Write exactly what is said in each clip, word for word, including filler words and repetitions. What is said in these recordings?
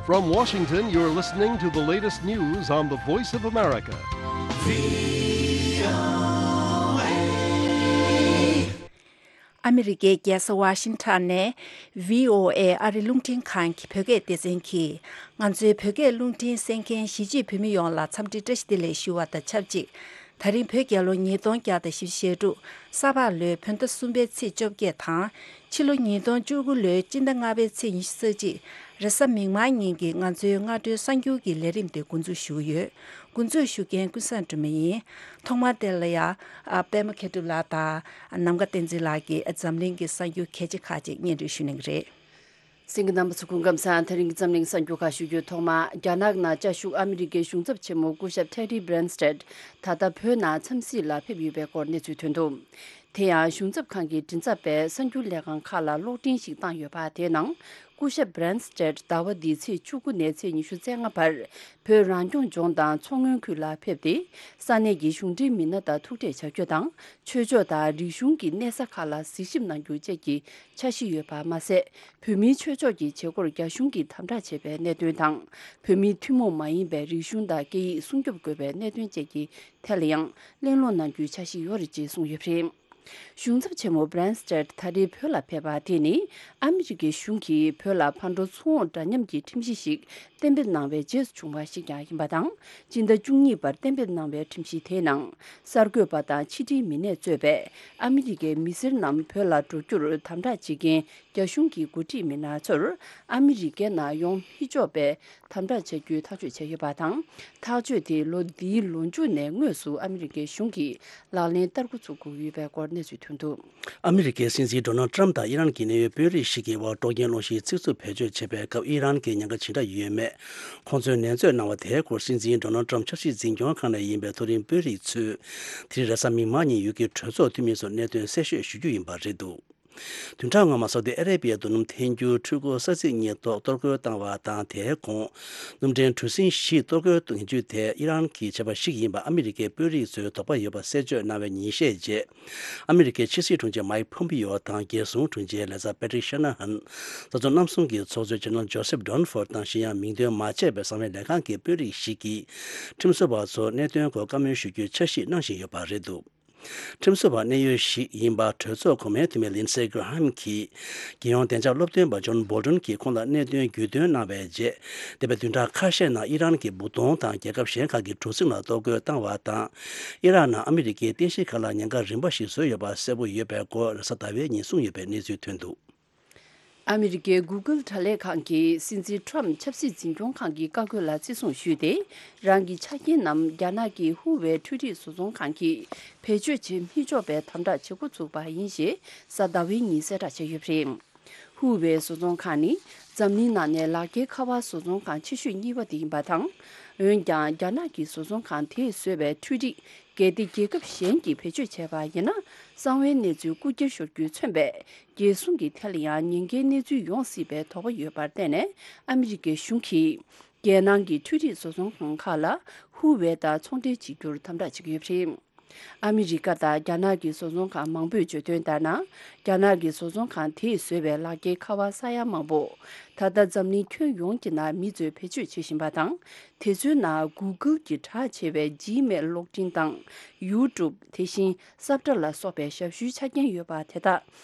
From Washington, you're listening to the latest news on the Voice of America. ཨ་མི་རི་ཀའི་རྒྱལ་ས་ཝ་ཤིང་ཊོན་ནས་བྷི་ཨོ་ཨེ་ཨ་རི་རླུང་འཕྲིན་ཁང་གི་བོད་སྐད་སྡེ་ཚན་གྱིས། ང་ཚོའི་བོད་སྐད་རླུང་འཕྲིན་གསན་མཁན་གཞིས་བྱེས་བོད་མི་ཡོངས་ལ་འཚམས་འདྲི་བཀྲ་ཤིས་བདེ་ལེགས་ཞུ་བ་དང་ཆབས་ཅིག་ད་རིང་བོད་རྒྱལ་ལོ་ཉིས་སྟོང་བརྒྱ་དང་བཞི་བཅུ་ཞེ་དྲུག་ས་ཕག་ལོའི་བོད་ཟླ་གསུམ་པའི་ཚེས་བཅོ་བརྒྱད་དང་། ཕྱི་ལོ་ཉིས་སྟོང་བཅུ་དགུ་ལོའི་སྤྱི་ཟླ་ལྔ་པའི་ཚེས་ཉི་ཤུ་རྩ་གཅིག་རེས་གཟའ་མིག་དམར་ཉིན་གྱི་ང་ཚོའི་སྔ་དྲོའི་གསར་འགྱུར་གྱི་ལས་རིམ་དེ་འགོ་འཛུགས་ཞུ་གི་ཡོད། འགོ་འཛུགས་ཞུ་མཁན་ཀུན་བཟང་སྒྲོལ་མ་ཡིན། ཐོག་མར་དེ་ལ་ཡ། ཨ། པད་མ་མཁས་གྲུབ་ལགས་དང་། ནམ་མཁའ་བསྟན་འཛིན་ལགས་ཀྱིས་འཛམ་གླིང་གི་གསར་འགྱུར་གལ་ཆེ་ཁག་ཅིག་སྙན་སྒྲོན་ཞུ་གནང་གི་རེད། གསན་མཁན་རྣམ་པ་ཚོ་སྐུ་ཁམས་བཟང་། དེ་རིང་གི་འཛམ་གླིང་གསར་འགྱུར་ཁག་ཞུ་རྒྱུའི་ཐོག་མ། རྒྱ་ནག་ནང་བཅའ་བཞུགས་ཨ་མི་རི་ཀའི་གཞུང་ཚབ་ཆེན་མོ་སྐུ་ཞབས་ཐེ་རི་བྷི་རན་སྟེད་ད་ལྟ་བོད་ནང་འཚམས་གཟིགས་ལ་ཕེབས་ཡོད་པའི་སྐོར་གནས་ཚུལ་ཐོན་འདུག་དེ་ཡང་གཞུང་ཚབ་ཁང་གི་མགྲིན་ཚབ་པས་གསར་འགྱུར་ལས་ཁང་ཁག་ལ་གློག་འཕྲིན་ཞིག་བཏང་ཡོད་པ། དེའི་ནང་སྐུ་ཞབས་བྷི་རན་སྟེད་ཟླ་བ་འདིའི་ཚེས་བཅུ་དགུ་ནས་ཚེས་ཉི་ཤུ་རྩ་ལྔ་བར་བོད་རང་སྐྱོང་ལྗོངས་དང་མཚོ་སྔོན་ཁུལ་ལ་ཕེབས་ཏེ། ས་གནས་ཀྱི་གཞུང་འབྲེལ་མི་སྣ་དང་ཐུག་འཕྲད་བྱ་རྒྱུ་དང་། ཆོས་ཕྱོགས་དང་རིག་གཞུང་གི་གནས་ས་ཁག་ལ་གཟིགས་ཞིབ་གནང་རྒྱུ་བཅས་ཀྱི་འཆར་གཞི་ཡོད་པ་མ་ཟད། བོད་མིའི་ཆོས་ཕྱོགས་ཀྱི་བྱེད་སྒོར་རྒྱ་གཞུང་གིས་དམ་དྲག་བྱས་པའི་གནད་དོན་དང་། བོད་མིའི་ཐུན་མོང་མ་ཡིན་པའི་རིག་གཞུང་དང་སྐད་ཡིག་སྲུང་སྐྱོབ་དགོས་པའི་གནད་དོན་བཅས་ཀྱི་ཐད་ལ་ཡང་གླེང་སློང་གནང་རྒྱུའི་འཆར་གཞི་ཡོད་རེད་ཅེས་གསུངས་ཡོད་པ་རེད། གཞུང་ཚབ་ཆེན་མོ་བྷི་རན་སྟེད་ད་རེས་བོད་ལ་ཕེབས་པ་དེ་ནི། ཨ་མི་རི་ཀའི་གཞུང་གིས་བོད་ལ་ཕར་འགྲོ་ཚུར་འོང་འདྲ་མཉམ་གྱི་ཁྲིམས་གཞི་ཞིག་གཏན་འབེབས་གནང་བའི་རྗེས་སུ་བྱུང་བ་ཞིག་ཀྱང་ཡིན་པ་དང་། སྤྱི་ཟླ་བཅུ་གཉིས་པར་གཏན་འབེབས་གནང་བའི་ཁྲིམས་གཞི་དེའི་ནང་། གསར་འགོད་པ་དང་ཕྱི་འབྲེལ་མི་སྣས་གཙོས་པའི་ཨ་མི་རི་ཀའི་མི་སེར་རྣམས་བོད་ལ་འགྲོ་རྒྱུར་དམ་དྲག་བྱེད་མཁན་རྒྱ་གཞུང་གི་འགོ་ཁྲིད་མི་སྣ་ཚོར་ཨ་མི་རི་ཀའི་ནང་ཡོང་མི་ཆོག་པའི་དམ་དྲག་བྱ་རྒྱུའི་ཐག་གཅོད་བྱས་ཡོད་པ་དང་། ཐག་གཅོད་དེ་ལོ་འདིའི་ལོ་མཇུག་ནས་དངོས་སུ་ཨ་མི་རི་ཀའི་གཞུང་གིས་ལག་ལེན་བསྟར་འགོ་ཚུགས་དགོས་ཡོད་པའི་སྐོར་གནས་ཚུལ་ཐོན་འདུག་ཨ་མི་རི་ཀའི་སྲིད་འཛིན་ཌོ་ནལ་ཏྲམ་དང་ཨི་རན་གྱི་གནད་ཡོད་དཔོན་རིགས་ཤིག་གི་དབར་དཀྲོག་རྐྱེན་སློང་གཞིའི་ཚིག་རྩུབ་བེད་སྤྱོད་བྱས་པའི་སྐབས། ཨི་རན་གྱི་ཉེན་ཁ་ཇི་འདྲ་ཡོད་མེད་ཁོང་ཚོས་ནན་བརྗོད་གནང་བ་དེའི་སྐོར། སྲིད་འཛིན་ཌོ་ནལ་ཏྲམ་ཆབ་སྲིད་འཛིན་སྐྱོང་ཁང་ནས་ཡིན་པའི་མཐོ་རིམ་དཔོན་རིགས་ཚོས་དེ་རིང་རེས་གཟའ་མིག་དམར་ཉིན་ཡུལ་གྱི་གྲོས་ཚོགས་འཐུས་མི་ཚོར་གནད་དོན་གསལ་བཤད་ཞུ་རྒྱུ་ཡིན་པ་རེད་འདུག་བདུན་ཕྲག་སྔོན་མ་སོ་ཏི་ཨ་རེ་པི་ཡའི་རྡོ་སྣུམ་འཐེན་རྒྱུའི་འཕྲུལ་འཁོར་ས་ཚིགས་གཉིས་ཐོག་གཏོར་རྒོལ་བཏང་བ་དང་། དེའི་གོང་སྣུམ་འདྲེན་གྲུ་གཟིངས་བཞི་གཏོར་རྒོལ་གཏོང་རྒྱུ་དེ་ཨི་རན་གྱིས་བྱས་པ་ཞིག་ཡིན་པ་ཨ་མི་རི་ཀའི་དཔོན་རིགས་ཚོས་དོགས་པ་ཡོད་པ་གསལ་བརྗོད་གནང་བའི་ཉིན་ཤས་རྗེས། ཨ་མི་རི་ཀའི་ཕྱི་སྲིད་དྲུང་ཆེ་མའིག་ཕོམ་པི་ཡོ་དང་། རྒྱལ་སྲུང་དྲུང་ཆེ་ལེ་ཛར་པེ་ཏྲིག་ཤ་ན་ཧན། རྩ་ཚོགས་རྣམ་གསུམ་གྱི་ཚོགས་གཙོ་ཇེ་ནེ་རལ་ཇོ་སེབ་ཌོན་ཧྥོར་དང་། གཞན་ཡང་མིང་འདོན་མ་བྱས་པའི་གསང་བའི་ལས་ཁང་གི་དཔོན་རིགས་ཤིག་གིས་ཁྲིམས་བཟོ་བ་ཚོར་གནད་དོན་སྐོར་བཀའ་མོལ་ཞུ་རྒྱུའི་འཆར་གཞི་གནང་བཞིན་ཡོད་པ་རེད་འདུག་ཁྲིམས་བཟོ་བ་གནད་ཡོད་ཞིག་ཡིན་པ་གྲོས་ཚོགས་གོང་མའི་འཐུས་མི་ལིན་སེ་གྷ་ར་ཧམ་གྱིས། རྒྱལ་ཡོངས་བདེ་འཇགས་སློབ་སྟོན་པ་ཇོན་བོལ་ཏོན་གྱིས་ཁོང་ལ་གནད་དོན་བརྒྱུད་སྟོན་གནང་བའི་རྗེས། འདས་པའི་བདུན་ཕྲག་ཁ་ཤས་ནང་ཨི་རན་གྱི་བུ་སྟོང་དང་རྒྱལ་ཁབ་གཞན་ཁག་གི་གྲུ་གཟིངས་ལ་གཏོར་རྒོལ་བཏང་བ་དང་། ཨི་རན་ནང་ཨ་མི་རི་ཀའི་རྟེན་གཞིའི་ཁ་ལ་ཉེན་ཁ་རིམ་པ་ཞིག་བཟོས་ཡོད་པ་གསལ་པོ་ཡོད་པའི་སྐོར་རེས་གཟའ་ཟླ་བའི་ཉིན་གསུངས་ཡོད་པའི་གནས་ཚུལ་ཐོན་འདུག་ཨ་མི་རི་ཀའི་གུ་གལ་དྲ་ལས་ཁང་གིས་སྲིད་འཛིན་ཊམ་ཆབ་སྲིད་འཛིན་སྐྱོང་ཁང་གི་བཀའ་བཀོད་ལ་བརྩི་སྲུང་ཞུས་ཏེ། རང་གི་ཆ་རྐྱེན་རྣམས་རྒྱ་ནག་གི་ཧུ་ཝེ་འཕྲུལ་རིག་བཟོ་ཚོང་ཁང་གིས་བེད་སྤྱོད་བྱེད་མི་ཆོག་པའི་དམ་དྲག་བྱེད་འགོ་ཚུགས་པ་ཡིན་ཞེས་གཟའ་ཟླ་བའི་ཉིན་གསལ་བསྒྲགས་བྱས་ཡོད་པ་རེད། ཧུ་ཝེ་བཟོ་ཚོང་ཁང་ནི་འཛམ་གླིང་ནང་ནས་ལག་འཁྱེར་ཁ་པར་བཟོ་ཚོང་ཁང་ཆེ་ཤོས་གཉིས་པ་དེ་ཡིན་པ་དང་། འོན་ཀྱང་རྒྱ་ནག་གི་བཟོ་ཚོང་ཁང་དེས་བཟོས་པའི་འཕྲུལ་རིག་གལ་ཏེ་རྒྱལ་ཁབ་གཞན་གྱིས་བེད་སྤྱོད་བྱས་པ་ཡིན་ན། གསང་བའི་གནས་ཚུལ་རྐུ་འཁྱེར་ཤོར་རྒྱུས་མཚོན་པའི་རྒྱལ་སྲུང་གི་ཐད་ལ་ཡང་ཉེན་ཁའི་གནས་ཚུལ་ཡོང་སྲིད་པའི་དོགས་པ་ཡོད་པར་བརྟེན་ནས། ཨ་མི་རི་ཀའི་གཞུང་གིས་རྒྱལ་ནང་གི་འཕྲུལ་རིག་བཟོ་ཚོང་ཁང་ཁག་ལ་ཧུ་ཝེ་དང་ཚོང་འབྲེལ་བྱེད་རྒྱུར་དམ་དྲག་བྱེད་ཀྱི་ཡོད་པ་རེད། ཨ་མི་རི་ཀ་དང་རྒྱ་ནག་གི་བཟོ་ཚོང་ཁང་མང་པོས་བརྗོད་དོན་ལྟར་ན། རྒྱ་ནག་གི་བཟོ་ཚོང་ཁང་དེས་བཟོས་པའི་ལག་འཁྱེར་ཁ་པར་ས་ཡ་མང་པོ་ད་ལྟ་འཛམ་གླིང་ཁྱོན་ཡོངས་ཀྱི་ནང་མི་ཚོས་བེད་སྤྱོད་བྱེད་བཞིན་པ་དང་། དེ་ཚོའི་ནང་གུ་གལ་གྱི་གྲགས་ཆེ་བའི་ཇི་མེལ་གློག་འཕྲིན་དང་ཡུ་ཊུབ། དེ་བཞིན་སབ་ཊར་ལ་སོགས་པའི་ཞབས་ཞུའི་ཆ་རྐྱེན་ཡོད་པ་དེ་དག་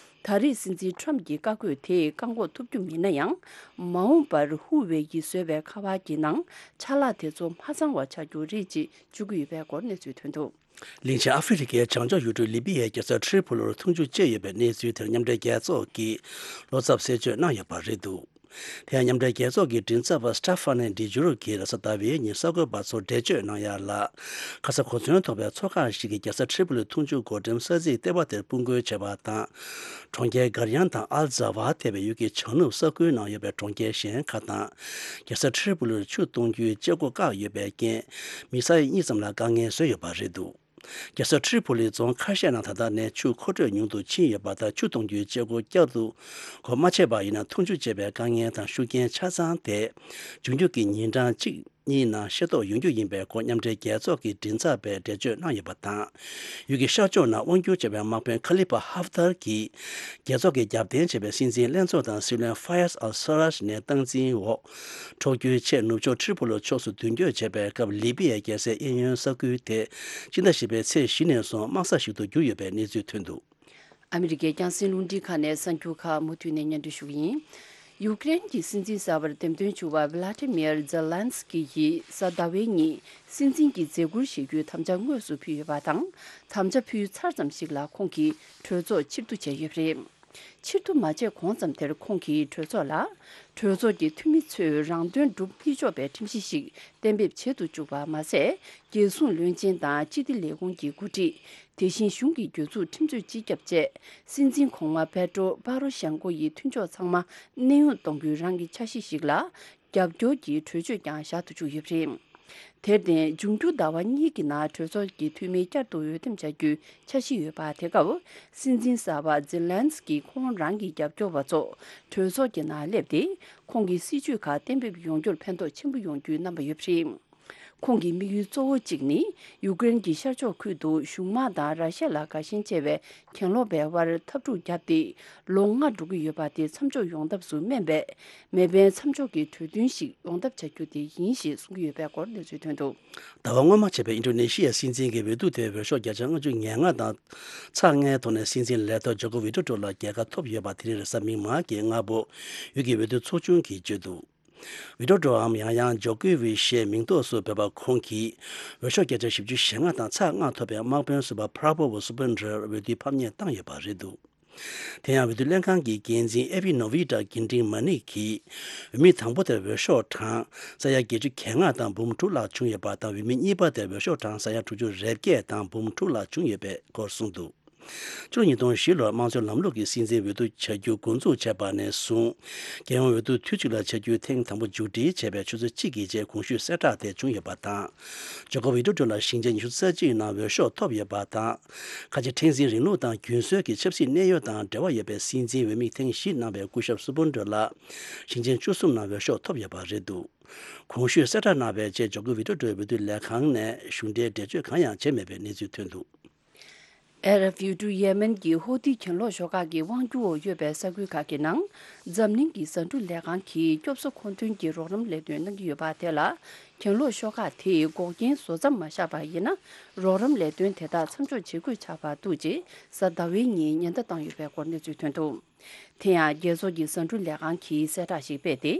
ད་རེས་སྲིད་འཛིན་ཊམ་གྱི་བཀའ་བཀོད་དེས་བཀག་འགོག་ཐུབ་རྒྱུ་མིན་ན་ཡང་། མ་འོངས་པར་ཧུ་ཝེ་ཡིས་བཟོས་པའི་ཁ་པར་གྱི་ནང་ཆ་ལག་དེ་ཚོ་མ་ཚང་བ་ཆགས་རྒྱུ་རེད་ཅེས་བརྗོད་ཀྱི་ཡོད་པའི་སྐོར་གནས་ཚུལ་ཐོན་འདུག་གླིང་ཆེན་ཨ་ཧྥེ་རི་ཁའི་བྱང་ཕྱོགས་ཡུལ་གྲུ་ལི་པི་ཡའི་རྒྱལ་ས་ཏྲི་པོ་ལིར་འཐུང་ཆུ་བཅད་ཡོད་པའི་གནས་ཚུལ་དེར་མཉམ་འབྲེལ་རྒྱལ་ཚོགས་ཀྱིས་བློ་འཚབ་གསལ་བརྗོད་གནང་ཡོད་པ་རེད་འདུག་དེ་ཡང་མཉམ་འབྲེལ་རྒྱལ་ཚོགས་ཀྱི་མགྲིན་ཚབ་པ་སི་ཊ་ཧྥ་ནེ་ཌི་ཇུ་རུ་གིས་རེས་གཟའ་ཟླ་བའི་ཉིན་གསར་འགོད་པ་ཚོར་འགྲེལ་བརྗོད་གནང་ཡ་ལ། ཁ་ས་གོ་མཚོན་ཐོགས་པའི་མཚོ་ཁག་ཞིག་གིས་རྒྱལ་ས་ཏྲི་པོ་ལི་འཐུང་ཆུ་བགོ་འགྲེམས་ས་ཚིགས་ལྟེ་བ་དེར་སྤུར་འགུལ་བྱས་པ་དང་། གྲོང་ཁྱེར་གར་ཡང་དང་ཨལ་ཛ་ཝ་ཐེ་བའི་ཡུལ་གྱི་བྱང་ནུབ་ས་ཁུལ་ནང་ཡོད་པའི་གྲོང་ཁྱེར་གཞན་ཁག་དང་། རྒྱལ་ས་ཏྲི་པོ་ལིར་ཆུ་གཏོང་རྒྱུའི་བཅད་སྒོ་བཀག་ཡོད་པའི་རྐྱེན། མི་ས་ཡ་གཉིས་ཙམ་ལ་དཀའ་ངལ་བཟོས་ཡོད་པ་རེད་འདུག་རྒྱལ་ས་ཁྲི་ཕུ་ལི་རྫོང་ཁ་ཤས་ནང་ད་ལྟ་ནས་ཆུ་མཁོ་སྤྲོད་ཉུང་དུ་ཕྱིན་ཡོད་པ་དང་། ཆུ་གཏོང་རྒྱུའི་བྱེད་སྒོ་བསྐྱར་དུ་སྒོ་མ་ཕྱེ་བ་ཡིན་ན། འཐུང་ཆུ་བཅད་པའི་དཀའ་ངལ་དང་ཤུགས་རྐྱེན་ཆ་ཚང་དེ་འབྱུང་རྒྱུ་གི་ཉིན་གྲངས་གཅིག་ གཉིས་ནང་ཤེས་རྟོགས་ཡོང་རྒྱུ་ཡིན་པའི་སྐོར་མཉམ་འབྲེལ་རྒྱལ་ཚོགས་ཀྱི་མགྲིན་ཚབ་པས་འགྲེལ་བརྗོད་གནང་ཡོད་པ་དང་། ཡུལ་གྱི་ཤར་ཕྱོགས་ནང་དབང་སྒྱུར་བྱས་པའི་དམག་དཔོན་ཁ་ལི་ཕ་ཧབ་ཐར་གྱིས། རྒྱལ་ཚོགས་ཀྱི་རྒྱབ་རྟེན་བྱས་པའི་སྲིད་འཛིན་ལྷན་ཚོགས་དང་སྲིད་བློན་ཕ་ཡས་ཨལ་ས་རཱཇ་ནས་སྟངས་འཛིན་འོག། འཕྲོག་རྒྱུའི་ཆེད་ནུབ་ཕྱོགས་ཁྲི་པོ་ལོ་ཕྱོགས་སུ་མདུན་སྐྱོད་བྱས་པའི་སྐབས། ལི་པི་ཡའི་རྒྱལ་སའི་གཡས་གཡོན་ས་ཁུལ་དེ། སྤྱི་ཟླ་བཞི་པའི་ཚེས་བཞི་ནས་བཟུང་དམག་ས་ཞིག་ཏུ་གྱུར་ཡོད་པའི་གནས་ཚུལ་ཐོན་འདུག། ཨ་མི་རི་ཀའི་རྒྱང་སྲིང་རླུང་འཕྲིན་ཁང་ནས་གསར་འགྱུར་ཁག་མུ་མཐུད་ནས་སྙན་སྒྲོན་ཞུ་གི་ཡིན། ཡུཀ་རེན་གྱི་སྲིད་འཛིན་གསར་པར་འདེམས་ཐོན་བྱུང་བ་ཝི་ལ་ཏི་མིར་ཛེ་ལན་སི་ཀི་ཡིས་གཟའ་ཟླ་བའི་ཉིན་སྲིད་འཛིན་གྱི་མཛད་ཁུར་བཞེས་རྒྱུའི་དམ་བཅའ་དངོས་སུ་ཕུལ་ཡོད་པ་དང་། དམ་བཅའ་ཕུལ་ཚར་ཙམ་ཞིག་ལ་ཁོང་གིས་གྲོས་ཚོགས་ཕྱིར་བསྡུ་བྱས་ཡོད་པ་རེད། ཕྱིར་བསྡུ་མ་བྱས་གོང་ཙམ་དེར་ཁོང་གིས་གྲོས་ཚོགས་ལ། གྲོས་ཚོགས་ཀྱི་འཐུས་མི་ཚོས་རང་དོན་སྒྲུབ་མི་ཆོག་པའི་ཁྲིམས་གཞི་ཞིག་གཏན་འབེབས་བྱེད་དུ་བཅུག་པ་མ་ཟད། རྒྱལ་སྲུང་བློན་ཆེན་དང་སྤྱི་བདེ་ལས་ཁུངས་ཀྱི་འགོ་ཁྲིད། དེ་བཞིན་གཞུང་གི་གྱོད་འཛུགས་ཁྲིམས་རྩོད་སྤྱི་ཁྱབ་བཅས། སྲིད་འཛིན་གོང་མ་པེ་ཏྲོ་པ་རོ་ཤན་ཀོ་ཡི་མཐུན་ཕྱོགས་ཚང་མ་གནས་དབྱུང་གཏོང་རྒྱུའི་རང་གི་འཆར་གཞི་ཞིག་ལ། རྒྱབ་སྐྱོར་གྱི་གྲོས་ཆོད་ཀྱང་བཞག་ཏུ་བཅུག་ཡོད་པ་རེད། དེར་བརྟེན། འབྱུང་འགྱུར་ཟླ་བ་གཉིས་ཀྱི་ནང་གྲོས་ཚོགས་ཀྱི་འཐུས་མི་བསྐྱར་དུ་འོས་འདེམས་བྱ་རྒྱུའི་འཆར་གཞི་ཡོད་པ། དེ་སྐབས། སྲིད་འཛིན་གསར་པ་ཛེ་ལན་སི་ཀིས་ཁོང་རང་གི་རྒྱབ་སྐྱོར་བ་ཚོ་གྲོས་ཚོགས་ཀྱི་ནང་སླེབས་ཏེ། ཁོང་གི་སྲིད་བྱུས་ཁག་གཏན་འབེབས་ཡོང་རྒྱུར་ཕན་ཐོགས་ཆེན་པོ་ཡོང་རྒྱུའི་རྣམ་པ་ཡོད་པ་རེད། ཁོང་གི་དམིགས་ཡུལ་གཙོ་བོ་གཅིག་ནི། ཡུཀ་རེན་གྱི་ཤར་ཕྱོགས་ཁུལ་དུ་གཞུང་དམག་དང་ར་ཤ་ལ་དགའ་ཞེན་ཆེ་བའི་གྱེན་ལོག་པའི་དབར་འཐབ་འཁྲུག་བརྒྱབ་སྟེ། ལོ་ལྔ་འགྲོ་གི་ཡོད་པ་དེ་མཚམས་འཇོག་ཡོང་ཐབས་སུ་སྨན་པའི་མེ་འཕེན་མཚམས་འཇོག་གི་གྲོས་མཐུན་ཞིག་ཡོང་ཐབས་བྱ་རྒྱུ་དེ་ཡིན་ཞེས་གསུང་གི་ཡོད་པའི་སྐོར་གནས་ཚུལ་ཐོན་འདུག། ཟླ་བ་སྔོན་མ་བྱས་པའི་ཨིན་ཌོ་ནེ་ཤི་ཡའི་སྲིད་འཛིན་གྱི་འོས་བསྡུ་དེའི་འོས་ཤོག་བརྒྱ་ཆ་ལྔ་བཅུ་ང་ལྔ་དང་ཚེག་ལྔའི་ཐོག་ནས་སྲིད་འཛིན་ལས་ཐོག་ཇོ་ཀོ་ཝི་ཌོ་ཌོ་ལ་རྒྱལ་ཁ་ཐོབ་ཡོད་པ། དེ་རིང་རེས་གཟའ་མིག་དམར་གྱི་སྔ་པོ་ཡུལ་གྱི་འོས་བསྡུ་ཚོགས་ཆུང་གིས་བརྗོད་འདུག། ཝི་ཌོ་ཌོའམ་ཡང་ཡང་ཇོ་ཀོ་ཝི་ཞེས་མིང་འདོགས་སུ་འབོད་པ་ཁོང་གིས་འོས་ཤོག་བརྒྱ་ཆ་བཞི་བཅུ་ཞེ་ལྔ་དང་ཚེག་ལྔ་ཐོབ་པའི་དམག་དཔོན་ཟུར་པ་ཕ་ར་བོ་སུ་པན་དྲར་འོས་བསྡུའི་ཕམ་ཉེས་བཏང་ཡོད་པ་རེད་འདུག། དེ་ཡང་འོས་བསྡུ་ལྷན་ཁང་གི་འགན་འཛིན་ཨེ་བྷི་ནོ་ཝི་ཏྲ་གིན་ཏིང་མ་ནིག་གིས་འོས་མི་དང་པོ་དེར་འོས་ཤོག་གྲངས་ས་ཡ་བརྒྱད་ཅུ་གྱ་ལྔ་དང་འབུམ་དྲུག་ལྷག་བྱུང་ཡོད་པ་དང་། འོས་མི་གཉིས་པ་དེར་འོས་ཤོག་གྲངས་ས་ཡ་དྲུག་ཅུ་རེ་བརྒྱད་དང་འབུམ་དྲུག་ལྷག་བྱུང་ཡོད་པའི་སྐོར་གསུངས་འདུག། ཕྱི་ལོ་ཉིས་སྟོང་བཞི་ལོར་དམངས་གཙོའི་ལམ་ལུགས་ཀྱི་སྲིད་འཛིན་འོས་བསྡུ་བྱ་རྒྱུ་འགོ་འཛུགས་བྱས་པ་ནས་བཟུང་། རྒྱལ་ཡོངས་འོས་བསྡུ་དུས་གཅིག་ལ་བྱ་རྒྱུ་ཐེངས་དང་པོ་མཇུག་སྒྲིལ་བྱས་པའི་ཆུ་ཚོད་གཅིག་གི་རྗེས་གོང་ཞུས་གསལ་བསྒྲགས་དེ་བྱུང་ཡོད་པ་དང་། ཇོ་ཀོ་ཝི་ཌོ་ཌོ་ལ་ཞིང་ཆེན་ཉི་ཤུ་རྩ་གཅིག་ནང་འོས་ཤོག་ཐོབ་ཡོད་པ་དང་། ཁ་ཆེ་ཕྲེང་འཛིན་རིང་ལུགས་དང་རྒྱུན་སྲོལ་གྱི་ཆབ་སྲིད་གནད་ཡོད་དང་འབྲེལ་བ་ཡོད་པའི་སྲིད་འཛིན་འོས་མི་ཐེངས་བཞི་གནང་བའི་སྐུ་ཞབས་སུ་པུན་ཌོ་ལ་ཞིང་ཆེན་བཅུ་གསུམ་ནང་འོས་ཤོག་ཐོབ་ཡོད་པ་རེད་འདུག། གོང་ཞུས་གསལ་བསྒྲགས་གནང་བའི་རྗེས་ཇོ་ཀོ་ཝི་ཌོ་ཌོའི་འོས་བསྡུ་ལས་ཁང་ནས་གཞུང་འབྲེལ་འགྲེལ་བརྗོད་གང་ཡང་བྱས་མེད་པའི་གནས་ཚུལ་ཐོན་འདུག། ཨ་རབ་ཡུལ་གྲུ་ཡེ་མེན་གྱི་ཧོ་ཐི་གྱེན་ལོག་ཤོག་ཁག་གི་དབང་སྒྱུར་འོག་ཡོད་པའི་ས་ཁུལ་ཁག་གི་ནང་འཛམ་གླིང་གི་ཟ་འབྲུ་ལས་ཁང་གིས་སྐྱོབ་གསོ་མཁོ་འདོན་གྱི་རོགས་རམ་ལས་དོན་གནང་གི་ཡོད་པ་དེ་ལ། གྱེན་ལོག་ཤོག་ཁག་དེས་འགོག་རྐྱེན་བཟོ་མཚམས་མ་བཞག་པ་ཡིན་ན། རོགས་རམ་ལས་དོན་དེ་དག་མཚམས་འཇོག་བྱེད་དགོས་ཆགས་པ་འདུག་ཅེས་གཟའ་ཟླ་བའི་ཉིན་ཉེན་བརྡ་བཏང་ཡོད་པའི་སྐོར་གནས་ཚུལ་ཐོན་འདུག། དེ་ཡང་རྒྱལ་ཚོགས་ཀྱི་ཟ་འབྲུ་ལས་ཁང་གིས་གསལ་བསྒྲགས་ཤིག་སྤེལ་ཏེ།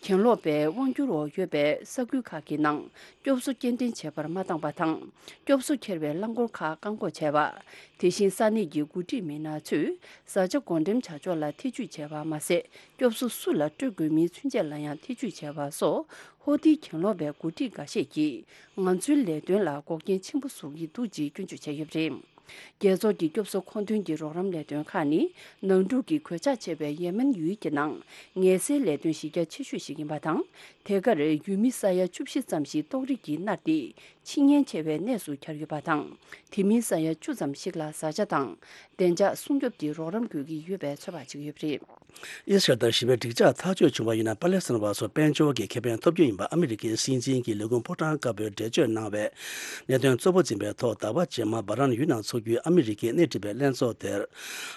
གྱེན་ལོག་པའི་དབང་སྒྱུར་འོག་ཡོད་པའི་ས་ཁུལ་ཁག་གི་ནང་སྐྱོབ་གསོ་སྐྱེལ་འདྲེན་བྱེད་པར་མ་བཏང་པ་དང་། སྐྱོབ་གསོ་འཁྱེར་བའི་རླངས་འཁོར་ཁག་བཀག་འགོག་བྱས་པ། དེ་བཞིན་ས་གནས་ཀྱི་འགོ་ཁྲིད་མི་སྣ་ཚོས་བཟའ་བཅའ་བགོ་འགྲེམས་བྱ་ཕྱོགས་ལ་ཐེ་ཇུས་བྱས་པ་མ་ཟད། སྐྱོབ་གསོ་སུ་ལ་སྤྲོད་དགོས་མིན་ཚུན་ཆད་ལ་ཡང་ཐེ་ཇུས་བྱས་པ་སོགས། ཧོ་ཐིའི་གྱེན་ལོག་པའི་འགོ་ཁྲིད་འགའ་ཤས་ཀྱིས་ང་ཚོའི་ལས་དོན་ལ་འགོག་རྐྱེན་ཆེན་པོ་བཟོ་གི་འདུག་ཅེས་སྐྱོན་བརྗོད་བྱས་ཡོད་པ་རེད། རྒྱལ་ཚོགས་ཀྱི་སྐྱོབ་གསོ་མཁོ་འདོན་གྱི་རོགས་རམ་ལས་དོན་ཁག་ནི། ནང་འཁྲུག་གི་གོད་ཆག་ཆེ་བའི་ཡེ་མེན་ཡུལ་གྱི་ནང་ངལ་སེལ་ལས་དོན་གཞི་རྒྱ་ཆེ་ཤོས་ཤིག་ཡིན་པ་དང་། དེ་གར་ཡུལ་མི་ས་ཡ་བཅུ་བཞི་ཙམ་ཞིག་ཏོག་དབྱིབས་ཀྱིས་མནར་ཏེ། འཆི་ཉེན་ཆེ་བའི་གནས་སུ་གྱར་ཡོད་པ་དང་། དེ་མིན་ས་ཡ་བཅུ་ཙམ་ཞིག་ལ་བཟའ་བཅའ་དང་། བདེ་འཇགས་སྲུང་སྐྱོབ་ཀྱི་རོགས་རམ་དགོས་ཀྱི་ཡོད་པའི་ཚོད་དཔག་བྱེད་ཀྱི་ཡོད་པ་རེད། ཨི་སི་རལ་དང་ཞི་བའི་འགྲིག་འཇགས་ཐག་གཅོད་བྱུང་བ་ཡིན་ན། པ་ལེ་སི་ཐན་བ་ཚོ་དཔལ་འབྱོར་གྱི་ཁེ་ཕན་ཐོབ་རྒྱུ་ཡིན་པ་ཨ་མི་རི་ཀའི་སྲིད་འཛིན་གྱིས་ལས་ཁུངས་ཕོ་བྲང་དཀར་པོར་འགྲེལ་བརྗོད་གནང་བའི་གནད་དོན་གཙོ་བོ་འཛིན་པའི་ཐོག་ཟླ་བ་རྗེས་མ་སྦ་རན་ཡུལ་ནང་འཚོགས་རྒྱུའི་ཨ་མི་རི་ཀའི་སྣེ་ཁྲིད་པའི་ལྷན་ཚོགས་དེར།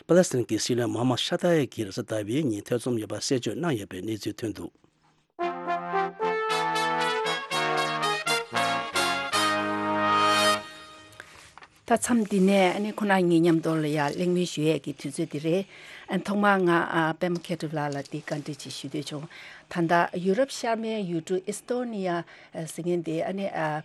པ་ལེ་སི་ཐན་གྱི་སྲིད་བློན་མོ་ཧམ་མད་ཤ་ཏཱ་ཡེ་གིས་རེས་གཟའ་ཟླ་བའི་ཉིན་ཐེ་ཚོམ་ཡོད་པ་གསལ་བརྗོད་གནང་ཡོད་པའི་གནས་ཚུལ་ཐོན་འདུག། ད་མཚམས་འདི་ནས་ཨ་ནི་ཁོ་ན་ངའི་མཉམ་དུ་ལ་ཡ་གླེང་མོལ་ཞུ་ཡས་ཀྱི་དུས་ཚོད་འདི་རེད། ཨ་ཐོག་མར་ང་ཨ་པད་མ་མཁས་གྲུབ་ལགས་ལ་འདི་བཀའ་འདྲི་ཅིག་ཞུ་འདོད་བྱུང་། ད་ལྟ་ཡུ་རོབ་ཤར་མའི་ཡུལ་གྲུ་ཨི་སི་ཏོ་ནི་ཡ་ཟེར་མཁན་འདི་ཨ་ནི་ཨ་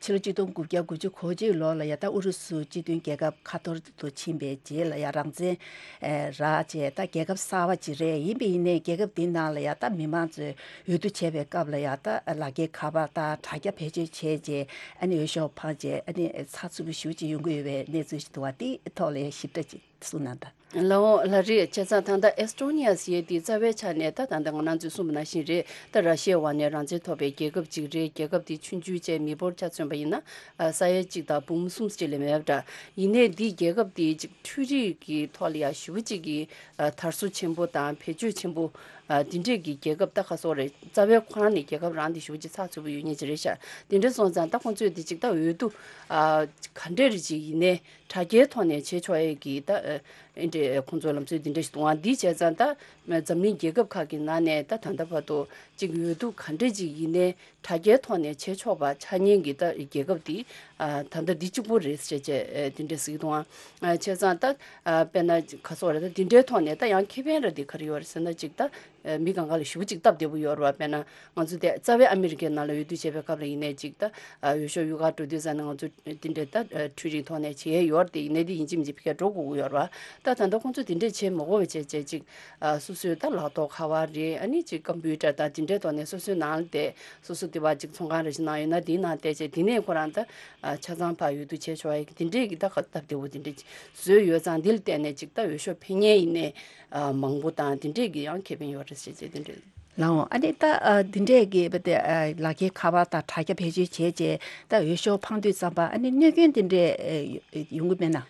ཕྱི་ལོ་གཅིག་སྟོང་དགུ་བརྒྱ་དགུ་བཅུ་གོ་གཅིག་ལོ་ལ་ཡ་ད་ཨུ་རུ་སུ་སྤྱི་མཐུན་རྒྱལ་ཁབ་ཁ་ཐོར་དུ་ཕྱིན་པའི་རྗེས་ལ་ཡ་རང་བཙན་ཨེ་རག་བྱས་ད་རྒྱལ་ཁབ་གསར་པ་ཅིག་རེད། ཡིན་པ་ཡིན་ནའི་རྒྱལ་ཁབ་འདི་ནང་ལ་ཡ་ད་མི་མང་ཚོས་འོས་བསྡུ་བྱས་པའི་སྐབས་ལ་ཡ་ད་ལག་འཁྱེར་ཁ་པར་དང་དྲ་རྒྱ་བེད་སྤྱོད་བྱས་རྗེས་ཨ་ནི་འོས་ཤོག་འཕངས་རྗེས་ཨ་ནི་ཚགས་ཚུད་པོ་ཞེ་པོ་ཅིག་ཡོང་གི་ཡོད་པའི་གནས་ཚུལ་ཞིག་འདུག་པ། དེའི་ཐོག་ལ་ཡ་ཞིབ་ཕྲ་ཅིག་གསུངས་གནང་དང་། ལའོ་ལ་རེད། བྱས་ཙང་ད་ལྟ་ཨེ་སི་ཊོ་ནི་ཡ་ཟེར་ཡས་དེ་རྩ་བའི་ཆ་ནས་ད་ད་ལྟ་ང་རང་ཚོས་གསུངས་པ་ནང་བཞིན་རེད། ད་ར་ཤི་ཡའི་འོག་ནས་རང་བཙན་ཐོབ་པའི་རྒྱལ་ཁབ་ཅིག་རེད། རྒྱལ་ཁབ་དེ་ཆུང་ཆུང་བྱས་མི་འབོར་ཆ་མཚོན་པ་ཡིན་ན་ཨ་ས་ཡ་གཅིག་དང་འབུམ་གསུམ་ཅིག་ལས་མེད་པ་འདྲ། ཡིན་ནའི་འདི་རྒྱལ་ཁབ་དེ་ཅིག་འཕྲུལ་རིག་གི་ཐོག་ལ་ཡ་ཞེ་པོ་ཅིག་གི་ཨ་དར་སྲོལ་ཆེན་པོ་དང་བེད་སྤྱོད་ཆེན་པོ། ཨ་འདི་འདྲས་ཀྱི་རྒྱལ་ཁབ་ད་ག་སོག་རེད། རྩ་བའི་ཁོ་རང་ནས་རྒྱལ་ཁབ་རང་དེ་ཞེ་པོ་ཅིག་ཚགས་ཚུད་པོ་ཡོད་མཁན་ཅིག་རེད་ཤག་དེ་འདྲས་སོང་ཙང་ད་ཁོང་ཚོས་དེ་ཅིག་ད་འོས་བསྡུ་ཨ་ག་འདྲས་རེ་ཅིག་ཡིན་ནའི་དྲ་རྒྱའི་ཐོག་ནས་བྱེད་ཆོག་ཡས་ཀྱི་ད་ཨ་ཨེ་འདྲས་ཁོང་ཚོའི་ལམ་སྲོལ་དེ་འདྲས་ཞིག་འདུག་ཨ་འདི་བྱས་ཙང་ད་འཛམ་གླིང་རྒྱལ་ཁབ་ཁག་གི་ནང་ནས་ད་ད་ལྟ་བར་དུ་ཅིག་འོས་བསྡུ་ག་འདྲས་ཅིག་ཡིན་ནའི་དྲ་རྒྱའི་ཐོག་ནས་བྱེད་ཆོག་པ་ཆགས་མཁན་གྱི་ད་རྒྱལ་ཁབ་དེ་ཨ་ད་ལྟ་འདི་གཅིག་པོ་རེད་ཟེར་བྱས་ཨ་དེ་འདྲས་ཟེར་གྱི་འདུག་ཨ། བྱས་ཙང་ད་ཨ་དཔེར་ན་ག་སོག་རེད། ད་དེ་འདྲའི་ཐོག་ནས་ད་ཡང་ཁེ་ཕན་ར་དེ་ག་རེ་ཡོད་རེད་ཟེར་ན་ཅིག་ད་ཨ་མི་གང་ག་ལ་ཞེ་པོ་ཅིག་སྟབས་བདེ་པོ་ཡོད་རེད་བ། དཔེར་ན་ང་ཚོ་དེ་རྩ་བའི་ཨ་མི་རི་ཀའི་ནང་ལ་འོས་བསྡུ་བྱེད་པའི་སྐབས་ལ་ཡིན་ནའི་ཅིག་ད་ཨ་འོས་ཤོག་གཡུག་གར་འགྲོ་དུས་ཙང་ནས་ང་ཚོ་དེ་འདྲའི་ད་ཨ་འཕྲུལ་རིག་ཐོག་ནས་བྱེད་ཡས་ཡོད་རེད། དེ་ཡིན་ནའི་དེ་ཡིན་གཅིག་མིན་གཅིག་ཕ་གིར་འགྲོ་དགོས་ཀྱི་ཡོད་རེད་བ། ད་ད་ལྟ་ཁོང་ཚོ་དེ་འདྲས་བྱེད་མ་དགོས་པ་བྱས་བྱས་ཅིག་ཨ་སོ་སོའི་ད་ལག་ཐོག་ཁ་པར་རེད། ཨ་ནི་ཅིག་ཀམ་པུ་ཊར་དང་དེ་འདྲའི་ཐོག་ནས་སོ་སོའི་ནང་ལ་བསྡད། སོ་སོ་དེ་བ་ཅིག་ཚོང་ཁང་རེ་ཞིག་ནང་ཡོད་ན་དེའི་ནང་བསྡད་བྱས་དེ་ནས་ཁོ་རང་ད་ཨ་ཆ་ཚང་ཕར་འོས་བསྡུ་བྱས་ཆོག་ཡ་གི་དེ་འདྲས་ཀྱི་ད་ཁ་སྟབས་བདེ་པོ་དེ་འདྲས་བཟོས་ཡོད་ཙང་། འདི་ལ་བརྟེན་ནས་ཅིག་ད་འོས་ཤོག་འཕེན་མཁན་ཡིན་ནའི་ཨ་མང་པོ་དང་དེ་འདྲས་ཀྱི་ཡང་ཁེ་ཕན་ཡོད་རེད་ཟེར་བྱས་དེ་འདྲས། ལའོ། ཨ་ནི་ད་ཨ་འདི་འདྲས་ཀྱི་བ་དེ་ཨ་ལག་ཁྱེར་ཁ་པར་དང་དྲ་རྒྱ་བེད་སྤྱོད་བྱས་བྱས་ད་འོས་ཤོག་འཕང་དུས་ཙམ་པ་ཨ་ནི་གནོད་སྐྱོན་དེ་འདྲས་ཨ་ཡོང་གི་མེད་ན།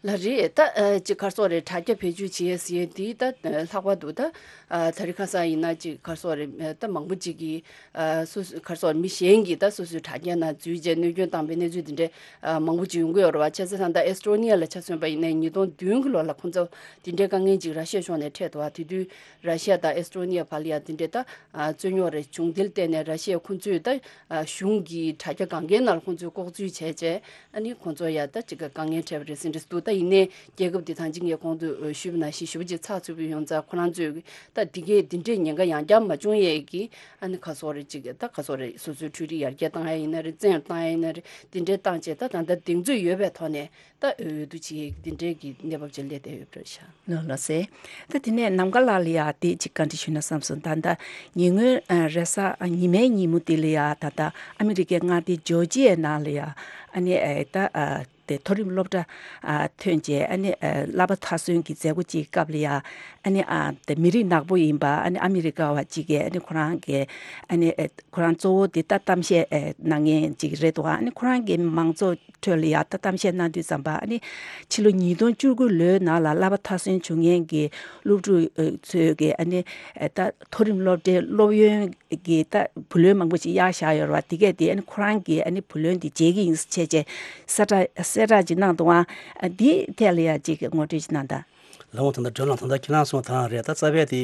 ལ་རེད། ད་ཨ་ཅིག་ག་རེ་ཟེར་རེད། དྲ་རྒྱ་བེད་སྤྱོད་བྱེད་ཟེར་ཡས་དེ་ད་ཨ་ལྷག་པར་དུ་ད་ཨ་དེ་རིང་ཁ་སང་ཡིན་ན་ཅིག་ག་རེ་ཟེར་རེད། ད་མང་པོ་ཅིག་གིས་ཨ་སོ་སོ་ག་རེ་ཟེར་རེད། མི་གཞན་གྱིས་ད་སོ་སོའི་དྲ་རྒྱ་ནང་འཛུལ་བྱས་གནོད་སྐྱོན་བཏང་པའི་གནས་ཚུལ་དེ་འདྲས་ཨ་མང་པོ་ཅིག་ཡོང་གི་ཡོད་རེད་བ། བྱས་ཙང་ད་ལྟ་ཨེ་སི་ཊོ་ནི་ཡ་ལ་ཆ་མཚོན་པ་ཡིན་ན་ཉིས་སྟོང་བདུན་གྱི་ལོ་ལ་ཁོང་ཚོ་དེ་འདྲའི་དཀའ་ངལ་ཅིག་ར་ཤི་ཡ་ཕྱོགས་ནས་འཕྲད་འདུག་བ། དེ་དུས་ར་ཤི་ཡ་དང་ཨེ་སི་ཊོ་ནི་ཡ་བར་ལ་ཡ་དེ་འདྲའི་ད་ཨ་རྩོད་རྙོག་རེ་བྱུང་། དེ་ལ་བརྟེན་ནས་ར་ཤི་ཡ་ཁོང་ཚོས་ད་ཨ་གཞུང་གི་དྲ་རྒྱ་སྒང་གའི་ནང་ལ་ཁོང་ཚོས་ལྐོག་འཛུལ་བྱས་བྱས། ཨ་ནི་ཁོང་ཚོ་ཡ་ད་ཅིག་དཀའ་ངལ་འཕྲད་པ་རེད་ཟེར་འདྲ་འདུག་ད་ཡིན་ནའི་རྒྱལ་ཁབ་འདི་ཐང་ཅིག་ངས་གོང་དུ་ཞུས་པ་ནང་བཞིན་ཞེ་པོ་ཅིག་ཚགས་ཚུད་པོ་ཡོང་ཙང་། ཁོ་རང་ཚོས་ད་འདི་གས་འདི་འདྲའི་ཉེན་ཁ་ཡང་བསྐྱར་མ་བྱུང་ཡས་ཀྱི་ཨ་ནི་ག་རེ་ཟེར་རེད། ཅིག་ད་ག་རེ་ཟེར་རེད། སོ་སོའི་འཕྲུལ་རིག་ཡར་རྒྱས་བཏང་ཡ་ཡིན་ན་རེད། བཙན་བཏང་ཡ་ཡིན་ན་རེད། འདི་འདྲའི་བཏང་བྱས་ད་ད་ལྟ་གདེང་ཚོད་ཡོད་པའི་ཐོག་ནས་ད་འོས་བསྡུ་བྱེད་ཡས་འདི་འདྲའི་གི་གནས་བབ་ཅིག་སླེབས་བསྡད་ཡོད་པ་རེད་ཤག་ལགས་ལགས་སེ། ད་དེ་ནས་ནམ་མཁའ་ལགས་ལ་ཡ་དེ་ཅིག་བཀའ་འདྲི་ཞུས་ན་བསམ་སོང་། ད་ད་ཉེ་སྔོན་ཨ་རེས་གཟའ་ཉི་མའི་ཉིན་མོ་དེ་ལ་ཡ་ད་ལྟ་ཨ་མི་རི་ཀའི་མངའ་སྡེ་ཇོར་ཇི་ཡའི་ནང་ལ་ཡ་ཨ་ནི་ཨ་ད་ཨ་དེ་མཐོ་རིམ་སློབ་གྲྭ་ཨ་ཐོན་བྱས་ཨ་ནི་ཨ་བསླབ་པ་མཐར་སོན་གྱི་མཛད་སྒོ་ཅིག་སྐབས་ལ་ཡ་ཨ་ནི་ཨ་དེ་མི་རིགས་ནག་པོ་ཡིན་པ་ཨ་ནི་ཨ་མི་རི་ཀ་བ་ཅིག་གིས་ཨ་ནི་ཁོ་རང་གི་ཨ་ནི་ཨ་ཁོ་རང་གཙོ་བོ་དེ་ད་གཏམ་བཤད་ཨ་གནང་མཁན་ཅིག་རེད་འདུག་ཨ་ནི་ཁོ་རང་གི་མང་ཚོགས་ཁྲོད་ལ་ཡ་ད་གཏམ་བཤད་གནང་དུས་ཙམ་པ་ཨ་ནི་ཕྱི་ལོ་ཉིས་སྟོང་བཅུ་དགུ་ལོའི་ནང་ལ་བསླབ་པ་མཐར་སོན་བྱུང་མཁན་གྱི་སློབ་ཕྲུག་ཨ་ཚོས་ཀྱི་ཨ་ནི་ཨ་ད་མཐོ་རིམ་སློབ་གྲྭའི་སློབ་ཡོན་གྱི་ད་བུ་ལོན་མང་པོ་ཞིག་གཡར་བཞག་ཡོད་རེད་བ། དེ་གས་དེ་ཨ་ནི་ཁོ་རང་གིས་ཨ་ནི་བུ་ལོན་དེ་འཇལ་གྱི་ཡིན་ཟེར་བྱས་བྱས་གསལ་བསྒྲགས་གསལ་བསྒྲགས་ཅིག་གནང་འདུག་ཨ་འདིའི་ཐད་ལ་ཡ་ཅིག་ངོ་སྤྲོད་ཅིག་གནང་དང་། ལགས་འོང་། ད་ལྟ་སྒྲོལ་ལགས་ད་ལྟ་ཁྱེད་རང་གསུངས་པ་དང་རེད། ད་རྩ་བའི་དེ་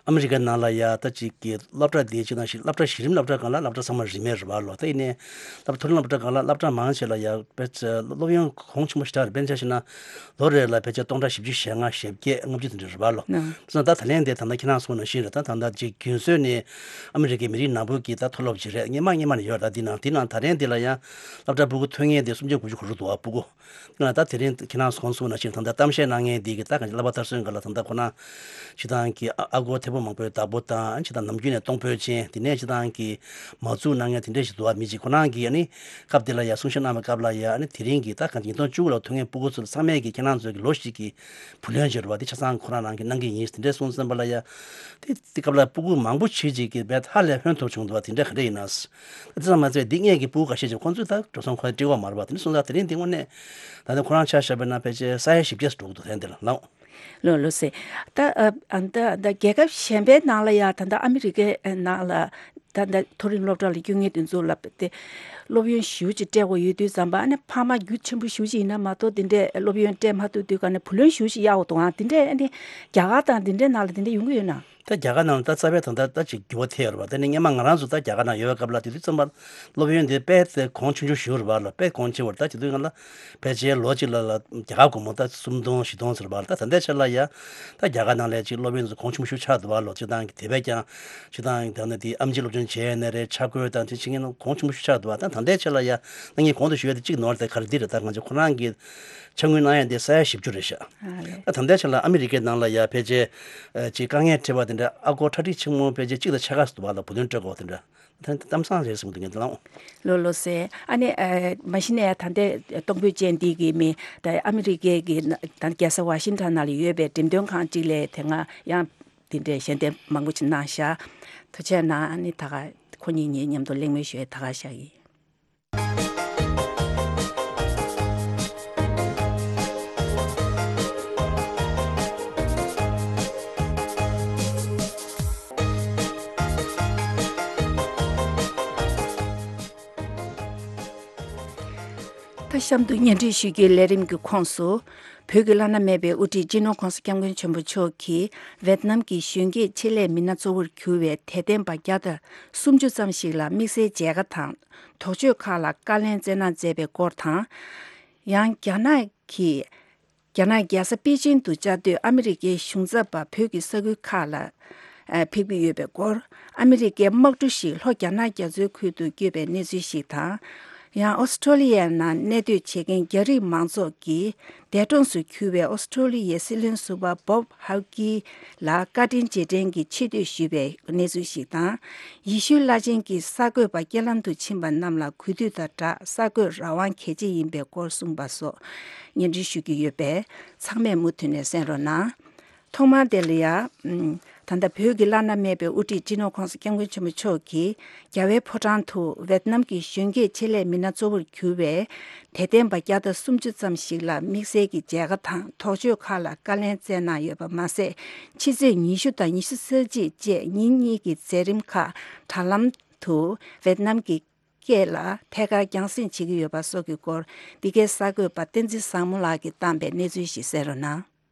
ཨ་མི་རི་ཀའི་ནང་ལ་ཡ་ད་ཅིག་གི་སློབ་གྲྭ་དེ་ཅིག་ནང་བཞིན་སློབ་གྲྭ་གཞི་རིམ་སློབ་གྲྭ་སྒང་ལ་སློབ་གྲྭ་ཚང་མ་རིན་མེད་རེད་བ་ལོ། ད་ཡིན་ནའི་སློབ་མཐོ་རིམ་སློབ་གྲྭ་སྒང་ལ་སློབ་གྲྭ་མང་ཆེ་ལ་ཡ་དཔེ་ཆ་སློབ་ཡོན་གོང་ཆེན་པོ་ཞེ་དྲག་རེད། དཔེར་ན་ཆ་བཞག་ན་ལོ་རེ་ལ་ཕལ་ཆེར་སྟོང་ཕྲག་བཞི་བཅུ་ཞེ་ལྔ་ཞེ་བརྒྱད་ལྔ་བཅུ་དེ་འདྲ་རེད་བ་ལོ། ཨང་། བྱས་ཙང་ད་ད་ལན་དེ་ད་ལྟ་ཁྱེད་རང་གསུངས་པ་ནང་བཞིན་རེད། ད་ད་ལྟ་ཅིག་རྒྱུན་སྲོལ་ནས་ཨ་མི་རི་ཀའི་མི་རིགས་ནག་པོ་གི་ད་མཐོ་སློབ་ཅིག་རེད། སྔོན་མ་སྔོན་མ་ནས་ཡོད་རེད། ད་འདི་ནང་འདི་ནང་ད་ལན་འདི་ལ་ཡང་སློབ་གྲྭ་ཕྲུ་གུ་ཐོན་མཁན་དེ་སུམ་ཅུ་དགུ་བཅུ་གོ་དྲུག་འདུག་བ། ཕྲུ་གུ་ད་དེ་རིང་ཁྱེད་རང་གོང་གསུངས་ནང་བཞིན་ད་ལྟ་གཏམ་བཤད་གནང་མཁན་འདི་གི་ད་གང་ཅི་བསླབ་པ་མཐར་སོན་སྒང་ལ་ད་ལྟ་ཁོ་ན་སྤྱིར་བཏང་གི་ཨ་ཨ་སྒོར་ཐེར་འབུམ་མང་པོའི་བདག་པོ་དང་། སྤྱིར་བཏང་ནམ་རྒྱུན་ནས་གཏོང་ཕོད་ཅན། དེ་ནས་སྤྱིར་བཏང་གི་མ་བཙུགས་གནང་མཁན་དེ་འདྲས་ཞིག་འདུག་བ། མི་གཅིག་ཁོ་རང་གིས་ཨ་ནི་སྐབས་དེ་ལ་ཡ་གསུང་བཤད་གནང་བའི་སྐབས་ལ་ཡ་ཨ་ནི་དེ་རིང་གི་ད་གང་ཅི་ཉིས་སྟོང་བཅུ་དགུ་ལ་ཐོན་མཁན་ཕྲུ་གུ་ཚོ་ཚང་མས་ཀྱི་ཁྱེད་རང་ཚོ་གི་ལོ་གཅིག་གི་བུ་ལོན་བྱེད་རུ་བ་དེ་ཆ་ཚང་ཁོ་རང་རང་གིས་གནང་གི་ཡིན་དེ་འདྲས་གསུངས་ཙམ་པ་ལ་ཡ། དེ་དེ་སྐབས་ལ་ཕྲུ་གུ་མང་པོ་ཆེ་ཅིག་གིས་བས་ཧ་ལས་ཕན་ཐོགས་བྱུང་འདུག་བ། དེ་འདྲ་ག་འདྲ་ཡིན་ན། དེ་ཙམ་མ་ཚད་འདི་སྔས་ཀྱི་ཕྲུ་གུ་ཁ་ཤས་ཅིག་ཁོང་ཚོས་ད་འགྲོ་སོང་ཁོ་སྤྲད་ཀྱི་ཡོད་མ་རེད་བ། དེ་འདྲ་སོང་ཙང་དེ་རིང་འདི་དངོས་གནས་ད་ལྟ་ཁོ་རང་ཆ་བཞག་པ་ན་ཕལ་ཆེར་ས་ཡ་བཞི་བརྒྱ་ཙམ་འགྲོ་གི་འདུག་དེ་འདི་ལ་ལགས། ལགས་ལགས་སེ། ད་ཨ་ཨ་ད་ད་རྒྱལ་ཁབ་གཞན་པའི་ནང་ལ་ཡ་ད་ད་ཨ་མི་རི་ཀའི་ནང་ལ་ད་ད་མཐོ་རིམ་སློབ་གྲྭ་ལ་སྐྱོད་མཁན་དེ་ཚོ་ལ་དེ་སློབ་ཡོན་ཞེ་པོ་ཅིག་སྤྲད་དགོས་ཡོད་དུས་ཙམ་པ་ཨ་ནི་ཕ་མ་རྒྱུ་ཆེན་པོ་ཞེ་པོ་ཅིག་ཡིན་ན་མ་གཏོགས་དེ་འདྲས་སློབ་ཡོན་སྤྲད་མ་ཐུབ་དུས་ག་ནས་བུ་ལོན་ཞེ་པོ་ཅིག་གཡར་དགོས་འདུག་ཨང་། དེ་འདྲས་ཨ་ནི་རྒྱ་གར་དང་དེ་འདྲའི་ནང་ལ་དེ་འདྲས་ཡོང་གི་ཡོད་ན། ད་རྒྱ་གར་ནང་ལ་ད་རྩ་བའི་ད་ལྟ་ད་ཅིག་འགྱུར་བ་ཐེབས་ཡོད་རེད་པ། ད་ནི་སྔོན་མ་ང་རང་ཚོ་ད་རྒྱ་གར་ནང་ཡོད་པའི་སྐབས་ལ་དེ་དུས་ཙམ་པ་སློབ་ཡོན་དེ་དཔེ་དེ་གོང་ཆུང་ཆུང་ཞིག་རེད་པ་ལ། དཔེ་གོང་ཆེ་བ་རེད། ད་དེ་དུས་ང་ལ་ཕལ་ཆེར་ལོ་གཅིག་ལ་ལ་རྒྱ་གར་སྒོར་མོ་ད་སུམ་སྟོང་བཞི་སྟོང་ཟེར་བ་ལ། ད་ད་ལྟའི་ཆ་ལ་ཡ་ད་རྒྱ་གར་ནང་ལ་ཅིག་སློབ་ཡོན་དེ་གོང་ཆུང་ཤོས་ཆགས་འདུག་པ་ལོ། སྤྱིར་བཏང་གི་དེ་བས་ཀྱང་སྤྱིར་བཏང་གི་ད་ནི་དེ་ཨེམ་ཆི་སློབ་སྦྱོང་བྱས་ནས་རེད། ཆ་བགོས་དང་དེ་བྱེད་མཁན་གོང་ཆུང་ཤོས་ཆགས་འདུག་པ། ད་ད་ལྟའི་ཆ་ལ་ཡ་ད་ངས་གོང་དུ་ཞུ་ཡ་དེ་གཅིག་ནོར་དེ་ག་རེ་འདི་རེད། ད་ང་ཚོ་ཁོ་རང་གི་ཕྱག་དངུལ་གནང་ཡ་དེ་ས་ཡ་བཞི་བཅུ་རེད་ཤག་ཨ་ལས། ད་ད་ལྟའི་ཆ་ལ་ཨ་མི་རི་ཀའི་ནང་ལ་ཡ་ཕལ་ཆེར་ཨ་ཅིག་དཀའ་ངལ་འཕྲད་པ་དེ། འདྲ། ཨ་སྒོར་ཁྲལ་ཁྲིག་ཆེན་མོ་ཕལ་ཆེར་གཅིག་དང་ཕྱེད་ཀ་ཙམ་འདུག་པ་ལ། བུ་ལོན་སྤྲོད་དགོས་པ་དེ་འདྲ། ད་གཏམ་བཟང་རེད་བསམ་གྱི་འདུག་ངས་འདི་ལ། ལོ་ལོ་ཟེར། ཨ་ནི་ཨ་མ་གཞི་ནས་ད་ལྟའི་གཏོང་ཕོད་ཅན་འདི་གི་མི་ད་ཨ་མི་རི་ཀའི་གི་ད་རྒྱལ་ས་ཝ་ཤིང་ཊོན་ནང་ལ་ཡོད་པའི་འགྲེམས་སྟོན་ཁང་གཅིག་ལ་དེ་སྔ་ཡང་དེ་འདྲའི་ཞལ་འདེབས་མང་པོ་ཅིག་གནང་ཤག། ཐུགས་རྗེ་གནང་། ཨ་ནི་ད་ག་ཁོ་གཉིས་གཉིས་མཉམ་དུ་གླེང་མོལ་ཞུ་ཡས་ད་ག་བཞག་གི། ད་གཤམ་དུ་སྙན་སྒྲོན་ཞུ་རྒྱུའི་ལས་རིམ་གྱི་ཁོངས་སུ། བོད་ཀྱི་བླ་ན་མེད་པའི་དབུ་ཁྲིད་སྤྱི་ནོར་༧གོང་ས་༧སྐྱབས་མགོན་ཆེན་པོ་མཆོག་གིས་ཝེད་ནམ་གྱི་གཞོན་སྐྱེས་ཆེད་ལས་མི་སྣ་གཙོ་བོར་གྱུར་བའི་དད་ལྡན་པ་བརྒྱ་དང་སུམ་ཅུ་ཙམ་ཞིག་ལ་དམིགས་བསལ་མཇལ་ཁ་དང་དོགས་གཅོད་ཁག་ལ་བཀའ་ལན་སྩལ་གནང་མཛད་པའི་སྐོར་དང་། ཡང་རྒྱ་ནག་གིས། རྒྱ་ནག་རྒྱལ་ས་པེ་ཅིང་དུ་བཅའ་སྡོད་ཨ་མི་རི་ཀའི་གཞུང་ཚབ་པ་བོད་ཀྱི་ས་ཁུལ་ཁག་ལ་ཕེབས་ཀྱི་ཡོད་པའི་སྐོར། ཨ་མི་རི་ཀའི་དམག་གྲུ་ཞིག་ལྷོ་རྒྱ་ནག་རྒྱ་མཚོའི་ཁུལ་དུ་བསྐྱོད་པའི་གནས་ཚུལ་ཞིག་དང་། ཡང་ཨོ་སི་ཁྲོ་ལི་ཡའི་ནང་གནས་སྡོད་བྱེད་མཁན་རྒྱ་རིགས་མང་ཚོགས་ཀྱིས་འདས་གྲོངས་སུ་གྱུར་བའི་ཨོ་སི་ཁྲོ་ལི་ཡའི་སྲིད་བློན་ཟུར་པ་བོབ་ཧའུ་ཀི་ལ་བཀའ་དྲིན་རྗེས་དྲན་གྱི་ཆེ་བསྟོད་ཞུས་པའི་གནས་ཚུལ་ཞིག་དང་། ཡེ་ཤུའི་བླ་ཆེན་གྱིས་གསར་འགོད་པ་རྐྱེན་ལམ་དུ་ཕྱིན་པ་རྣམས་ལ་གུས་འདུད་དང་སྦྲགས་གསར་འགོད་རང་དབང་གལ་ཆེ་ཡིན་པའི་སྐོར་གསུངས་པ་སོགས་སྙན་སྒྲོན་ཞུ་གི་ཡོད་པས། ཚང་མས་མུ་མཐུད་ནས་གསན་རོགས་གནང་། ཐོག་མར་དེ་ལ་ཡ། ཨམ། ད་ལྟ་བོད་ཀྱི་བླ་ན་མེད་པའི་དབུ་ཁྲིད་སྤྱི་ནོར་༧གོང་ས་༧སྐྱབས་མགོན་ཆེན་པོ་མཆོག་གིས་རྒྱ་བལ་ཕོ་བྲང་དུ་ཝེད་ནམ་གྱི་གཞོན་སྐྱེས་ཆེད་ལས་མི་སྣ་གཙོ་བོར་གྱུར་བའི་དད་ལྡན་པ་བརྒྱ་དང་སུམ་ཅུ་ཙམ་ཞིག་ལ་དམིགས་བསལ་གྱི་མཇལ་ཁ་དང་དོགས་གཅོད་ཁག་ལ་བཀའ་ལན་སྩལ་གནང་ཡོད་པ་མ་ཟད། ཕྱི་ཚེས་ཉི་ཤུ་དང་ཉི་ཤུ་རྩ་གཅིག་བཅས་ཉིན་གཉིས་ཀྱི་མཛད་རིམ་ཁག་དྲ་ལམ་དུ་ཝེད་ནམ་གྱི་སྐད་ལ་ཐད་ཀར་རྒྱང་སྲིང་བྱེད་ཀྱི་ཡོད་པ་སོགས་ཀྱི་སྐོར། འདི་གའི་གསར་འགོད་པ་བསྟན་འཛིན་བཟང་མོ་ལགས་ཀྱིས་བཏང་པའི་གནས་ཚུལ་ཞིག་གསན་རོགས་གནང་།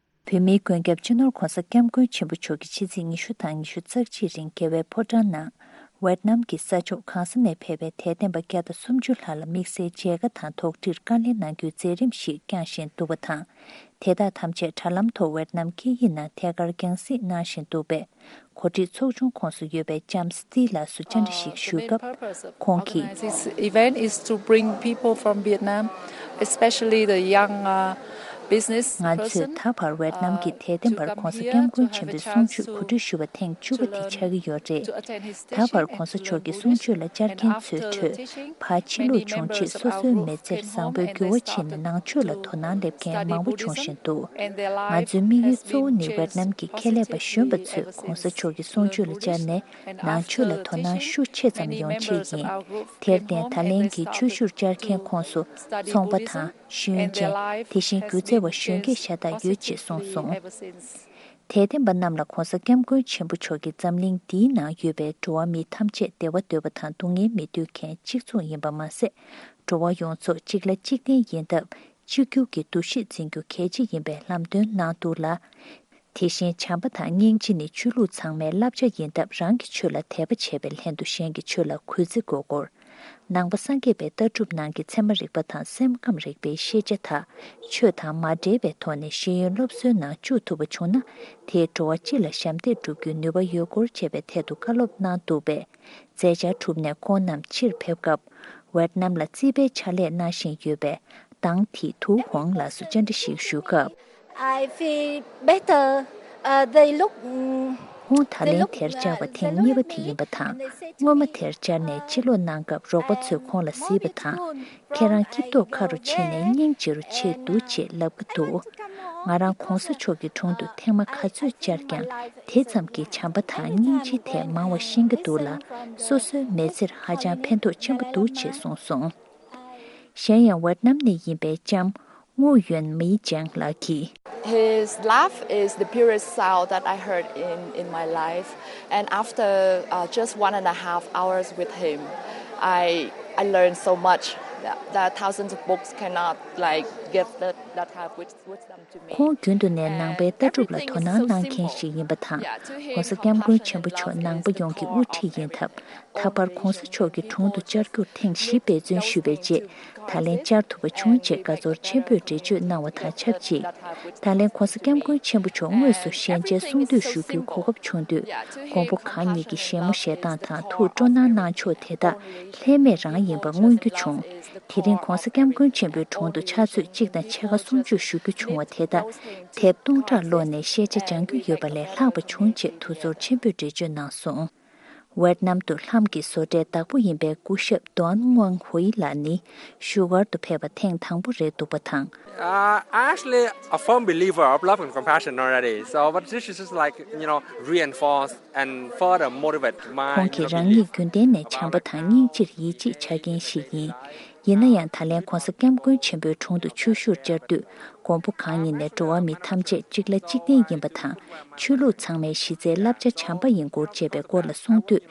བོད་མིའི་མགོན་སྐྱབས་སྤྱི་ནོར་༧གོང་ས་༧སྐྱབས་མགོན་ཆེན་པོ་མཆོག་གིས་ཕྱི་ཚེས་ཉི་ཤུ་དང་ཉི་ཤུ་རྩ་གཅིག་རིང་རྒྱ་བལ་ཕོ་བྲང་ནང་ཝེད་ནམ་གྱི་ས་ཕྱོགས་གང་ས་ནས་ཕེབས་པའི་དད་ལྡན་པ་བརྒྱ་དང་སུམ་ཅུ་ལྷག་ལ་དམིགས་བསལ་མཇལ་ཁ་དང་དོགས་འདྲིར་བཀའ་ལན་གནང་རྒྱུའི་མཛད་རིམ་ཞིག་བསྐྱངས་བཞིན་འདུག་པ་དང་། དེ་དག་ཐམས་ཅད་དྲ་ལམ་ཐོག་ཝེད་ནམ་སྐད་ཡིག་ནང་ཐད་ཀར་རྒྱང་སྲིང་གནང་བཞིན་འདུག་པས། གོ་སྒྲིག་ཚོགས་ཆུང་ཁོངས་སུ་ཡོད་པའི་ལྕམ་སི་ཏི་ལགས་སུ་བཅར་འདྲི་ཞིག་ཞུས་སྐབས། ཁོང་གིས། This event is to bring people from Vietnam, especially the young, uh, business person, ང་ཚོས་ད་བར་ཝེད་ནམ་གྱི་དད་ལྡན་པར་༧གོང་ས་༧སྐྱབས་མགོན་ཆེན་པོའི་གསུང་ཆོས་གོ་སྒྲིག་ཞུ་བ་ཐེངས་བཅུ་པ་དེ་ཆགས་ཀྱི་ཡོད་རེད། ད་བར་༧གོང་ས་མཆོག་གི་གསུང་ཆོས་ལ་བཅར་མཁན་ཚོའི་ཁྲོད། ཕར་ཕྱིན་ལུགས་བྱུང་རྗེས་སོ་སོའི་མི་ཚེར་བཟང་པོའི་འགྱུར་བ་ཕྱིན་ནས་ནང་ཆོས་ལ་དོ་སྣང་སླེབས་མཁན་མང་པོ་བྱུང་བཞིན་འདུག་ང་ཚོའི་དམིགས་ཡུལ་གཙོ་བོ་ནི་ཝེད་ནམ་གྱི་ཁེ་ལས་པ་གཞོན་པ་ཚོས་༧གོང་ས་མཆོག་གི་གསུང་ཆོས་ལ་བཅར་ནས་ནང་ཆོས་ལ་དོ་སྣང་ཤུགས་ཆེ་ཙམ་ཡོང་ཆེད་ཡིན། དེར་བརྟེན་ད་ལན་གྱི་ཆོས་ཞུར་བཅར་མཁན་ཁོངས་སུ་ཚོང་པ་དང་། ཤེས་ཡོན་ཅན། དེ་བཞིན་སྒྱུ་རྩལ་བ་གཞོན་སྐྱེས་ཤ་སྟག་ཡོད་ཅེས་གསུངས་སོང་། དད་ལྡན་པ་རྣམས་ལ་༧གོང་ས་༧སྐྱབས་མགོན་ཆེན་པོ་མཆོག་གིས་འཛམ་གླིང་འདིའི་ནང་ཡོད་པའི་འགྲོ་བ་མི་ཐམས་ཅད་བདེ་བ་འདོད་པ་དང་སྡུག་བསྔལ་མི་འདོད་མཁན་གཅིག་མཚུངས་ཡིན་པ་མ་ཟད། འགྲོ་བ་ཡོངས་རྫོགས་གཅིག་ལ་གཅིག་བརྟེན་ཡིན་སྟབས། གཅིག་གྱུར་གྱི་འདུ་ཤེས་འཛིན་རྒྱུ་གལ་ཆེ་ཡིན་པའི་ལམ་སྟོན་གནང་འདུག་ལ། དེ་བཞིན་བྱམས་པ་དང་སྙིང་རྗེ་ནི་ཆོས་ལུགས་ཚང་མའི་བསླབ་བྱ་ཡིན་སྟབས། རང་གི་ཆོས་ལ་དད་པ་བྱས་པའི་ལྷན་དུ་གཞན་གྱི་ཆོས་ལ་གུས་བརྩི་དགོས་སྐོར། ནང་པ་སངས་རྒྱས་པའི་ལྟ་གྲུབ་ནང་གི་ཚད་མ་རིག་པ་དང་སེམས་ཁམས་རིག་པའི་ཤེས་བྱ་དག་ཆོས་དང་མ་འབྲེལ་བའི་ཐོག་ནས་ཤེས་ཡོན་སློབ་གསོའི་ནང་བཅུག་ཐུབ་པ་བྱུང་ན། དེས་འགྲོ་བ་སྤྱི་ལ་ཞབས་འདེགས་སྒྲུབ་རྒྱུའི་ནུས་པ་ཡོད་སྐོར་བཅས་པའི་ཐད་དུ་བཀའ་སློབ་གནང་འདུག་པས། མཛད་འཆར་གྲུབ་ནས་ཁོང་རྣམས་ཕྱིར་ཕེབས་སྐབས། ཝེད་ནམ་ལ་རྩིས་པའི་ཕྱག་ལས་གནང་བཞིན་ཡོད་པའི་ཏང་ཐི་ཐུའུ་ཧོང་ལགས་སུ་བཅར་འདྲི་ཞིག་ཞུ་སྐབས། I feel better. Uh, they look, mm, ཁོང་ད་ལན་དེར་བཅར་བ་ཐེངས་གཉིས་པ་དེ་ཡིན་པ་དང་། སྔོན་མ་དེར་བཅར་ནས་ཕྱིར་ལོག་གནང་སྐབས། རོགས་པ་ཚོས་ཁོང་ལ་གཟིགས་པ་དང་། ཁྱེད་རང་སྐྱིད་ཐོག་ཁ་རུ་ཕྱིན་ནས་སྙིང་རྗེ་རུ་ཆེ་འདུག་ཅེས་ལབ་ཀྱི་འདུག་ང་རང་༧གོང་ས་མཆོག་གི་དྲུང་དུ་ཐེངས་མ་ག་ཚོད་བཅར་ཀྱང་། དེ་ཙམ་གྱིས་བྱམས་པ་དང་སྙིང་རྗེའི་ཐད་མང་བ་ཤེས་ཀྱི་འདུག་ལ། སོ་སོའི་མི་ཚེར་ཧ་ཅང་ཕན་ཐོགས་ཆེན་པོ་འདུག་ཅེས་གསུངས་སོང་། གཞན་ཡང་ཝེད་ནམ་ནས་ཡིན་པའི་ལྕམ་ངུ་ཡོན་མི་ཅང་ལགས་ཀྱིས། His laugh is the purest sound that I heard in, in my life. And after, uh, just one and a half hours with him, I, I learned so much. The, the thousands of books cannot, like, give that, that type of wisdom to me. ཁོང་རྒྱུན་དུ་ནས་ནང་པའི་ལྟ་གྲུབ་ལ་དོ་སྣང་གནང་མཁན་ཞིག་ཡིན་པ་དང་།༧གོང་ས་༧སྐྱབས་མགོན་ཆེན་པོ་མཆོག་ནང་པ་ཡོངས་ཀྱི་དབུ་ཁྲིད་ཡིན་སྟབས། ད་བར་༧གོང་ས་མཆོག་གི་དྲུང་དུ་བཅར་རྒྱུར་ཐེངས་བཞི་འབད་བརྩོན་ཞུས་པའི་རྗེས། ད་ལན་བཅར་ཐུབ་པ་བྱུང་རྗེས་དགའ་ཚོར་ཆེན་པོས་འགྲེལ་བརྗོད་གནང་བ་དང་ཆབས་ཅིག། ད་ལན་༧གོང་ས་༧སྐྱབས་མགོན་ཆེན་པོ་མཆོག་དངོས་སུ་ཞལ་མཇལ་གསུང་བསྟོད་ཞུ་རྒྱུའི་གོ་སྐབས་བྱུང་དུས། མགོན་པོ་གང་ཉིད་ཀྱི་བཞད་མོ་བཞད་སྟངས་དང་ཐུགས་སྤྲོ་སྣང་གནང་ཕྱོགས་དེ་དག་ལྷད་མེད་རང་ཡིན་པ་མངོན་རྒྱུ་བྱུང་། དེ་རིང་༧གོང་ས་༧སྐྱབས་མགོན་ཆེན་པོའི་དྲུང་དུ་ཕྱག་ཚོད་གཅིག་དང་ཕྱེད་ཀ་སུམ་ཅུ་ཞུ་རྒྱུ་བྱུང་བ་དེ་དག་དེབ་སྟོང་ཕྲག་ཀློག་ནས་ཤེས་བྱ་སྦྱང་རྒྱུ་ཡོད་པ་ལས་ལྷག་པ་བྱུང་ཅེས་ཐུགས་ཚོར་ཆེན་པོས་འགྲེལ་བརྗོད་གནང་སོང་། ཝེད་ནམ་དུ་ལྷམ་གྱི་བཟོ་གྲྭའི་བདག་པོ་ཡིན་པའི་སྐུ་ཞབས་ཏོན་ཝང་ཧུའེ་ལགས་ནི་བཞུགས་སྒར་དུ་ཕེབས་པ་ཐེངས་དང་པོ་རེད་འདུག་པ་དང་། Uh, I'm actually a firm believer of love and compassion already. So, but this is just like, you know, reinforce and further motivate my, ཁོང་གིས་རང་ཉིད་རྒྱུན་ལྡན་ནས་བྱམས་པ་དང་སྙིང་རྗེར་ཡིད་ཆེས་བྱ་མཁན་ཞིག་ཡིན། ཡིན་ན་ཡང་ད་ལན་༧གོང་ས་༧སྐྱབས་མགོན་ཆེན་པོའི་དྲུང་དུ་ཆོས་ཞུར་བཅར་དུས། མགོན་པོ་གང་ཉིད་ནས་འགྲོ་བ་མི་ཐམས་ཅད་གཅིག་ལ་གཅིག་བརྟེན་ཡིན་པ་དང་། ཆོས་ལུགས་ཚང་མའི་གཞི་རྩའི་བསླབ་བྱ་བྱམས་པ་ཡིན་སྐོར་བཅས་པའི་སྐོར་ལ་གསུངས་དུས།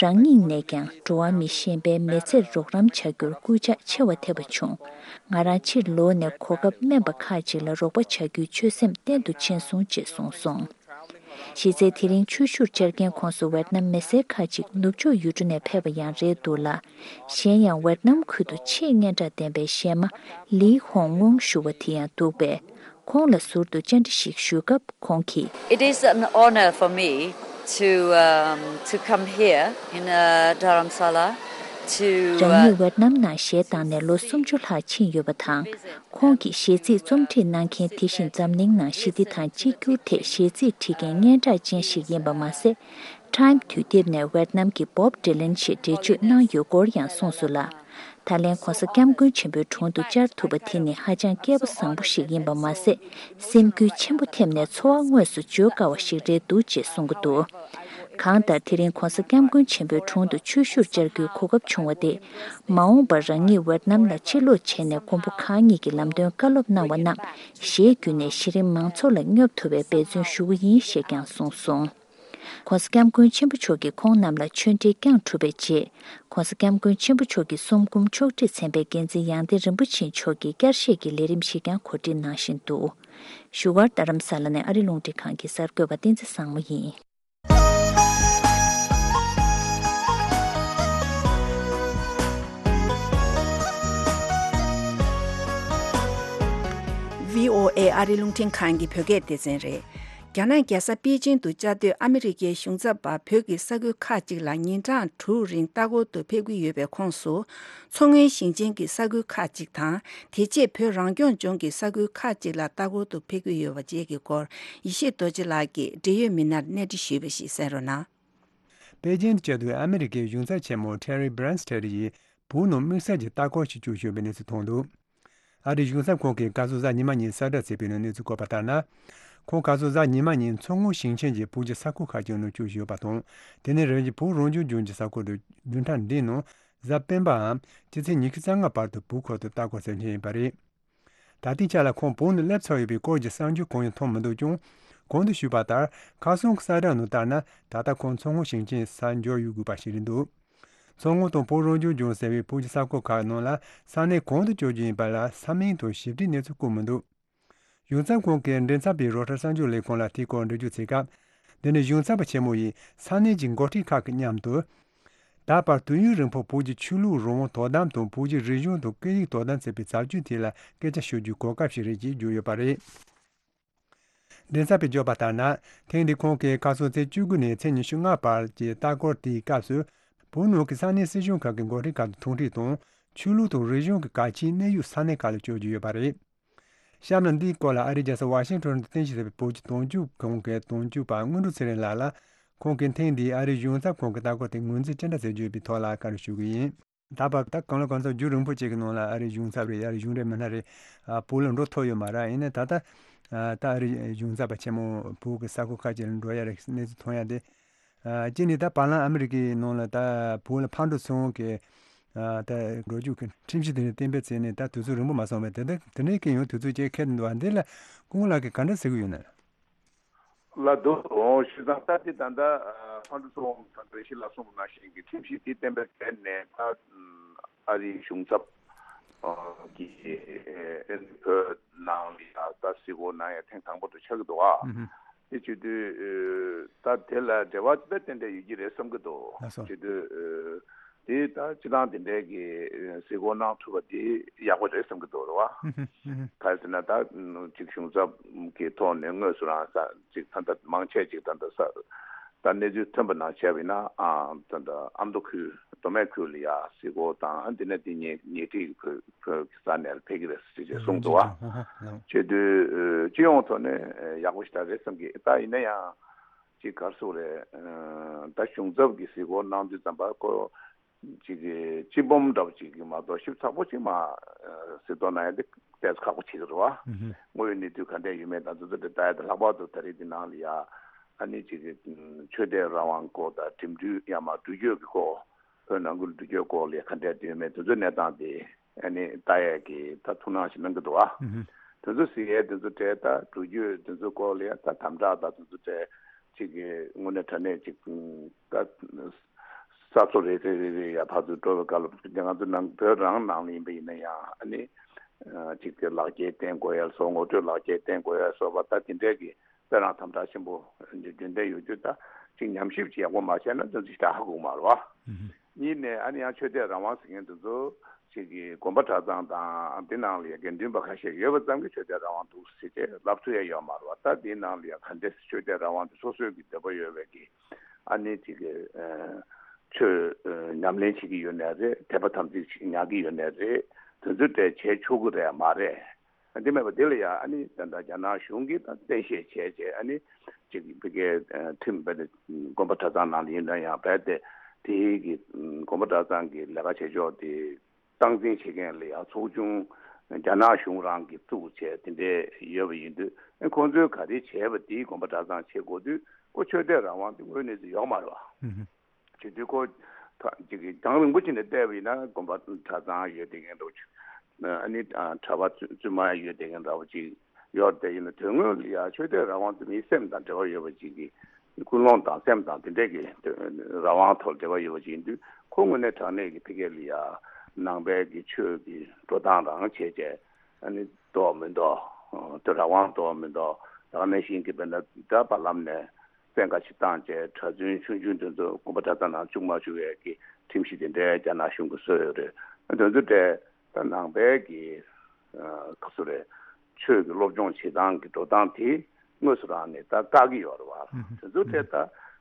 རང་ཉིད་ནས་ཀྱང་འགྲོ་བ་མི་གཞན་པའི་མི་ཚེར་རོགས་རམ་བྱ་རྒྱུར་སྐུལ་ལྕག་ཆེ་བ་ཐེབས་པ་བྱུང་། ང་རང་ཕྱིར་ལོག་ནས་གོ་སྐབས་དམན་པ་ཁག་ཅིག་ལ་རོགས་པ་བྱ་རྒྱུའི་ཆོད་སེམས་བརྟན་དུ་ཕྱིན་སོང་ཅེས་གསུངས་སོང་། གཞི་རྩའི་དེ་རིང་ཆོས་ཞུར་བཅར་མཁན་ཁོངས་སུ་ཝེད་ནམ་མི་སེར་ཁག་ཅིག་ནུབ་ཕྱོགས་ཡུལ་གྲུ་ནས་ཕེབས་པ་ཡང་རེད་འདུག་ལ། གཞན་ཡང་ཝེད་ནམ་ཁུལ་དུ་ཆེས་སྙན་གྲགས་ལྡན་པའི་གཞས་མ་ལི་ཧོང་ཝུང་ཞུ་བ་དེ་ཡང་འདུག་པས། ཁོང་ལ་ཟུར་དུ་བཅར་འདྲི་ཞིག་ཞུས་སྐབས་ཁོང་གིས། It is an honor for me to, um, to come here in, uh, Dharamsala to, uh, རང་ཉིད་ཝེད་ནམ་ནང་གཞས་བཏང་ནས་ལོ་སུམ་ཅུ་ལྷག་ཕྱིན་ཡོད་པ་དང་། ཁོང་གིས་གཞས་ཚིག་རྩོམ་སྒྲིག་གནང་མཁན་དེ་བཞིན་འཛམ་གླིང་ནང་ཞི་བདེ་དང་གཅིག་གྱུར་ཐད་གཞས་ཚིག་བྲིས་མཁན་སྙན་གྲགས་ཅན་ཞིག་ཡིན་པ་མ་ཟད། Time་དུས་དེབ་ནས་ཝེད་ནམ་གྱི་Bob Dylan་ཞེས་འགྲེལ་བརྗོད་གནང་ཡོད་སྐོར་ཡང་གསུངས་སོང་ལ། ད་ལན་༧གོང་ས་༧སྐྱབས་མགོན་ཆེན་པོའི་དྲུང་དུ་བཅར་ཐུབ་པ་དེ་ནི་ཧ་ཅང་སྐལ་པ་བཟང་པོ་ཞིག་ཡིན་པ་མ་ཟད། སེམས་འགུལ་ཆེན་པོ་ཐེབས་ནས་ཚོར་བ་དངོས་སུ་བརྗོད་དཀའ་བ་ཞིག་རེད་འདུག་ཅེས་གསུང་གི་འདུག་གང་ལྟར་དེ་རིང་༧གོང་ས་༧སྐྱབས་མགོན་ཆེན་པོའི་དྲུང་དུ་ཆོས་ཞུར་བཅར་རྒྱུའི་གོ་སྐབས་བྱུང་བ་དེ། མ་འོངས་པར་རང་ཉིད་ཝེད་ནམ་ལ་ཕྱིར་ལོག་བྱས་ནས་མགོན་པོ་གང་ཉིད་ཀྱི་ལམ་སྟོན་བཀའ་སློབ་གནང་བ་རྣམས་གཞས་བརྒྱུད་ནས་གཞི་རིམ་མང་ཚོགས་ལ་སྙོབ་ཐུབ་པའི་འབད་བརྩོན་ཞུ་གི་ཡིན་ཞེས་ཀྱང་གསུངས་སོང་། ༸གོང་ས་༸སྐྱབས་མགོན་ཆེན་པོ་མཆོག་གིས་ཁོང་རྣམས་ལ་ཆོས་འབྲེལ་བསྐྱངས་གྲུབ་པའི་རྗེས། ༸གོང་ས་༸སྐྱབས་མགོན་ཆེན་པོ་མཆོག་གི་གསུམ་སྐུ་མཆོག་སྤྲུལ་མཚན་པའི་འགན་འཛིན་ཡང་སྟེང་རིན་པོ་ཆེ་མཆོག་གིས་བསྐྱར་བཤད་ཀྱི་ལས་རིམ་ཞིག་ཀྱང་གོ་སྒྲིག་གནང་བཞིན་འདུག་བཞུགས་སྒར་རྡ་རམ་ས་ལ་ནས་ཨ་རི་རླུང་འཕྲིན་ཁང་གི་གསར་འགོད་པ་བསྟན་འཛིན་བཟང་མོ་ཡིན། ཝི་ཨོ་ཨེ་ཨ་རི་རླུང་འཕྲིན་ཁང་གི་བོད་སྐད་སྡེ་ཚན་རེད། རྒྱ་ནག་རྒྱལ་ས་པེ་ཅིང་དུ་བཅའ་སྡོད་ཨ་མི་རི་ཀའི་གཞུང་ཚབ་པ་བོད་ཀྱི་ས་ཁུལ་ཁག་ཅིག་ལ་ཉིན་གྲངས་དྲུག་རིང་ལྟ་སྐོར་དུ་ཕེབས་ཀྱི་ཡོད་པའི་ཁོངས་སུ། མཚོ་སྔོན་ཞིང་ཆེན་གྱི་ས་ཁུལ་ཁག་ཅིག་དང་། དེ་རྗེས་བོད་རང་སྐྱོང་ལྗོངས་ཀྱི་ས་ཁུལ་ཁག་ཅིག་ལ་ལྟ་སྐོར་དུ་ཕེབས་ཀྱི་ཡོད་པ་བཅས་ཀྱི་སྐོར་ཡེ་ཤེས་རྡོ་རྗེ་ལགས་ཀྱིས་འབྲེལ་ཡོད་མི་སྣར་གནས་འདྲི་ཞུས་པ་ཞིག་གསན་རོགས་གནང་། པེ་ཅིང་དུ་བཅའ་སྡོད་ཨ་མི་རི་ཀའི་གཞུང་ཚབ་ཆེན་མོ་ཊེ་རི་བྷི་རན་སི་ཊེ་ཡིས་བོད་ནང་དམིགས་བསལ་གྱི་ལྟ་སྐོར་ཞིག་བསྐྱོད་ཡོད་པའི་གནས་ཚུལ་ཐོན་འདུག་ཨ་རིའི་གཞུང་ཚབ་ཁང་གིས་བཀའ་ཟུར་གཟའ་ཉི་མ་ཉིན་གསལ་བསྒྲགས་བྱས་པའི་ནང་གནས་ཚུལ་བཀོད་པ་ལྟར་ན། ཁོང་བཀའ་ཟུར་གཟའ་ཉི་མ་ཉིན་མཚོ་སྔོན་ཞིང་ཆེན་གྱི་བོད་ཀྱི་ས་ཁུལ་ཁག་ཅིག་ནང་བསྐྱོད་ཡོད་པ་དང་། དེ་ནས་རང་གི་བོད་རང་སྐྱོང་ལྗོངས་ཀྱི་ས་ཁུལ་དུ་བདུན་ཕྲག་འདིའི་ནང་གཟའ་སྤེན་པའམ་སྤྱི་ཚེས་ཉི་ཤུ་རྩ་ལྔ་བར་དུ་བོད་ཁུལ་དུ་ལྟ་སྐོར་གཟིགས་མཁན་ཡིན་པ་རེད། ད་ལྟའི་ཆ་ལ་ཁོང་བོད་ནང་སླེབས་ཚར་ཡོད་པའི་སྐོར་གྱི་གསར་འགྱུར་གང་ཡང་ཐོན་མི་འདུག་ཀྱང་། གོང་དུ་ཞུས་པ་ལྟར་ཁ་སང་གི་གསལ་བསྒྲགས་ནང་ལྟར་ན། ད་ལྟ་ཁོང་མཚོ་སྔོན་ཞིང་ཆེན་སར་འབྱོར་ཡོད་དགོས་པ་ཞིག་རེད་འདུག་མཚོ་སྔོན་དང་བོད་རང་སྐྱོང་ལྗོངས་ཟེར་བའི་བོད་ཀྱི་ས་ཁུལ་ཁག་ནང་ལ་ས་གནས་གང་དུ་བསྐྱོད་རྒྱུ་ཡིན་པ་ལ་ས་མིང་དང་ཞིབ་ཕྲའི་གནས་ཚུལ་བཀོད་མི་འདུག་གཞུང་ཚབ་ཁང་གི་མགྲིན་ཚབ་པས་རོའི་ཊར་གསར་འགྱུར་ལས་ཁང་ལ་དེའི་སྐོར་འགྲེལ་བརྗོད་བྱས་སྐབས། འདི་ནི་གཞུང་ཚབ་པ་ཆེན་མོ་ཡིས་ས་གནས་ཀྱི་འགོ་ཁྲིད་ཁག་གི་མཉམ་དུ། ད་བར་དུས་ཡུན་རིང་པོར་བོད་ཀྱི་ཆོས་ལུགས་རང་དབང་དོ་དམ་དང་བོད་ཀྱི་རིག་གཞུང་དང་སྐད་ཡིག་དོ་དམ་ཟེར་བའི་བྱ་སྤྱོད་ཐད་ལ་སྐད་ཆ་ཤོད་རྒྱུའི་གོ་སྐབས་ཤིག་རེད་ཅེས་བརྗོད་ཡོད་པ་རེད། མགྲིན་ཚབ་པས་བརྗོད་པ་ལྟར་ན། ཐེངས་འདིའི་ཁོང་གིས་ཁ་སང་ཚེས་བཅུ་དགུ་ནས་ཚེས་ཉི་ཤུ་ལྔ་བར་གྱི་ལྟ་སྐོར་དེའི་སྐབས་སུ། བོད་ནང་གི་ས་གནས་སྲིད་གཞུང་ཁག་གི་འགོ་ཁྲིད་ཁག་དང་ཐུག་འཕྲད་དང་། ཆོས་ལུགས་དང་རིག་གཞུང་གི་གལ་ཆེའི་གནས་ཡུལ་ས་གནས་ཁག་ལ་བསྐྱོད་རྒྱུ་ཡོད་པ་རེད། གཤམ་ལ་འདིའི་སྐོར་ལ་ཨ་རིའི་རྒྱལ་ས་ཝ་ཤིང་ཊོན་དུ་རྟེན་གཞི་བྱས་པའི་བོད་ཀྱི་དོན་གཅོད་ཁང་གི་དོན་གཅོད་པ་དངོས་གྲུབ་ཚེ་རིང་ལགས་ལ། ཁོང་གིས་ཐེངས་འདིའི་ཨ་རིའི་གཞུང་ཚབ་ཁང་གི་ལྟ་སྐོར་དེ་ངོས་འཛིན་ཅི་འདྲ་བྱེད་རྒྱུ་ཡིན་པའི་ཐོག་ལ་བཀའ་འདྲི་ཞུ་གི་ཡིན། ད་བར་ད་གང་ལ་གང་འཚམ་རྒྱུན་རིང་པོ་ཅིག་གི་ནང་ལ་ཨ་རིའི་གཞུང་ཚབ་རེད། ཨ་རིའི་གཞུང་འབྲེལ་མི་སྣ་རེད། ཨ། བོད་ལ་འགྲོ་ཐུབ་ཡོད་མ་རེད། ཡིན་ནའི་ད་ལྟ་ཨ། ད་ཨ་རིའི་གཞུང་ཚབ་པ་ཆེན་མོ་བོད་ཀྱི་ས་ཁུལ་ཁག་ཅིག་ལ་འགྲོ་ཡ་རེད་གནས་ཚུལ་ཐོན་ཡ་དེ། ཨ། གཅིག་ནས་ད་བར་ལམ་ཨ་མི་རི་ཀའི་ནང་ལ་ད་བོད་ལ་ཕར་འགྲོ་ཚུར་འོང་གི། ཨ། ད་འགྲོ་རྒྱུ་གི་ཁྲིམས་གཞི་དེ་ནས་གཏན་འབེབས་བྱས་ནས་ད་དུས་ཚོད་རིང་པོ་མ་སོང་བས། དེ་འདྲ་དེ་འདྲའི་གི་ཡང་དུས་ཚོད་ཅིག་འཁེལ་འདུག་པ། འདི་ལ་སྐུ་ངོ་ལགས་ཀྱིས་ག་འདྲ་ཟེར་གྱི་ཡོད་ན། ལགས་འདུག་འོང་། བྱས་ཙང་ད་འདི་ད་ལྟ་ཨ་ཕར་འགྲོ་ཚུར་འོང་ད་འགྲེལ་བཤད་ལ་གསུངས་པ་ནང་བཞིན་གྱི་ཁྲིམས་གཞི་འདི་གཏན་འབེབས་བྱས་ནས་ད་ཨ་རིའི་གཞུང་ཚབ་ཨ་གི་ཨ་བོད་ནང་ལ་ཡ་ད་གཟིགས་སྐོར་གནང་ཡ་ཐེངས་དང་པོ་དེ་ཆགས་ཀྱི་འདུག་ཨ། ཨུ་ཧུ། དེ་བྱེད་དུས་ཨ་ད་དེ་ལ་འབྲེལ་བ་ཅི་ལྟར་ཏན་ཏན་ཡོད་ཀྱི་རེད་བསམ་གྱི་འདུག་ལགས་སོ། བྱེད་དུས་ཨ་དེ་ད་སྤྱི་བཏང་དེ་འདྲའི་གི་གཟིགས་སྐོར་གནང་ཐུབ་པ་དེ་ཡག་པོ་རེད་བསམ་གྱི་འདུག་རེད་བ། ཨུ་ཧུ། ཨུ་ཧུ། ག་རེ་ཟེར་ན་ད་ཅིག་གཞུང་ཚབ་ཀྱི་ཐོག་ནས་དངོས་སུ་རང་ས་ཅིག་ད་ལྟ་མང་ཆེ་ཅིག་ད་ལྟ་ས་ད་གནས་ཚུལ་ཐོན་པ་ནང་བྱས་པ་ཡིན་ན་ཨ་ད་ལྟ་ཨ་མདོ་ཁུལ་ མདོ་སྨད་ཁུལ་ལ་ཡ་གཟིགས་སྐོར་དང་འདི་ནས་འདི་ཉེ་ཉེ་འཁྲིས་བོད་བོད་ཀྱི་ས་གནས་ལ་ཕེབས་ཀྱི་རེད་ཟེར་ཅེས་གསུངས་འདུག་བ། བྱེད་དུས་སྤྱི་ཡོངས་ཐོག་ནས་ཡག་པོ་ཞེ་དྲག་རེད་བསམ་གི། ད་ཡིན་ན་ཡང་ཅིག་ག་རེ་ཟེར་དགོས་རེད། ད་གཞུང་ཚབ་ཀྱིས་གཟིགས་སྐོར་གནང་དུས་ཙམ་པ་ཁོ་ཅིག་གི་སྤྱི་སྦོམ་འདྲ་པོ་ཅིག་གི་མ་གཏོགས་ཞིབ་ཚགས་པོ་ཅིག་མ་གཟིགས་རྟོག་གནང་ཡ་དེ་ཏོག་ཙམ་ཁག་པོ་ཆགས་ཀྱི་རེད་བ། དངོས་ཡོད་གནས་ཚུལ་ག་འདྲས་ཡོད་མེད་དང་དེ་ཚོ་དེ་ལྟ་ཡ་དེ་ལྷག་པར་དུ་ད་རེས་འདི་ནང་ལ་ཡ་ཨ་ནི་ཅིག་གི་ཆོས་དད་རང་དབང་སྐོར་དང་འགྲིམ་འགྲུལ་ཡང་མ་འགྲུལ་སྐྱོད་ཀྱི་སྐོར། བོད་ནང་ཁུལ་འགྲུལ་སྐྱོད་སྐོར་ལ་ག་འདྲས་ཡོད་མེད་དེ་ཚོའི་གནས་སྟངས་དེ་ཨ་ནི་ལྟ་ཡས་ཀྱི་ད་ཐུགས་སྣང་ཞིག་གནང་གི་འདུག་ཨ། དེ་ཚོ་གཟིགས་ཡས་དེ་ཚོ་གྲས་ད་འགྲུལ་སྐྱོད་དེ་ཚོ་སྐོར་ལ་ཡ་ད་དམ་དྲག་ད་དེ་ཚོ་གྲས་ཅིག་གི་དངོས་གནས་དྲང་གནས་ཅིག་ད་ས་མཚོ་རེ་རེ་རེ་རེ་ཡ་ཕར་ཚུར་འགྲོ་བའི་སྐབས་ལ་ང་ཚོ་ནང་བོད་རང་ནང་ལ་ཡིན་པ་ཡིན་ན་ཡང་ཨ་ནི་ཅིག་གི་ལག་འཁྱེར་བསྟན་དགོས་ཡ་སོགས་ངོ་སྤྲོད་ལག་འཁྱེར་བསྟན་དགོས་ཡ་སོགས་པ་ད་དེ་འདྲས་ཀྱི་དཔེ་རང་དམ་དྲག་ཆེན་པོ་རྒྱུན་ལྡན་ཡོད་དུས་ད་ཅིག་ཉམས་ཞིབ་ཅིག་ཡག་པོ་མ་བྱས་ན་ཙམ་ཅིག་ད་ཧ་གོ་གི་མ་རེད་བ། གཉིས་ནས་ཨ་ནི་ཡང་ཆོས་དད་རང་དབང་ཟེར་མཁན་དེ་ཚོ་ཅིག་གི་དགོན་པ་གྲྭ་ཚང་དང་དེ་ནང་ལ་ཡང་དགེ་འདུན་པ་ཁ་ཤས་ཡོད་པ་ཙམ་གྱིས་ཆོས་དད་རང་དབང་འདུག་ཟེར་ཏེ་ལབ་ཐུབ་ཡ་ཡོད་མ་རེད་བ། ད་དེའི་ནང་ལ་ཡང་ག་འདྲས་ཆོས་དད་རང་དབང་དེ་སོ་སོའི་གི་འདོད་པ་ཡོད་པའི་གི་ཨ་ནི་ཅིག་གི་ཆོས་ཉམས་ལེན་བྱེད་ཀྱི་ཡོད་ནའི་རེད། དད་པ་དམ་ཚིག་ཅིག་ཉར་གྱི་ཡོད་ནའི་རེད། དེ་ཚོ་དེ་བྱེད་ཆོག་གི་རེད་མ་རེད། འདི་མེད་པ་འདི་ལ་ཡང་ཨ་ནི་ད་ལྟ་རྒྱ་ནག་གཞུང་གིས་ད་གཏན་བཤད་བྱས་རྗེས་ཨ་ནི་ཅིག་ཕ་གིའི་ཁྲིམས་རྦད་དེ་དགོན་པ་གྲྭ་ཚང་ནང་ལ་ཡིན་ན་ཡང་རྦད་དེ་དེའི་གི་དགོན་པ་གྲྭ་ཚང་གི་ལས་ཀ་བྱེད་ཕྱོགས་དེ་སྟངས་འཛིན་བྱེད་མཁན་ལ་ཡང་ཚོགས་ཆུང་རྒྱ་ནག་གཞུང་རང་གིས་བཙུགས་བྱས་དེ་འདྲས་ཡོད་པ་ཡིན་དུས་ཨ་ཁོང་ཚོས་ག་རེ་བྱས་པ་དེའི་དགོན་པ་གྲྭ་ཚང་བྱེད་དགོས་དུས་ཁོ་ཆོས་དད་རང་དབང་དེ་དངོས་གནས་ཅིག་ཡོད་མ་རེད་བ། བྱེད་དུས་ཁོ་ད་ཅིག་གི་རྒྱང་རིང་པོ་ཅིག་ནས་བལྟས་པ་ཡིན་ན་དགོན་པ་གྲྭ་ཚང་ཡོད་བསྡད་མཁན་འདྲ་བོ་ཅིག་ཨ་ནི་ཨ་གྲྭ་པ་བཙུན་བཙུན་མ་ཡོད་བསྡད་མཁན་འདྲ་བོ་ཅིག་ཡོད་བསྡད་ཡིན་ན་དོན་དངོས་ལ་ཡ་ཆོས་དད་རང་དབང་དེ་མིའི་སེམས་དང་འབྲེལ་བ་ཡོད་པ་ཅིག་གི་ཀུན་སློང་དང་སེམས་དང་དེ་འདྲས་ཀྱི་རང་དབང་ཐོག་འབྲེལ་བ་ཡོད་པ་ཅིག་ཡིན་དུས་ཁོ་དངོས་གནས་དྲང་གནས་ཀྱི་ཕ་གི་ལ་ཡ་ནང་པའི་གི་ཆོས་ཀྱི་འགྲོ་སྟངས་རང་བྱས་བྱས་ཨ་ནི་འདུག་མི་འདུག་དོ་རང་དབང་འདུག་མི་འདུག་ད་ག་ནང་བཞིན་གྱི་དཔེར་ན་ད་བར་ལམ་ནས་བཙན་བཀའ་ཞིག་བཏང་བྱས་གྲྭ་བཙུན་ཆུང་ཆུང་དེ་ཚོ་དགོན་པ་གྲྭ་ཚང་ནང་བཅུག་མ་བཅུག་ཡས་ཀྱི་ཁྲིམས་གཞི་དེ་འདྲའི་རྒྱ་ནག་གཞུང་གིས་བཟོས་ཡོད་རེད། དེ་ཚོ་དེ་ད་ནང་པའི་གི་ག་ཚོད་རེད། ཆོས་ཀྱི་སློབ་སྦྱོང་བྱེད་སྟངས་ཀྱི་འགྲོ་སྟངས་དེ་དངོས་སུ་རང་ནས་ད་བཀག་གི་ཡོད་རེད་བ། དེ་ཚོ་དེ་ད་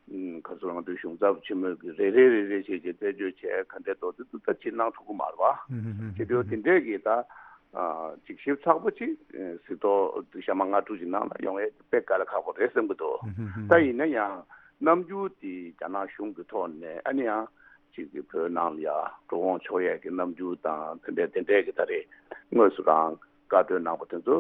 ག་ཚོད་ང་ཚོའི་གཞུང་ཚབ་ཆེན་མོས་ཀྱི་རེ་རེ་རེ་རེ་བྱས་བྱས་རྩད་གཅོད་བྱས་ག་འདྲས་འདུག་དེ་ཚོ་ད་ཅིག་གནང་ཐུབ་ཀྱི་མ་རེད་བ། བྱེད་དུས་དེ་འདྲས་ཀྱི་ད། ཅིག་ཞིབ་ཚགས་པོ་ཅིག་གཟིགས་རྟོག་དུ་ཞག་མ་ལྔ་དྲུག་ཅིག་ནང་ལ་ཡོང་ཡས་དཔེ་དཀའ་ལས་ཁག་པོ་རེད་བསམ་གྱི་འདུག་ད་ཡིན་ན་ཡང་རྣམ་འགྱུར་དེ་རྒྱ་ནག་གཞུང་གི་ཐོག་ནས་ཨ་ནི་ཡང་ཅིག་གི་བོད་ནང་ལ་ཡ་འགྲོ་འོང་ཆོག་ཡས་ཀྱི་རྣམ་འགྱུར་དང་དེ་འདྲས་དེ་འདྲས་ཀྱི་ད་རེས་དངོས་སུ་རང་བཀའ་འཁྲོལ་གནང་པ་དེ་ཚོ་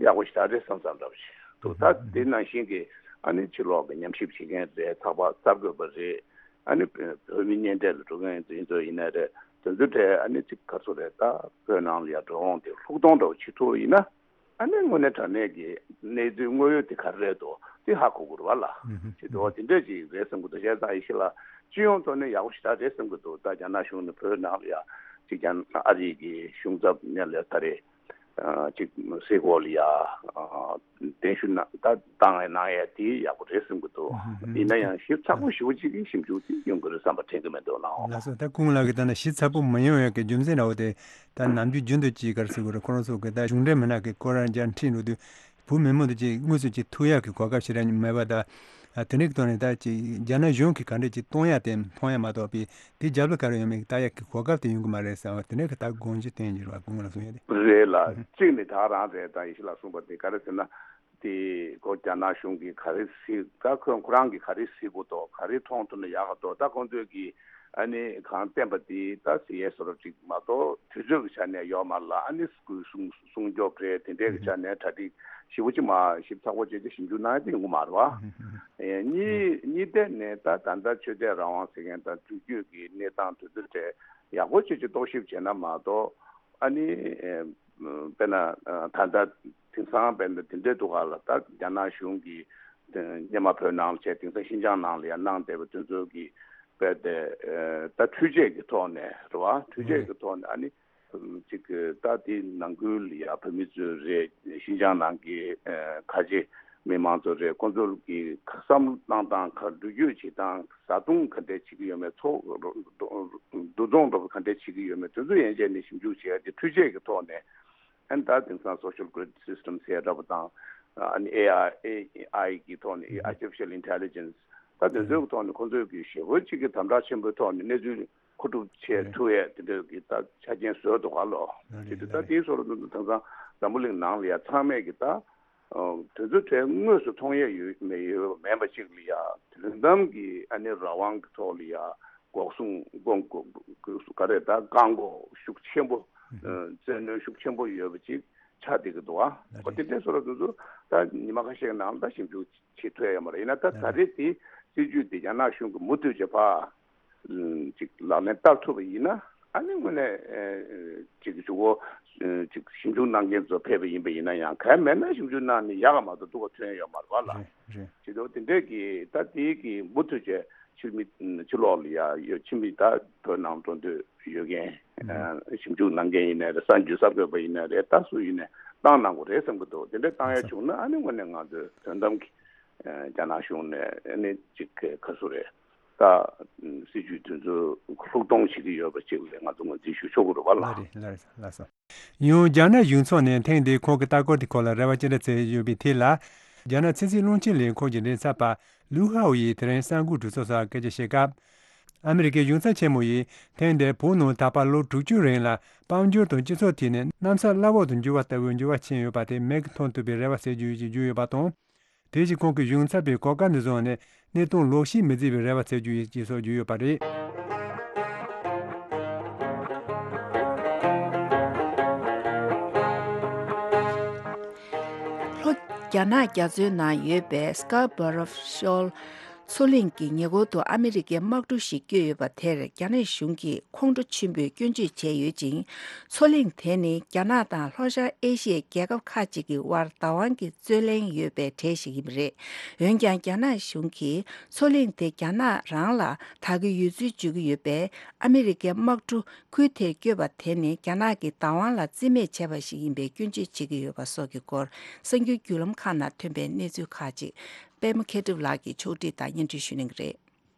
ཡག་པོ་ཞེ་དྲག་རེད་བསམ་བསམ་འདྲ་པོ་ཞིག་འདུག་ད་དེ་ནང་བཞིན་གྱི་ཨ་ནི་ཕྱི་ལོགས་ཀྱི་ཉམས་ཞིབ་བྱེད་མཁན་རེད། ཚགས་པར་གསར་འགོད་པ་རེད། ཨ་ནི་བོད་མི་གཉེན་འཕྲད་ལ་འགྲོ་མཁན་དེ་ཚོ་ཡིན་ནའི་རེད། དེ་ཚོ་གྲས་ཨ་ནི་ཅིག་ག་ཚོད་རེད། ད་བོད་ནང་ལ་ཡ་འགྲོ་འོང་དེ་ལྷུག་གཏོང་འདྲ་བོ་བྱེད་ཐུབ་ཡིན་ན་ཨ་ནི་དངོས་གནས་དྲང་གནས་ཀྱི་གནས་ཚུལ་དངོས་ཡོད་དེ་ག་རེ་རེད་འདུག་དེ་ཧ་གོ་དགོས་རེད་བ་ལ། ཅིག་འགྲོ་བ་དེ་འདྲས་ཅིག་རེད་བསམ་གྱི་འདུག་བྱས་ཙང་ཡེ་ཤེས་ལགས་སྤྱི་ཡོངས་ཐོག་ནས་ཡག་པོ་ཞེ་དྲག་རེད་བསམ་གྱི་འདུག་ད་རྒྱ་ནག་གཞུང་ནས་བོད་ནང་ལ་ཡ་ཅིག་ཀྱང་ཨ་རི་གི་གཞུང་ཚབ་ནས་ལས་ད་རེད། ཅིག་སའི་གོ་ལ་ཡ་གདན་ཞུ་གནང་ད་བཏང་ཡ་གནང་ཡ་དེ་ཡག་པོ་རེད་བསམ་གྱི་འདུག་ཡིན་ན་ཡང་ཞིབ་ཚགས་པོ་ཞེ་པོ་ཅིག་གི་ཞིབ་འཇུག་དེ་ཡོང་གི་རེད་བསམ་པ་དྲན་གྱི་མི་འདུག་ལགས། ལགས་སོ། ད་སྐུ་ངོ་ལགས་ཀྱིས་ད་ནི་ཞིབ་ཚགས་པོ་མ་ཡོང་ཡ་གི་རྒྱུ་མཚན་འདྲ་བོ་དེ་ད་ནམ་རྒྱུན་རྒྱུན་དུ་ཅིག་ག་རེ་ཟེར་དགོས་རེད། ཁོ་རང་ཚོ་གི་ད་གཞུང་འབྲེལ་མི་སྣ་གི་སྐོར་རང་རྒྱ་ཁྲིད་འགྲོ་དུས་བོད་མི་མང་དུ་ཅིག་དངོས་སུ་ཅིག་ཐུག་ཡ་གི་གོ་སྐབས་ཞེ་དྲག་མེད་པ་ད། ཨ་དེ་འདྲའི་ཐོག་ནས་ད་ཅིག་རྒྱ་ནག་གཞུང་གིས་ག་འདྲ་ཅིག་གཏོང་ཡ་དེ་མཐོང་ཡ་མ་གཏོགས་པའི་དེ་རྒྱབ་ལ་ག་རེ་ཡོད་མེད་ལྟ་ཡ་གི་གོ་སྐབས་དེ་ཡོང་གི་མ་རེད་ཟེར་བ་དེ་འདྲའི་གི་ད་དགོངས་གཞི་བསྟན་གྱི་རེད་བ། དགོངས་ལ་གསུང་ཡ་དེ། རེད་ལ་གཅིག་ནི་ད་རང་རེད། ད་ཡེ་ཤེས་ལགས་གསུངས་པ་དེ་ག་རེ་ཟེར་ན་དེ་ཁོ་རྒྱ་ནག་གཞུང་གིས་ག་རེ་གཟིགས་ད་ཁོ་ཁོ་རང་གིས་ག་རེ་གཟིགས་དགོས་འདུག་ག་རེ་མཐོང་ཐུབ་ན་ཡག་ག་འདུག་ད་ཁོང་ཚོས་ཀྱིས་ཨ་ནི་གང་བསྟན་པ་དེ་ད་ཟེར་ཡས་བཟོ་འདྲ་ཅིག་མ་གཏོགས་དུས་ཚོད་ཀྱི་ཆ་ནས་ཡོད་མ་རེད་ལ། ཨ་ནི་སྐུ་གསུང་གསུང་སྐྱོབ་རེད། དེ་འདྲས་ཀྱི་ཆ་ནས་གྲ་སྒྲིག་ཞིབ་པོ་ཅིག་མ་ཞིབ་ཚགས་པོ་བྱས་ཏེ་ཞིབ་འཇུག་གནང་ཡ་དེ་ཡོང་གི་མ་རེད་བ། ཨེ་གཉིས་གཉིས་ཐད་ནས་ད་ད་ལྟ་ཆོས་དད་རང་དབང་ཟེར་མཁན་དང་འགྲུལ་སྐྱོད་ཀྱི་གནས་སྟངས་དེ་ཚོ་གྲས་ཡག་པོ་བྱས་ཅིག་རྟོག་ཞིབ་བྱས་ན་མ་གཏོགས་ཨ་ནི་ཨེ་དཔེར་ན་ད་ལྟ་དེང་སང་དཔེར་ན་དེ་འདྲས་འདུག་ག་ལ། ད་རྒྱ་ནག་གཞུང་གིས་སྔོན་མ་བོད་ནང་ལ་བྱས་དེང་སང་ཤིན་ཅང་ནང་ལ་ཡང་གནང་བསྡད་པ་དེ་ཚོ་གི་དཔེ་དེ་ད་འཕྲུལ་ཆས་ཀྱི་ཐོག་ནས་རེད་བ། འཕྲུལ་ཆས་ཀྱི་ཐོག་ནས་ཨ་ནི་ཅིག་ད་དེ་ནང་ཁུལ་ལ་ཡ་བོད་མི་ཚོ་རེད། ཤིན་ཅང་ནང་གི་ཁ་ཆེ་མི་མང་ཚོ་རེད། ཁོང་ཚོ་གི་བསམ་བློ་གཏོང་སྟངས་ག་འགྲུལ་སྐྱོད་བྱེད་སྟངས་བཟའ་བཏུང་ག་འདྲས་བྱེད་ཀྱི་ཡོད་མེད། ཚོགས་འདུ་འཚོགས་འགྲོ་བ་ག་འདྲས་བྱེད་ཀྱི་ཡོད་མེད་དེ་ཚོ་ཡན་ཆད་ནས་ཞིབ་འཇུག་བྱས་ཏེ་འཕྲུལ་ཆས་ཀྱི་ཐོག་ནས་ཨ་ནི་ད་དེང་སང་social grid system་ཟེར་འདྲ་པོ་དང་ཨ་ནི་ཨེ་ཨའི་ཨེ་ཨའི་གི་ཐོག་ནས་artificial intelligence་ད་དེ་ཚོའི་ཐོག་ནས་ཁོང་ཚོས་ཀྱི་ཞེ་པོ་ཅིག་གི་དམ་དྲག་ཆེན་པོའི་ཐོག་ནས་གནས་ཚུལ་ མཁོ་སྒྲུབ་བྱེད་ཐུབ་ཡས་དེ་འདྲ་གི་ད་ཆ་རྐྱེན་བཟོས་འདུག་ག་ལོ། དེ་དུས་ད་དེའི་བཟོ་འདྲ་དུ་དེང་སང་འཛམ་བུ་གླིང་ནང་ལ་ཡ་ཚང་མས་ཀྱི་ད་དོན་ཚུལ་དེ་དངོས་སུ་མཐོང་ཡས་ཡོད་མེད་ཡོད་མེད་པ་ཅིག་ལ་ཡ་དོན་དམ་གྱི་ཨ་ནི་རང་དབང་གི་ཐོག་ལ་ཡ་འགོག་སྲུང་དགོངས་ག་རེ་ད་བཀག་འགོག་ཤུགས་ཆེན་པོ་བཙན་གནོན་ཤུགས་ཆེན་པོ་ཡོད་པ་ཅིག་ཆགས་བསྡད་ཀྱི་འདུག་ཨ། ལགས་འོ་དེ་རེད། འདྲའི་བཟོ་འདྲ་དེ་ཚོ་ད་ཉི་མ་ཁ་ཤས་ནང་ད་ཞིབ་འཇུག་བྱེད་ཐུབ་ཡ་ཡོད་མ་རེད། ཡིན་ན་ད་ད་རེས་དེ་སྲིད་ཇུས་དེ་རྒྱ་ནག་གཞུང་གིས་མུ་མཐུད་བྱས་པ་ཅིག་ལག་ལེན་བསྟར་ཐུབ་པ་ཡིན་ན་ཨ་ནི་དངོས་གནས་ཅིག་གཞུག་གུ་ཅིག་ཞིབ་འཇུག་གནང་མཁན་ཚོ་ཕེབས་པ་ཡིན་པ་ཡིན་ན་ཡང་གལ་མེད་ན་ཞིབ་འཇུག་གནང་ནས་ཡག་ག་མ་གཏོགས་སྡུག་ག་ཐོན་ཡོད་མ་རེད་པ་ལ། རེད་རེད། བྱེད་དུས་དེ་འདྲས་ཀྱི་ད་དེའི་གི་མུ་མཐུད་བྱས་ཕྱི་མི་ཕྱི་ལོགས་ལ་ཡ་ཡོད་ཕྱི་མི་ད་བོད་ནང་འགྲོ་འདོད་ཡོད་མཁན་ཞིབ་འཇུག་གནང་མཁན་ཡིན་ནའི་རེད། གསར་འགྱུར་གསར་འགོད་པ་ཡིན་ནའི་རེད། ད་སུ་ཡིན་ནའི་བཏང་གནང་དགོས་རེད་བསམ་གྱི་འདུག་དེ་འདྲས་བཏང་ཡ་བྱུང་ན་ཨ་ནི་དངོས་གནས་ང་ཚོས་དོན་དམ་གྱི་རྒྱ་ནག་གཞུང་ནས་ཨ་ནི་ཅིག་ག་སུ་རེད་ད་སྲིད་ཇུས་དེ་ཚོ་ལྷུག་གཏོང་བྱེད་ཀྱི་ཡོད་པ་ཅིག་ལ་ང་ཚོ་ངོས་འཛིན་ཞུ་ཆོག་གི་རེད་པ་ལ། ལགས་རེད་ལགས་རེད་ལགས་སོ། ཡང་རྒྱ་ནག་གཞུང་ཚོགས་ནས་ཐེངས་འདིའི་ཁོང་གི་ལྟ་སྐོར་དེ་སྐོར་ལ་རེ་བ་ཅི་འདྲ་བྱས་ཡོད་པའི་ཐད་ལ། རྒྱ་ནག་ཚན་རྩལ་རླུང་འཕྲིན་ལས་ཁུངས་ཀྱི་མགྲིན་ཚབ་པ་ལུའུ་ཧའོ་ཡིས་དེ་རིང་གསར་འགོད་གྲོས་ཚོགས་སར་སྐད་ཆ་བཤད་སྐབས། ཨ་མི་རི་ཀའི་གཞུང་ཚབ་ཆེན་མོ་ཡིས་ཐེངས་འདིར་བོད་ནང་ད་བར་ལོ་དྲུག་ཅུ་རིང་ལ་དཔལ་འབྱོར་དང་སྤྱི་ཚོགས་ཐད་ནས་གནམ་ས་བླ་འོག་ཏུ་འགྱུར་བ་ལྟ་བུའི་འགྱུར་བ་ཕྱིན་ཡོད་པ་དེ་མིག་གིས་མཐོང་ཐུབ་པའི་རེ་བ་ཟེར་རྒྱུ་ཞིག་བརྗོད་ཡོད་པ་དང་། དེ་བཞིན་ཁོང་གིས་གཞུང་ཚབ་པའི་གོ་སྐབས་འདི་བཟུང་ནས་གནས་སྟངས་ལོག་ཤེས་མི་བྱེད་པའི་རེ་བ་བྱེད་རྒྱུ་ཡིན་ཅེས་སོགས་བརྗོད་ཡོད་པ་རེད། ལྷོ་རྒྱ་ནག་རྒྱ་མཚོའི་ནང་ཡོད་པའི་Scarborough Shoal མཚོ་གླིང་གི་ཉེ་འཁོར་དུ་ཨ་མི་རི་ཀའི་དམག་གྲུ་ཞིག་བསྐྱོད་ཡོད་པ་དེར་རྒྱ་ནག་གཞུང་གིས་ཁོང་ཁྲོ་ཆེན་པོས་སྐྱོན་བརྗོད་བྱས་ཡོད་ཅིང་། མཚོ་གླིང་དེ་ནི་རྒྱ་ནག་དང་ལྷོ་ཤར་ཨེ་ཤི་ཡའི་རྒྱལ་ཁབ་ཁག་ཅིག་གི་དབར་བདག་དབང་གི་རྩོད་གླེང་ཡོད་པའི་གྲས་ཤིག་ཡིན་པ་རེད། འོན་ཀྱང་རྒྱ་ནག་གཞུང་གིས་མཚོ་གླིང་དེ་རྒྱ་ནག་རང་ལ་བདག་གི་ཡོད་ཚུལ་བརྗོད་ཀྱི་ཡོད་པས། ཨ་མི་རི་ཀའི་དམག་གྲུ་ཁུལ་དེར་བསྐྱོད་པ་དེ་ནི་རྒྱ་ནག་གི་བདག་དབང་ལ་རྩིས་མེད་བྱས་པ་ཞིག་ཡིན་པའི་སྐྱོན་བརྗོད་བྱེད་ཀྱི་ཡོད་པ་སོགས་ཀྱི་སྐོར་གསར་འགྱུར་བརྒྱུད་ལམ་ཁག་ནང་ཐོན་པའི་གནས་ཚུལ་ཁག་ཅིག་པད་མ་མཁས་གྲུབ་ལགས་ཀྱིས་ཕྱོགས་སྒྲིག་དང་སྙན་སྒྲོན་ཞུ་གནང་གི་རེད།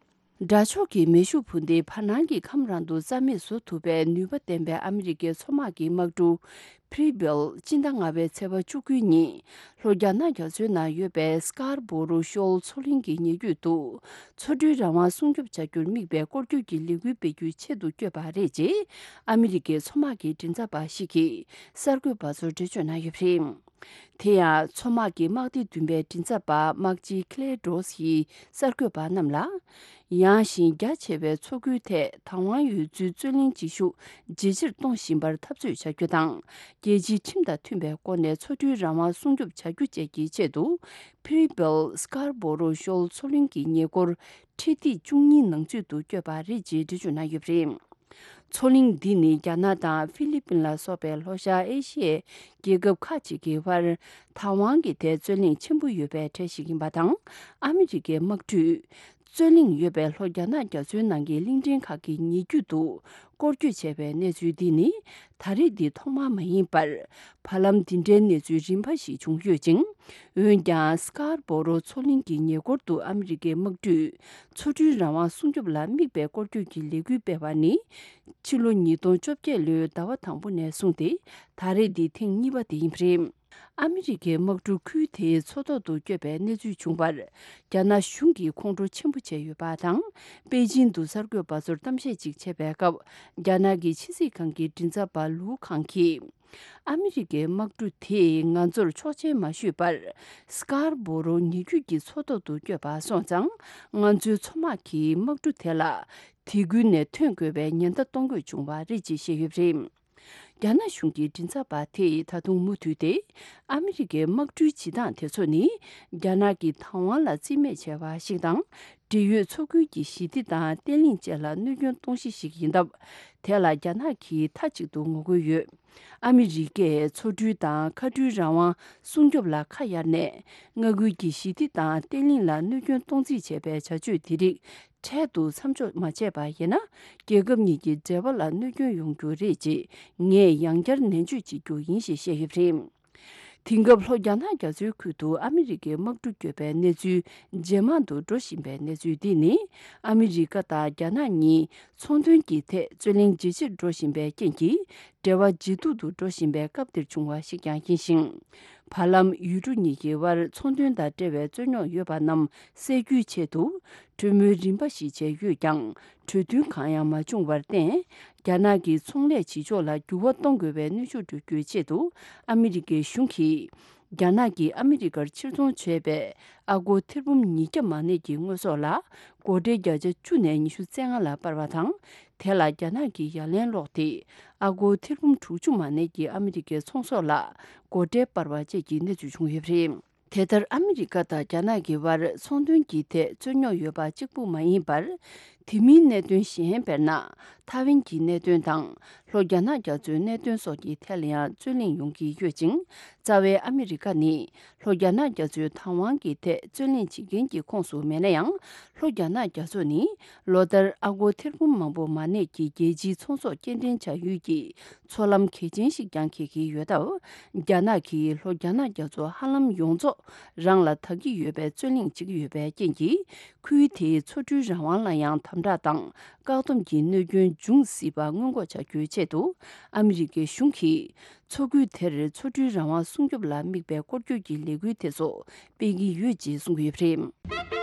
དགྲ་ཕྱོགས་ཀྱི་མེ་ཤུགས་འཕུར་མདེལ་བར་སྣང་གི་ཁམས་རང་དུ་རྩ་མེད་བཟོ་ཐུབ་པའི་ནུས་པ་ལྡན་པའི་ཨ་མི་རི་ཀའི་མཚོ་དམག་གི་དམག་གྲུ་Preble སྤྱི་ཟླ་ལྔ་པའི་ཚེས་པ་བཅུ་དགུ་ཉིན་ལྷོ་རྒྱ་ནག་རྒྱ་མཚོའི་ནང་ཡོད་པའི་Scarborough Shoal མཚོ་གླིང་གི་ཉེ་བརྒྱུད་དུ་མཚོ་གྲུའི་རང་དབང་སྲུང་སྐྱོབ་བྱ་རྒྱུར་དམིགས་པའི་སྐོར་སྐྱོད་ཀྱི་ལས་འགུལ་སྤེལ་རྒྱུའི་ཆེད་དུ་བསྐྱོད་པ་རེད་ཅེས་ཨ་མི་རི་ཀའི་མཚོ་དམག་གི་མགྲིན་ཚབ་པ་ཞིག་གིས་གསར་འགོད་པ་ཚོར་འགྲེལ་བརྗོད་གནང་ཡོད་པ་རེད། དེ་ཡང་མཚོ་དམག་གི་དམག་སྡེ་བདུན་པའི་མགྲིན་ཚབ་པ་དམག་སྤྱི་Claire Doss ཡིས་གསར་འགོད་པ་རྣམས་ལ། ཡངས་ཤིང་རྒྱ་ཆེ་བའི་མཚོ་ཁུལ་ཐད་བདག་དབང་ཡོད་ཚུལ་རྩོད་གླེང་བྱེད་ཤུགས་ཇེ་ཆེར་གཏོང་བཞིན་པར་འཐབ་རྩོད་བྱ་རྒྱུ་དང་། རྒྱལ་སྤྱིའི་ཁྲིམས་དང་མཐུན་པའི་སྒོ་ནས་མཚོ་གྲུའི་རང་དབང་སྲུང་སྐྱོབ་བྱ་རྒྱུ་བཅས་ཀྱི་ཆེད་དུ་Preble Scarborough Shoal མཚོ་གླིང་གི་ཉེ་འཁོར་འཕྲེད་ཐིག་བཅུ་གཉིས་ནང་ཚུད་དུ་བསྐྱོད་པ་རེད་ཅེས་འགྲེལ་བརྗོད་གནང་ཡོད་པ་རེད། མཚོ་གླིང་འདི་ནི་རྒྱ་ནག་དང་ཧྥི་ལི་པིན་ལ་སོགས་པའི་ལྷོ་ཤར་ཨེ་ཤི་ཡའི་རྒྱལ་ཁབ་ཁག་ཅིག་གི་བར་བདག་དབང་གི་ཐད་རྩོད་གླེང་ཆེན་པོ་ཡོད་པའི་གྲས་ཤིག་ཡིན་པ་དང་། ཨ་མི་རི་ཀའི་དམག་གྲུས་རྩོད་གླེང་ཡོད་པའི་ལྷོ་རྒྱ་ནག་རྒྱ་མཚོའི་ནང་གི་གླིང་ཕྲན་ཁག་གི་ཉེ་བརྒྱུད་དུ་སྐོར་སྐྱོད་བྱས་པའི་གནས་ཚུལ་འདི་ནི་ད་རེས་འདི་ཐོག་མ་མ་ཡིན་པར། བར་ལམ་འདི་འདྲའི་གནས་ཚུལ་རིམ་པ་ཞིག་བྱུང་ཡོད་ཅིང་། འོན་ཀྱང་Scarborough མཚོ་གླིང་གི་ཉེ་འཁོར་དུ་ཨ་མི་རི་ཀའི་དམག་གྲུས་མཚོ་གྲུའི་རང་དབང་སྲུང་སྐྱོབ་ལ་དམིགས་པའི་སྐོར་སྐྱོད་ཀྱི་ལས་འགུལ་སྤེལ་བ་ནི། ཕྱི་ལོ་ཉིས་སྟོང་བཅོ་བརྒྱད་ལོའི་ཟླ་བ་དང་པོ་ནས་བཟུང་སྟེ་ད་རེས་འདི་ཐེངས་གཉིས་པ་དེ་ཡིན་པ་རེད། ཨ་མི་རི་ཀའི་དམག་གྲུ་ཁུལ་དེའི་མཚོ་ཐོག་ཏུ་བསྐྱོད་པའི་གནས་ཚུལ་བྱུང་བར། རྒྱ་ནག་གཞུང་གིས་ཁོང་ཁྲོ་ཆེན་པོ་བྱས་ཡོད་པ་དང་། པེ་ཅིན་དུ་གསར་འགོད་པ་ཚོར་གཏམ་བཤད་ཅིག་བྱས་པའི་སྐབས། རྒྱ་ནག་གི་ཕྱི་སྲིད་ཁང་གི་མགྲིན་ཚབ་པ་ལུའུ་ཁང་གིས། ཨ་མི་རི་ཀའི་དམག་གྲུ་དེས་ང་ཚོར་ཆོག་མཆན་མ་ཞུས་པར། Scarborough ཉེ་བརྒྱུད་ཀྱི་མཚོ་ཐོག་ཏུ་བསྐྱོད་པ་སོང་ཙང་། ང་ཚོའི་མཚོ་དམག་གིས་དམག་གྲུ་དེ་ལ་དེ་ཁུལ་ནས་ཐོན་དགོས་པའི་ཉེན་བརྡ་གཏོང་དགོས་བྱུང་བ་རེད་ཅེས་བཤད་ཡོད་པ་རེད། རྒྱ་ནག་གཞུང་གི་མགྲིན་ཚབ་པ་དེས་ད་དུང་མུ་མཐུད་དེ། ཨ་མི་རི་ཀའི་དམག་གྲུའི་བྱེད་སྟངས་དེ་ཚོ་ནི། རྒྱ་ནག་གི་བདག་དབང་ལ་རྩིས་མེད་བྱས་པ་ཞིག་དང་། འབྲེལ་ཡོད་མཚོ་ཁུལ་གྱི་ཞི་བདེ་དང་བརྟན་ལྷིང་བཅས་ལ་གནོད་སྐྱོན་གཏོང་གཞི་ཞིག་ཡིན་སྟབས། དེ་ལ་རྒྱ་ནག་གིས་མཐའ་གཅིག་ཏུ་ངོ་རྒོལ་ཡོད། ཨ་མི་རི་ཀས་མཚོ་གྲུ་དང་མཁའ་གྲུའི་རང་དབང་སྲུང་སྐྱོབ་ལ་ཁ་གཡར་ནས། མངའ་ཁུལ་གྱི་ཞི་བདེ་དང་བརྟན་ལྷིང་ལ་གནོད་སྐྱོན་གཏོང་རྩིས་བྱས་པའི་བྱ་སྤྱོད་དེ་རིགས་འཕྲལ་དུ་མཚམས་འཇོག་མ་བྱས་པ་ཡིན་ན། རྒྱལ་ཁབ་གཉིས་ཀྱི་འབྲེལ་བ་ལ་གནོད་སྐྱོན་ཡོང་རྒྱུ་རེད་ཅེས་ངས་ཡང་བསྐྱར་ནན་བརྗོད་བྱེད་རྒྱུ་ཡིན་ཞེས་བཤད་ཡོད་པ་རེད། དེང་སྐབས་ལྷོ་རྒྱ་ནག་རྒྱ་མཚོའི་ཁུལ་དུ་ཨ་མི་རི་ཀའི་དམག་གྲུ་བསྐྱོད་པའི་གནས་ཚུལ་ཇེ་མང་དུ་འགྲོ་བཞིན་པའི་གནས་ཚུལ་འདི་ནི། ཨ་མི་རི་ཀ་དང་རྒྱ་ནག་གཉིས་ཚོང་དོན་གྱི་ཐད་རྩོད་གླེང་ཇེ་ཆེར་འགྲོ་བཞིན་པའི་རྐྱེན་གྱིས། འབྲེལ་བ་ཇེ་སྡུག་ཏུ་འགྲོ་བཞིན་པའི་སྐབས་འདིར་བྱུང་བ་ཞིག་ཀྱང་ཡིན་ཞིང་། བར་ལམ་ཡུལ་གྲུ་གཉིས་ཀྱི་དབར་ཚོང་དོན་དང་འབྲེལ་བའི་རྩོད་རྙོག་ཡོད་པ་རྣམས་སེལ་རྒྱུའི་ཆེད་དུ། གྲོས་མོལ་རིམ་པ་ཞིག་བྱས་ཡོད་ཀྱང་། གྲོས་མཐུན་གང་ཡང་མ་བྱུང་བར་བརྟེན། རྒྱ་ནག་གི་ཚོང་ལས་བྱེད་ཕྱོགས་ལ་འགྱུར་བ་གཏོང་དགོས་པའི་གནོན་ཤུགས་སྤྲོད་རྒྱུའི་ཆེད་དུ། ཨ་མི་རི་ཀའི་གཞུང་གིས། རྒྱ་ནག་གིས་ཨ་མི་རི་ཀར་ཕྱིར་ཚོང་བྱས་པའི་ཨ་སྒོར་ཐེར་འབུམ་ཉིས་བརྒྱ་མ་ནས་ཀྱི་དངོས་ཟོག་ལ་སྒོར་ཁྲལ་བརྒྱ་ཆ་བཅུ་ནས་ཉི་ཤུ་རྩ་ལྔ་ལ་སྤར་བ་དང་། དེ་ལ་རྒྱ་ནག་གིས་ཡ་ལན་སློག་སྟེ། ཨ་སྒོར་ཐེར་འབུམ་དྲུག་ཅུ་མ་ནས་ཀྱི་ཨ་མི་རི་ཀའི་ཚོང་ཟོག་ལ་སྒོར་ཁྲལ་སྤར་བ་བཅས་ཀྱི་གནས་ཚུལ་བྱུང་ཡོད་པ་རེད། དེ་ལྟར་ཨ་མི་རི་ཀ་དང་རྒྱ་ནག་གི་དབར་ཚོང་དོན་གྱི་ཐད་རྩོད་རྙོག་ཡོད་པ་གཅིག་པུ་མ་ཡིན་པར། དེ་མིན་གནད་དོན་གཞན་དཔེར་ན། ཐའེ་ཝན་གྱི་གནད་དོན་དང་། ལྷོ་རྒྱ་ནག་རྒྱ་མཚོའི་གནད་དོན་སོགས་ཀྱི་ཐད་ལ་ཡང་རྩོད་གླེང་ཡོང་གི་ཡོད་ཅིང་། རྩ་བའི་ཨ་མི་རི་ཀ་ནི། ལྷོ་རྒྱ་ནག་རྒྱ་མཚོའི་བདག་དབང་གི་ཐད་རྩོད་གླེང་བྱེད་མཁན་གྱི་ཁོངས་སུ་མེད་ན་ཡང་། ལྷོ་རྒྱ་ནག་རྒྱ་མཚོ་ནི། ལོ་ལྟར་ཨ་སྒོར་ཐེར་འབུམ་མང་པོ་མ་གནས་ཀྱི་རྒྱལ་སྤྱིའི་ཚོང་ཟོག་སྐྱེལ་འདྲེན་བྱ་ཡུལ་གྱི། མཚོ་ལམ་གལ་ཆེན་ཞིག་ཀྱང་འཁེལ་གྱི་ཡོད་སྟབས། རྒྱ་ནག་གིས་ལྷོ་རྒྱ་ནག་རྒྱ་མཚོ་ཧ་ལམ་ཡོངས་རྫོགས་རང་ལ་བདག་གི་ཡོད་པའི་རྩོད་གླེང་བྱེད་ཀྱི་ཡོད་པའི་རྐྱེན་གྱིས། ཁུལ་དེའི་མཚོ་འགྲུལ་རང་དབང་ལ་ཡང་དམ་དྲག་དང་བཀག་སྡོམ་གྱི་གནོད་སྐྱོན་འབྱུང་སྲིད་པ་སྔོན་འགོག་བྱ་རྒྱུའི་ཆེད་དུ། ཨ་མི་རི་ཀའི་གཞུང་གིས་མཚོ་ཁུལ་དེར་མཚོ་འགྲུལ་རང་དབང་སྲུང་སྐྱོབ་ལ་དམིགས་པའི་སྐོར་སྐྱོད་ཀྱི་ལས་འགུལ་དེ་ཚོ་སྤེལ་གྱི་ཡོད་ཅེས་གསུང་གི་ཡོད་པ་རེད།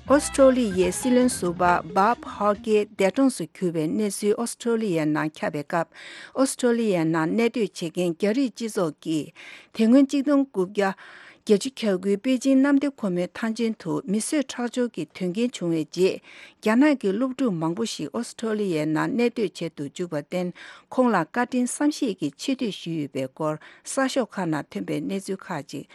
ཨོ་སི་ཀྲོ་ལི་ཡའི་སྲིད་བློན་ཟུར་པ་བཱབ་ཧོག་གི་འདས་གྲོངས་སུ་གྱུར་བའི་གནས་ཚུལ་ཨོ་སི་ཀྲོ་ལི་ཡའི་ནང་ཁྱབ་པའི་སྐབས། ཨོ་སི་ཀྲོ་ལི་ཡའི་ནང་གནས་སྡོད་བྱེད་མཁན་རྒྱ་རིགས་སྤྱི་ཚོགས་ཀྱིས་དེ་སྔོན་གཅིག་སྟོང་དགུ་བརྒྱ་བརྒྱད་ཅུ་གྱ་དགུའི་པེ་ཅིང་གནམ་བདེ་ཁོལ་མོའི་ཐང་ཆེན་དུ་མི་གསོད་ཁྲག་སྦྱོར་གྱི་དོན་རྐྱེན་བྱུང་བའི་རྗེས། རྒྱ་ནག་གི་སློབ་ཕྲུག་མང་པོ་ཞིག་ཨོ་སི་ཀྲོ་ལི་ཡའི་ནང་གནས་སྡོད་བྱེད་དུ་འཇུག་པར་བརྟེན། ཁོང་ལ་བཀའ་དྲིན་བསམ་ཤེས་ཀྱི་ཆེ་བསྟོད་ཞུས་ཡོད་པའི་སྐོར་གསར་ཤོག་ཁག་ནང་ཐོན་པའི་གནས་ཚུལ་ཁག་ཅིག་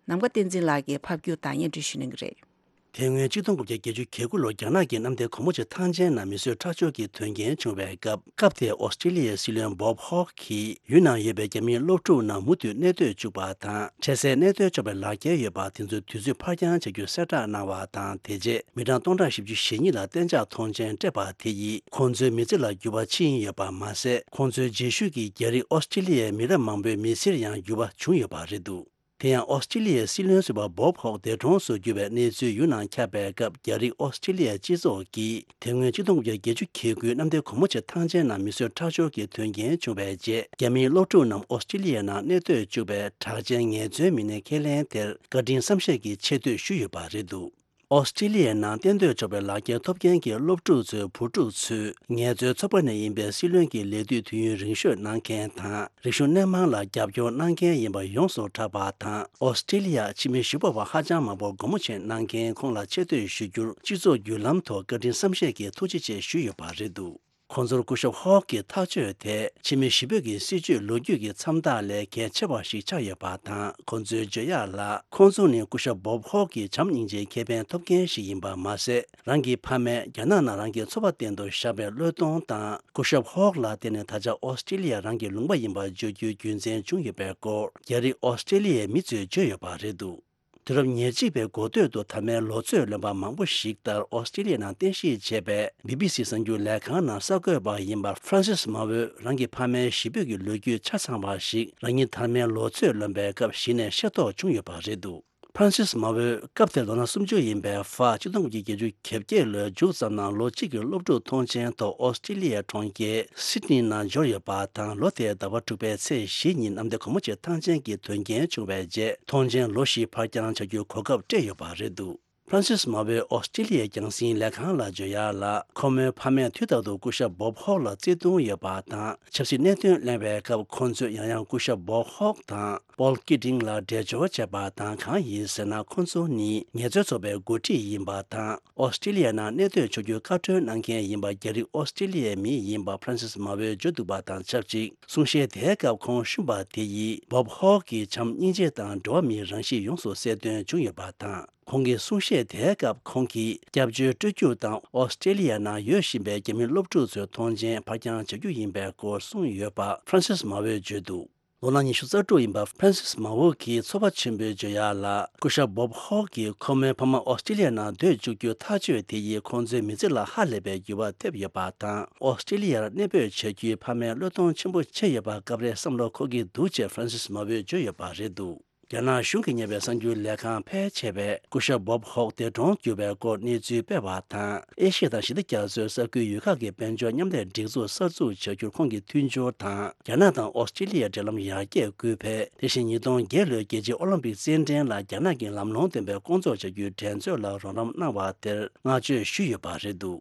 ནམ་མཁའ་བསྟན་འཛིན་ལགས་ཀྱིས་ཕབ་སྒྱུར་དང་སྙན་སྒྲོན་ཞུ་གནང་གི་རེད། དེ་སྔོན་གཅིག་སྟོང་དགུ་བརྒྱ་བརྒྱད་ཅུ་གྱ་དགུ་ལོར་རྒྱ་ནག་གི་གནམ་བདེ་གོལ་མོ་ཆེ་ཐང་ཆེན་ནང་མི་གསོད་ཁྲག་སྦྱོར་གྱི་དོན་རྐྱེན་བྱུང་བའི་སྐབས། སྐབས་དེའི་ཨོ་སི་ཀྲི་ལི་ཡའི་སྲིད་བློན་བོབ་ཧོག་གིས་ཡུལ་ནང་ཡོད་པའི་རྒྱ་མིའི་སློབ་ཕྲུག་རྣམས་མུ་མཐུད་གནས་སྡོད་བཅུག་པ་དང་། འཕྲལ་སེལ་གནས་སྡོད་གཅོག་པའི་ལག་འཁྱེར་ཡོད་པ་དེ་ཚོའི་དུས་ཚོད་ཕར་འགྱངས་བྱ་རྒྱུ་གསལ་བསྒྲགས་གནང་བ་དང་། དེ་རྗེས་མི་གྲངས་སྟོང་ཕྲག་བཞི་བཅུ་ཞེ་གཉིས་ལ་གཏན་འཇགས་ཐོངས་མཆན་སྤྲད་པ་དེ་ཡིས། ཁོང་ཚོའི་མི་ཚེ་ལ་འགྱུར་བ་ཕྱིན་ཡོད་པ་མ་ཟད། ཁོང་ཚོའི་རྗེས་ཤུལ་གྱི་རྒྱ་རིགས་ཨོ་སི་ཀྲི་ལི་ཡའི་མི་རབས་མང་པོའི་མི་ཚེར་ཡང་འགྱུར་བ་བྱུང་ཡོད་པ་རེད་འདུག་དེ་ཡང་ཨོ་སི་ཀྲི་ལི་ཡའི་སྲིད་བློན་ཟུར་པ་བོབ་ཧོག་འདས་གྲོངས་སུ་གྱུར་བའི་གནས་ཚུལ་ཡུལ་ནང་ཁྱབ་པའི་སྐབས། རྒྱ་རིགས་ཨོ་སི་ཀྲི་ལི་ཡའི་སྤྱི་ཚོགས་ཀྱིས་དེ་སྔོན་གཅིག་སྟོང་དགུ་བརྒྱ་བརྒྱད་ཅུ་གྱ་དགུའི་གནམ་བདེ་གོལ་མོ་ཆེ་ཐང་ཆེན་ནང་མི་གསོད་ཁྲག་སྦྱོར་གྱི་དོན་རྐྱེན་བྱུང་བའི་རྗེས། རྒྱ་མིའི་སློབ་ཕྲུག་རྣམས་ཨོ་སི་ཀྲི་ལི་ཡའི་ནང་གནས་སྡོད་བཅུག་པའི་གྲགས་ཅན་ངལ་རྩོལ་མི་སྣའི་ཁས་ལེན་དེར་བཀའ་དྲིན་བསམ་ཤེས་ཀྱི་ཆེ་བསྟོད་ཞུས་ཡོད་པ་རེད་འདུག་ཨོ་སི་ཀྲི་ལི་ཡའི་ནང་གཏན་སྡོད་ཆོག་པའི་ལག་འཁྱེར་ཐོབ་མཁན་གྱི་སློབ་ཕྲུག་ཚོའི་བུ་ཕྲུག་ཚོས་ངལ་རྩོལ་ཚོགས་པ་ནས་ཡིན་པའི་སྲིད་བློན་གྱི་ལས་དུས་དུས་ཡུན་རིང་ཤོས་གནང་མཁན་དང་། རིག་གཞུང་སྣེ་མང་ལ་རྒྱབ་སྐྱོར་གནང་མཁན་ཡིན་པ་ཡོངས་སུ་གྲགས་པ་དང་། ཨོ་སི་ཀྲི་ལི་ཡ་ཕྱི་མི་ཞི་བ་བ་ཧ་ཅང་མང་པོ་སྒོ་མོ་ཕྱེ་གནང་མཁན་ཁོང་ལ་ཆེ་བསྟོད་ཞུ་རྒྱུར། སྤྱི་ཚོགས་བརྒྱུད་ལམ་ཐོག་བཀའ་དྲིན་བསམ་ཤེས་ཀྱི་ཐུགས་རྗེ་ཆེ་ཞུས་ཡོད་པ་རེད་འདུག་ཁོང་ཚོར་སྐུ་ཞབས་ཧོག་གི་ཐག་གཅོད་དེས་ཕྱི་མི་ཞི་བོད་ཀྱི་སྲིད་བྱུས་ལོ་རྒྱུས་ཀྱི་མཚམས་རྟགས་ལས་གལ་ཆེ་བ་ཞིག་ཆགས་ཡོད་པ་དང་། ཁོང་ཚོའི་བརྗོད་ཡག་ལ། ཁོང་ཚོ་ནི་སྐུ་ཞབས་བོབ་ཧོག་གི་བྱམས་སྙིང་རྗེའི་ཁེ་ཕན་ཐོབ་མཁན་ཞིག་ཡིན་པ་མ་ཟད། རང་གི་ཕ་མས་རྒྱ་ནག་ནང་རང་གི་འཚོ་བ་གཏན་དུ་བཞག་པའི་བློས་གཏོང་དང་། སྐུ་ཞབས་ཧོག་ལ་བརྟེན་ནས་ད་ཆ་ཨོ་སི་ཀྲི་ལི་ཡ་རང་གི་ལུང་པ་ཡིན་པ་བརྗོད་རྒྱུའི་རྒྱུ་མཚན་བྱུང་ཡོད་པའི་སྐོར། རྒྱ་རིགས་ཨོ་སི་ཀྲི་ལི་ཡའི་མི་ཚོས་བརྗོད་ཡོད་པ་རེད་འདུག་དུས་རབས་ཉེར་གཅིག་པའི་འགོ་སྟོད་དུ་དར་མའི་ལོ་ཚོད་ལོན་པ་མང་པོ་ཞིག་ལྟར། ཨོ་སི་ཀྲི་ལི་ཡ་ནང་རྟེན་གཞི་བྱས་པའི་བི་བི་སི་གསར་འགྱུར་ལས་ཁང་ནང་གསར་འགོད་པ་ཡིན་པ་ཧྥ་རན་སིས་མ་ཝོས་རང་གི་ཕ་མའི་གཞིས་སྤོས་ཀྱི་ལོ་རྒྱུས་ཆ་ཚང་བ་ཞིག་རང་ཉིད་དར་མའི་ལོ་ཚོད་ལོན་པའི་སྐབས་གཞི་ནས་ཤེས་རྟོགས་བྱུང་ཡོད་པ་རེད་འདུག་ཧྥ་རན་སིས་མ་ཝོས་སྐབས་དེར་ལོ་ན་སུམ་ཅུ་ཡིན་པའི་ཧྥ་གཅིག་སྟོང་དགུ་བརྒྱ་བརྒྱད་ཅུ་གྱ་བརྒྱད་ལོའི་མཇུག་ཙམ་ནང་ལོ་གཅིག་གི་སློབ་ཕྲུག་ཐོངས་མཆན་ཐོག་ཨོ་སི་ཀྲི་ལི་ཡའི་གྲོང་ཁྱེར་སིད་ནི་ནང་འབྱོར་ཡོད་པ་དང་། ལོ་དེའི་ཟླ་བ་དྲུག་པའི་ཚེས་བཞི་ཉིན་གནམ་བདེ་གོལ་མོ་ཆེ་ཐང་ཆེན་གྱི་དོན་རྐྱེན་བྱུང་བའི་རྗེས། ཐོངས་མཆན་ལོ་བཞི་ཕར་འགྱངས་བྱ་རྒྱུའི་གོ་སྐབས་སྤྲད་ཡོད་པ་རེད་འདུག་ཧྥ་རན་སིས་མ་ཝོས་ཨོ་སི་ཀྲི་ལི་ཡའི་རྒྱང་སྲིང་ལས་ཁང་ལ་བརྗོད་ཡག་ལ། ཁོ་མོའི་ཕ་མས་དུས་རྟག་ཏུ་སྐུ་ཞབས་བོབ་ཧོག་ལ་བརྩེ་དུང་ཡོད་པ་དང་། ཆབ་སྲིད་གནད་དོན་གླེང་བའི་སྐབས། ཁོང་ཚོས་ཡང་ཡང་སྐུ་ཞབས་བོབ་ཧོག་དང་པོལ་ཀི་ཏིང་ལ་འབྲེལ་སྦྱོར་བྱས་པ་དང་། གང་ཡིན་ཟེར་ན། ཁོང་ཚོ་ནི་ངལ་རྩོལ་ཚོགས་པའི་འགོ་ཁྲིད་ཡིན་པ་དང་། ཨོ་སི་ཀྲི་ལི་ཡ་ནང་གནས་སྡོད་ཆོག་རྒྱུའི་བཀའ་འཁྲོལ་གནང་མཁན་ཡིན་པ། རྒྱ་རིགས་ཨོ་སི་ཀྲི་ལི་ཡའི་མི་ཡིན་པ་ཧྥ་རན་སིས་མ་ཝོས་བརྗོད་འདུག་པ་དང་ཆབས་ཅིག་གསུང་བཤད་དེའི་སྐབས་ཁོང་བཤུམས་པ་དེ་ཡིས་བོབ་ཧོག་གི་བྱམས་སྙིང་རྗེ་དང་འགྲོ་བ་མིའི་རང་གཤིས་ཡོངས་སུ་གསལ་སྟོན་བྱུང་ཡོད་པ་དང་། ཁོང་གི་གསུང་བཤད་དེའི་སྐབས་ཁོང་གིས་སྐྱབས་བཅོལ་སྤྲོད་རྒྱུ་དང་ཨོ་སི་ཀྲི་ལི་ཡ་ནང་ཡོད་བཞིན་པའི་རྒྱ་མི་སློབ་ཕྲུག་ཚོའི་ཐོངས་མཆན་ཕར་འགྱངས་བྱ་རྒྱུ་ཡིན་པའི་སྐོར་གསུངས་ཡོད་པ་ཧྥ་རན་སིས་མ་ཝོས་བརྗོད་འདུག་ལོ་ན་ཉི་ཤུ་རྩ་དྲུག་ཡིན་པ་ཧྥ་རན་སིས་མ་ཝོ་གིས་ཚོར་བ་ཆེན་པོས་བརྗོད་ཡག་ལ། སྐུ་ཞབས་བོབ་ཧོག་གིས་ཁོ་མོའི་ཕ་མ་ཨོ་སི་ཀྲི་ལི་ཡ་ནང་སྡོད་བཅུག་རྒྱུ་ཐག་གཅོད་དེ་ཡིས་ཁོང་ཚོའི་མི་ཚེ་ལ་ཧ་ལས་པའི་འགྱུར་བ་ཐེབས་ཡོད་པ་དང་། ཨོ་སི་ཀྲི་ལི་ཡར་གནས་སྤོས་བྱ་རྒྱུའི་ཕ་མའི་བློས་གཏོང་ཆེན་པོ་བྱས་ཡོད་པ་སྐབས་རེ་བསམ་བློ་འཁོར་གྱི་འདུག་ཅེས་ཧྥ་རན་སིས་མ་ཝོས་བརྗོད་ཡོད་པ་རེད་འདུག་རྒྱ་ནག་གཞུང་གིས་གཉེར་བའི་གསར་འགྱུར་ལས་ཁང་ཕལ་ཆེ་བས་སྐུ་ཞབས་བོབ་ཧོག་འདས་གྲོངས་གྱུར་བའི་སྐོར་གནས་ཚུལ་སྤེལ་བ་དང་། ཨེ་ཤི་ཡ་དང་ཞི་བདེ་རྒྱ་མཚོའི་ས་ཁུལ་ཡུལ་ཁག་གི་དཔལ་འབྱོར་མཉམ་ལས་སྒྲིག་འཛུགས་གསར་འཛུགས་བྱ་རྒྱུར་ཁོང་གིས་མཐུན་སྦྱོར་དང་། རྒྱ་ནག་དང་ཨོ་སི་ཀྲི་ལི་ཡའི་འབྲེལ་ལམ་ཡར་རྒྱས་སྐུལ་འཕེལ། དེ་བཞིན་ཉིས་སྟོང་བརྒྱད་ལོའི་རྒྱལ་སྤྱིའི་ཨོ་ལིམ་པིག་རྩེད་འགྲན་ལ་རྒྱ་ནག་གི་ལམ་ལྷོང་ལྡན་པའི་སྐོང་ཚོགས་བྱ་རྒྱུའི་འགྲན་རྩོད་ལ་རོགས་རམ་གནང་བ་དེར་བསྔགས་བརྗོད་ཞུས་ཡོད་པ་རེད་འདུག།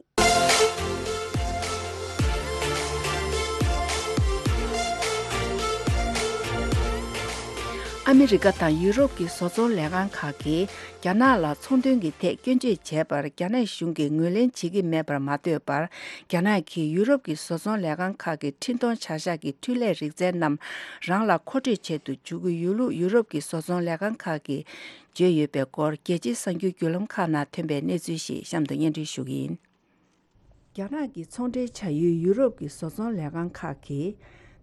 ཨ་མི་རི་ཀ་དང་ཡུ་རོབ་ཀྱི་བཟོ་ཚོང་ལས་ཁང་ཁག་གིས་རྒྱ་ནག་ལ་ཚོང་དོན་གྱི་ཐད་སྐྱོན་བརྗོད་བྱས་པར་རྒྱ་ནག་གཞུང་གིས་ངོས་ལེན་བྱེད་ཀྱི་མེད་པར་མ་ལྟོས་པར། རྒྱ་ནག་གིས་ཡུ་རོབ་ཀྱི་བཟོ་ཚོང་ལས་ཁང་ཁག་གི་འཕྲིན་གཏོང་བྱ་གཞག་གི་འཕྲུལ་ལས་རིག་རྩལ་རྣམས་རང་ལ་མཁོ་སྤྲོད་བྱེད་དུ་འཇུག་གི་ཡོད་ལུགས་ཡུ་རོབ་ཀྱི་བཟོ་ཚོང་ལས་ཁང་ཁག་གིས་བརྗོད་ཡོད་པའི་སྐོར། རྒྱལ་སྤྱིའི་གསར་འགྱུར་བརྒྱུད་ལམ་ཁག་ནང་ཐོན་པའི་གནས་ཚུལ་ཞིག་གཤམ་དུ་སྙན་སྒྲོན་ཞུ་གི་ཡིན། རྒྱ་ནག་གི་ཚོང་འབྲེལ་བྱ་ཡུལ་ཡུ་རོབ་ཀྱི་བཟོ་ཚོང་ལས་ཁང་ཁག་གིས།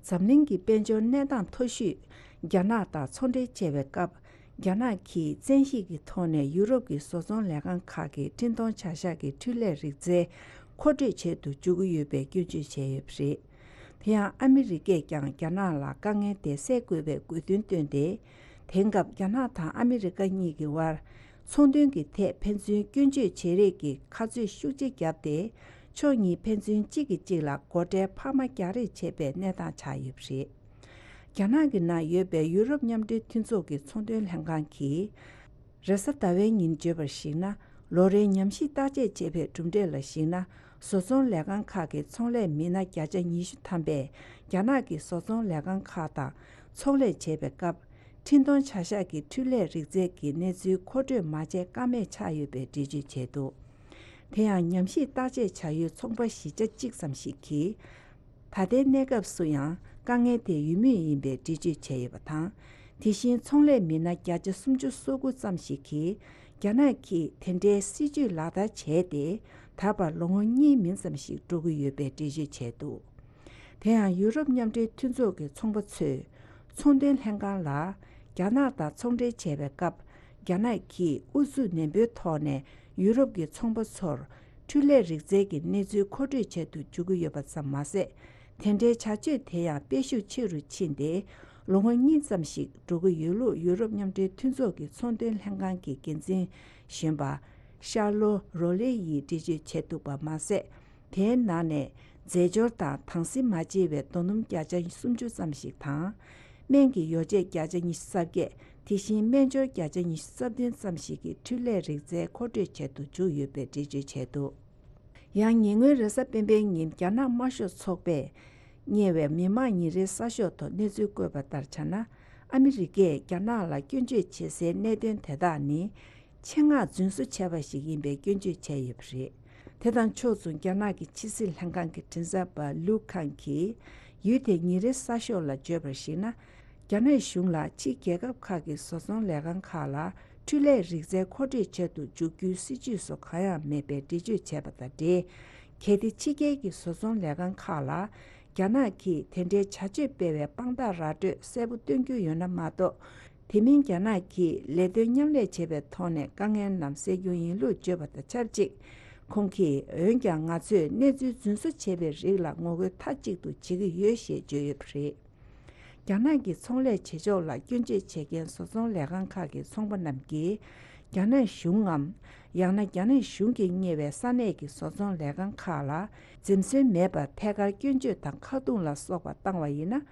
འཛམ་གླིང་གི་དཔལ་འབྱོར་གནས་སྟངས་མཐོ་ཤོས་རྒྱ་ནག་དང་ཚོང་འབྲེལ་བྱེད་པའི་སྐབས། རྒྱ་ནག་གིས་བཙན་ཤེད་ཀྱི་ཐོག་ནས་ཡུ་རོབ་ཀྱི་བཟོ་ཚོང་ལས་ཁང་ཁག་གི་འཕྲིན་གཏོང་བྱ་གཞག་གི་འཕྲུལ་ལས་རིག་རྩལ་མཁོ་སྤྲོད་བྱེད་དུ་འཇུག་གི་ཡོད་པའི་སྐྱོན་བརྗོད་བྱས་ཡོད་པ་རེད། དེ་ཡང་ཨ་མི་རི་ཀས་ཀྱང་རྒྱ་ནག་ལ་དཀའ་ངལ་དེ་སེལ་དགོས་པའི་དགོས་འདུན་བཏོན་ཏེ། དེང་སྐབས་རྒྱ་ནག་དང་ཨ་མི་རི་ཀ་གཉིས་ཀྱི་དབར། ཚོང་དོན་གྱི་ཐད་ཕན་ཚུན་སྐྱོན་བརྗོད་བྱེད་རེས་ཀྱི་ཁ་རྩོད་ཤུགས་ཆེ་བརྒྱབ་སྟེ། ཕྱོགས་གཉིས་ཕན་ཚུན་གཅིག་གིས་གཅིག་ལ་སྒོ་ཁྲལ་འཕར་མ་རྒྱག་རེས་བྱེད་པའི་གནས་སྟངས་ཆགས་ཡོད་པ་རེད། རྒྱ་ནག་གི་ནང་ཡོད་པའི་ཡུ་རོབ་མཉམ་འབྲེལ་མཐུན་ཚོགས་ཀྱི་ཚོང་དོན་ལྷན་ཁང་གིས། རེས་གཟའ་ཟླ་བའི་ཉིན་བརྗོད་པར་གཞིགས་ན། ལོ་རེའི་ཉམས་ཞིབ་བརྟག་དཔྱད་བྱས་པའི་གྲུབ་འབྲས་ལ་གཞིགས་ན། བཟོ་ཚོང་ལས་ཁང་ཁག་གི་ཚོང་ལས་མི་སྣ་བརྒྱ་ཆ་ཉི་ཤུ་ཐམ་པས་རྒྱ་ནག་གི་བཟོ་ཚོང་ལས་ཁང་ཁག་དང་ཚོང་ལས་བྱེད་པའི་སྐབས། འཕྲིན་གཏོང་བྱ་གཞག་གི་འཕྲུལ་ལས་རིག་རྩལ་གྱི་གནས་ཚུལ་མཁོ་སྤྲོད་མ་བྱས་ཀ་མེད་ཆགས་ཡོད་པའི་འགྲེལ་བརྗོད་བྱས་འདུག། དེ་ཡང་ཉམས་ཞིབ་བརྟག་དཔྱད་བྱ་ཡུལ་ཚོང་པ་བཞི་ཆ་གཅིག་ཙམ་ཞིག་གིས། ད་ལྟའི་གནས་སྐབས་སུ་ཡང་དཀའ་ངལ་དེ་ཡོད་མུས་ཡིན་པའི་འགྲེལ་བརྗོད་བྱས་ཡོད་པ་དང་། དེ་བཞིན་ཚོང་ལས་མི་སྣ་བརྒྱ་ཆ་སུམ་ཅུ་སོ་དགུ་ཙམ་ཞིག་གིས་རྒྱ་ནག་གིས་དེ་འདྲའི་སྲིད་ཇུས་ལག་བསྟར་བྱས་ཏེ། ད་བར་ལོ་ངོ་གཉིས་མིན་ཙམ་ཞིག་འགྲོ་གི་ཡོད་པའི་འགྲེལ་བརྗོད་བྱས་འདུག། དེ་ཡང་ཡུ་རོབ་མཉམ་འབྲེལ་མཐུན་ཚོགས་ཀྱི་ཚོང་པ་ཚོས་ཚོང་དོན་ལྷན་ཁང་ལ་རྒྱ་ནག་དང་ཚོང་འབྲེལ་བྱས་པའི་སྐབས། རྒྱ་ནག་གིས་ཨུ་ཚུགས་ནན་པོའི་ཐོག་ནས་ཡུ་རོབ་ཀྱི་ཚོང་པ་ཚོར་འཕྲུལ་ལས་རིག་རྩལ་གྱི་གནས་ཚུལ་མཁོ་སྤྲོད་བྱེད་དུ་འཇུག་གི་ཡོད་པ་ཙམ་མ་ཟད། དེ་འདྲའི་བྱ་སྤྱོད་དེ་ཡང་སྤེལ་ཤུགས་ཆེ་རུ་ཕྱིན་ཏེ། ལོ་ངོ་གཉིས་ཙམ་ཞིག་འགྲོ་གི་ཡོད་ལུགས་ཡུ་རོབ་མཉམ་འབྲེལ་མཐུན་ཚོགས་ཀྱི་ཚོང་དོན་ལྷན་ཁང་གི་འགན་འཛིན་གཞོན་པ་ཤར་ལོ་རོ་ལེ་ཡིས་འགྲེལ་བརྗོད་བྱས་འདུག་པ་མ་ཟད། དེའི་ནང་ནས་རྫས་སྦྱོར་དང་དྭངས་བསིལ་མ་བརྗེ་བའི་རྡོ་སྣུམ་བརྒྱ་ཆ་སུམ་ཅུ་ཙམ་ཞིག་དང་། སྨན་གྱི་ཡོ་བྱད་བརྒྱ་ཆ་ཉི་ཤུ་རྩ་བརྒྱད། དེ་བཞིན་སྨན་སྦྱོར་བརྒྱ་ཆ་ཉི་ཤུ་རྩ་བདུན་ཙམ་ཞིག་གི་འཕྲུལ་ལས་རིག་རྩལ་མཁོ་སྤྲོད་བྱེད་དུ་འཇུག་ཡོད་པའི་འགྲེལ་བརྗོད་བྱས་འདུག། ཡང་ཉེ་སྔོན་རེས་གཟའ་སྤེན་པའི་ཉིན་རྒྱ་ནག་དམར་ཤོག་ཚོགས་པས་གཉེར་བའི་མི་དམངས་ཉིན་རེའི་གསར་ཤོག་ཐོག་གནས་ཚུལ་བཀོད་པ་ལྟར་ཆ་ན། ཨ་མི་རི་ཀས་རྒྱ་ནག་ལ་སྐྱོན་བརྗོད་བྱེད་སའི་གནད་དོན་དེ་དག་ནི། ཆེད་མངགས་རྫུན་བཟོ་བྱས་པ་ཞིག་ཡིན་པའི་སྐྱོན་བརྗོད་བྱས་ཡོད་པ་རེད། དེ་དང་ཕྱོགས་མཚུངས་རྒྱ་ནག་གི་ཕྱི་སྲིད་ལྷན་ཁང་གི་མགྲིན་ཚབ་པ་ལུའུ་ཁང་གིས་ཡུལ་དེའི་ཉིན་རེའི་གསར་ཤོག་ལ་བརྗོད་པར་གཞིགས་ན། རྒྱ་ནག་གཞུང་ལ་ཕྱིའི་རྒྱལ་ཁབ་ཁག་གི་བཟོ་ཚོང་ལས་ཁང་ཁག་ལ་འཕྲུལ་ལས་རིག་རྩལ་མཁོ་སྤྲོད་བྱེད་དུ་འཇུག་རྒྱུའི་སྲིད་ཇུས་སུ་གང་ཡང་མེད་པའི་འགྲེལ་བརྗོད་བྱས་པ་དང་འབྲེལ། གལ་ཏེ་ཕྱི་རྒྱལ་གྱི་བཟོ་ཚོང་ལས་ཁང་ཁག་ལ་རྒྱ་ནག་གིས་དེ་འདྲའི་བྱ་སྤྱོད་སྤེལ་བའི་དཔང་རྟགས་ར་སྤྲོད་གསལ་པོ་སྟོན་རྒྱུ་ཡོད་ན་མ་གཏོགས། དེ་མིན་རྒྱ་ནག་གིས་ལས་དོན་མཉམ་ལས་བྱེད་པའི་ཐོག་ནས་དཀའ་ངལ་རྣམས་སེལ་རྒྱུ་ཡིན་ལུགས་བརྗོད་པ་དང་ཆབས་ཅིག། ཁོང་གིས་འོན་ཀྱང་ང་ཚོས་གནས་ཚུལ་རྫུན་བཟོ་བྱས་པའི་རིགས་ལ་ངོ་རྒོལ་མཐའ་གཅིག་ཏུ་བྱེད་ཀྱི་ཡོད་ཞེས་བརྗོད་ཡོད་པ་རེད། རྒྱ་ནག་གི་ཚོང་ལས་བྱེད་ཕྱོགས་ལ་སྐྱོན་བརྗོད་བྱེད་མཁན་བཟོ་ཚོང་ལས་ཁང་ཁག་གི་ཚོང་པ་རྣམས་ཀྱིས། རྒྱ་ནག་གཞུང་ངམ། ཡང་ན་རྒྱ་ནག་གཞུང་གིས་གཉེར་བའི་ས་གནས་ཀྱི་བཟོ་ཚོང་ལས་ཁང་ཁག་ལ་འཛེམ་ཟོན་མེད་པར་ཐད་ཀར་སྐྱོན་བརྗོད་དང་ཁ་རྡུང་ལ་སོགས་པ་བཏང་བ་ཡིན་ན།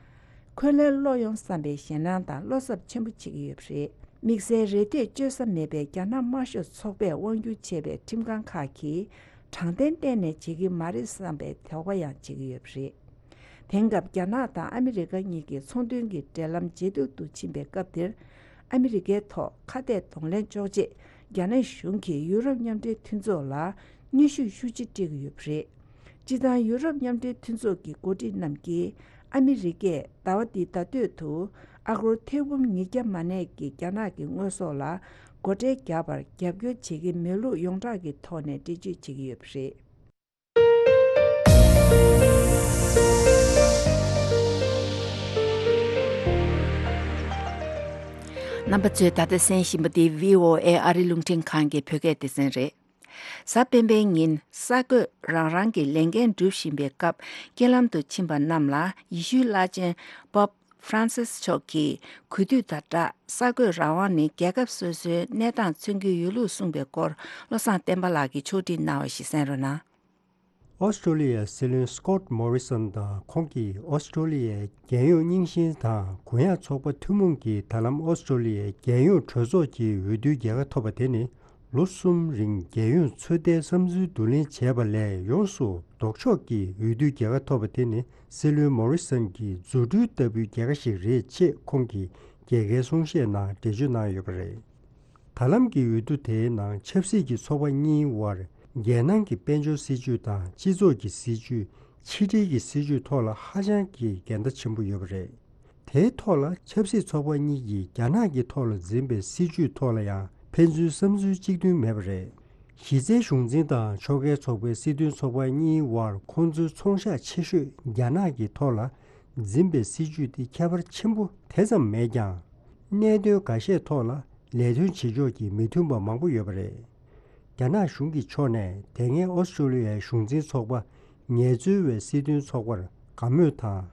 འཁོན་ལན་སློག་ཡོང་བསམ་པའི་ཞེད་སྣང་དང་བློ་འཚབ་ཆེན་པོ་བྱེད་ཀྱི་ཡོད་པ་རེད། དམིགས་བསལ་རེ་ལྟོས་བཅོལ་ས་མེད་པའི་རྒྱ་ནག་དམར་ཤོག་ཚོགས་པས་དབང་སྒྱུར་བྱེད་པའི་ཁྲིམས་ཁང་ཁག་གིས་དྲང་བདེན་གཏན་ནས་བྱེད་ཀྱི་མ་རེད་བསམ་པའི་དོགས་པ་ཡང་བྱེད་ཀྱི་ཡོད་པ་རེད། དེང་སྐབས་རྒྱ་ནག་དང་ཨ་མི་རི་ཀ་གཉིས་ཀྱི་ཚོང་དོན་གྱི་འབྲེལ་ལམ་ཇེ་སྡུག་ཏུ་ཕྱིན་པའི་སྐབས་འདིར། ཨ་མི་རི་ཀའི་ཐོག་ཁ་གཏད་གདོང་ལེན་གཅོག་ཆེད། རྒྱ་ནག་གཞུང་གིས་ཡུ་རོབ་མཉམ་འབྲེལ་མཐུན་ཚོགས་ལ་གནོན་ཤུགས་ཤུགས་ཆེ་སྤྲད་ཀྱི་ཡོད་པ་རེད། སྤྱིར་བཏང་ཡུ་རོབ་མཉམ་འབྲེལ་མཐུན་ཚོགས་ཀྱི་འགོ་ཁྲིད་རྣམས་ཀྱིས། ཨ་མི་རི་ཀས་ཟླ་བ་འདིའི་ཟླ་སྟོད་དུ། ཨ་སྒོར་ཐེར་འབུམ་ཉིས་བརྒྱ་མ་ནས་ཀྱི་རྒྱ་ནག་གི་དངོས་ཟོག་ལ་སྒོ་ཁྲལ་བརྒྱབ་པར་རྒྱབ་སྐྱོར་བྱེད་ཀྱི་མེད་ལུགས་ཡོངས་གྲགས་ཀྱི་ཐོག་ནས་འགྲེལ་བརྗོད་བྱེད་ཀྱི་ཡོད་པ་རེད། རྣམ་པ་ཚོས་ད་ལྟ་གསན་བཞིན་པ་འདི་བྷི་ཨོ་ཨེ་ཨ་རི་རླུང་འཕྲིན་ཁང་གི་བོད་སྐད་སྡེ་ཚན་རེད། གཟའ་སྤེན་པའི་ཉིན་གསར་འགོད་རང་རང་གི་ལས་འགན་སྒྲུབ་བཞིན་པའི་སྐབས་རྐྱེན་ལམ་དུ་ཕྱིན་པ་རྣམས་ལ་ཡེ་ཤུའི་བླ་ཆེན་Pope ཧྥ་རན་སིས་མཆོག་གིས་གུས་འདུད་དང་སྦྲགས་གསར་འགོད་རང་དབང་ནི་རྒྱལ་ཁབ་སོ་སོའི་གནས་སྟངས་མཚོན་གྱི་ཡོད་ལུགས་གསུངས་པའི་སྐོར། བློ་བཟང་བསྟན་པ་ལགས་ཀྱིས་ཕྱོགས་སྒྲིག་གནང་བ་ཞིག་གསན་རོགས་གནང་། ཨོ་སི་ཀྲོ་ལི་ཡའི་སྲིད་བློན་སི་ཀོཊ་མོ་རི་སོན་དང་ཁོང་གིས་ཨོ་སི་ཀྲོ་ལི་ཡའི་རྒྱལ་ཡོངས་རྙིང་ཞེན་དང་གུ་ཡངས་ཚོགས་པ་ཐུན་མོང་གིས་ད་ལམ་ཨོ་སི་ཀྲོ་ལི་ཡའི་རྒྱལ་ཡོངས་གྲོས་ཚོགས་ཀྱི་འོས་བསྡུའི་རྒྱལ་ཁ་ཐོབ་པ་དེ་ནི། ལོ་གསུམ་རིང་རྒྱལ་ཡོངས་ཚོད་ལྟའི་བསམ་ཚུལ་བསྡུ་ལེན་བྱས་པ་ལས་ཡོངས་སུ་ལྡོག་ཕྱོགས་ཀྱི་འོས་བསྡུའི་རྒྱལ་ཁ་ཐོབ་པ་དེ་ནི་སྲིད་བློན་མོ་རི་སོན་གྱི་རྫུ་འཕྲུལ་ལྟ་བུའི་རྒྱལ་ཁ་ཞིག་རེད་ཅེས་ཁོང་གིས་རྒྱལ་ཁའི་གསུང་བཤད་ནང་འགྲེལ་བརྗོད་གནང་ཡོད་པ་རེད། ད་ལམ་གྱི་འོས་བསྡུ་དེའི་ནང་ཆབ་སྲིད་ཀྱི་ཚོགས་པ་གཉིས་དབར་རྒྱལ་ནང་གི་དཔལ་འབྱོར་སྲིད་ཇུས་དང་སྤྱི་ཚོགས་ཀྱི་སྲིད་ཇུས། ཕྱི་འབྲེལ་གྱི་སྲིད་ཇུས་ཐོག་ལ་ཧ་ཅང་གི་འགལ་ཟླ་ཆེན་པོ་ཡོད་པ་རེད། དེའི་ཐོག་ལ་ཆབ་སྲིད་ཚོགས་པ་གཉིས་ཀྱིས་རྒྱ་ནག་གི་ཐོག་ལ་འཛིན་པའི་སྲིད་ཇུས་ཐོག་ལ་ཡང་ཕན་ཚུན་བསམ་ཚུལ་གཅིག་མཐུན་མེད་པ་རེད། གཞི་རྩའི་གཞུང་འཛིན་དང་ཕྱོགས་འགལ་ཚོགས་པའི་སྲིད་དོན་ཚོགས་པ་གཉིས་དབར་ཁོང་ཚོའི་ཚོང་ཤག་ཆེ་ཤོས་རྒྱ་ནག་གི་ཐོག་ལ་འཛིན་པའི་སྲིད་ཇུས་དེ་ཁྱད་པར་ཆེན་པོ་དེ་ཙམ་མེད་ཀྱང་། གནད་དོན་འགའ་ཤས་ཐོག་ལ་ལས་དོན་བྱེད་ཕྱོགས་ཀྱི་མི་མཐུན་པ་མང་པོ་ཡོད་པ་རེད། རྒྱ་ནག་གཞུང་གི་ཕྱོགས་ནས་དེ་སྔའི་ཨོ་སི་ཀྲོ་ལི་ཡའི་གཞུང་འཛིན་ཚོགས་པ་ངལ་རྩོལ་བའི་སྲིད་དོན་ཚོགས་པར་དགའ་མོས་དང་།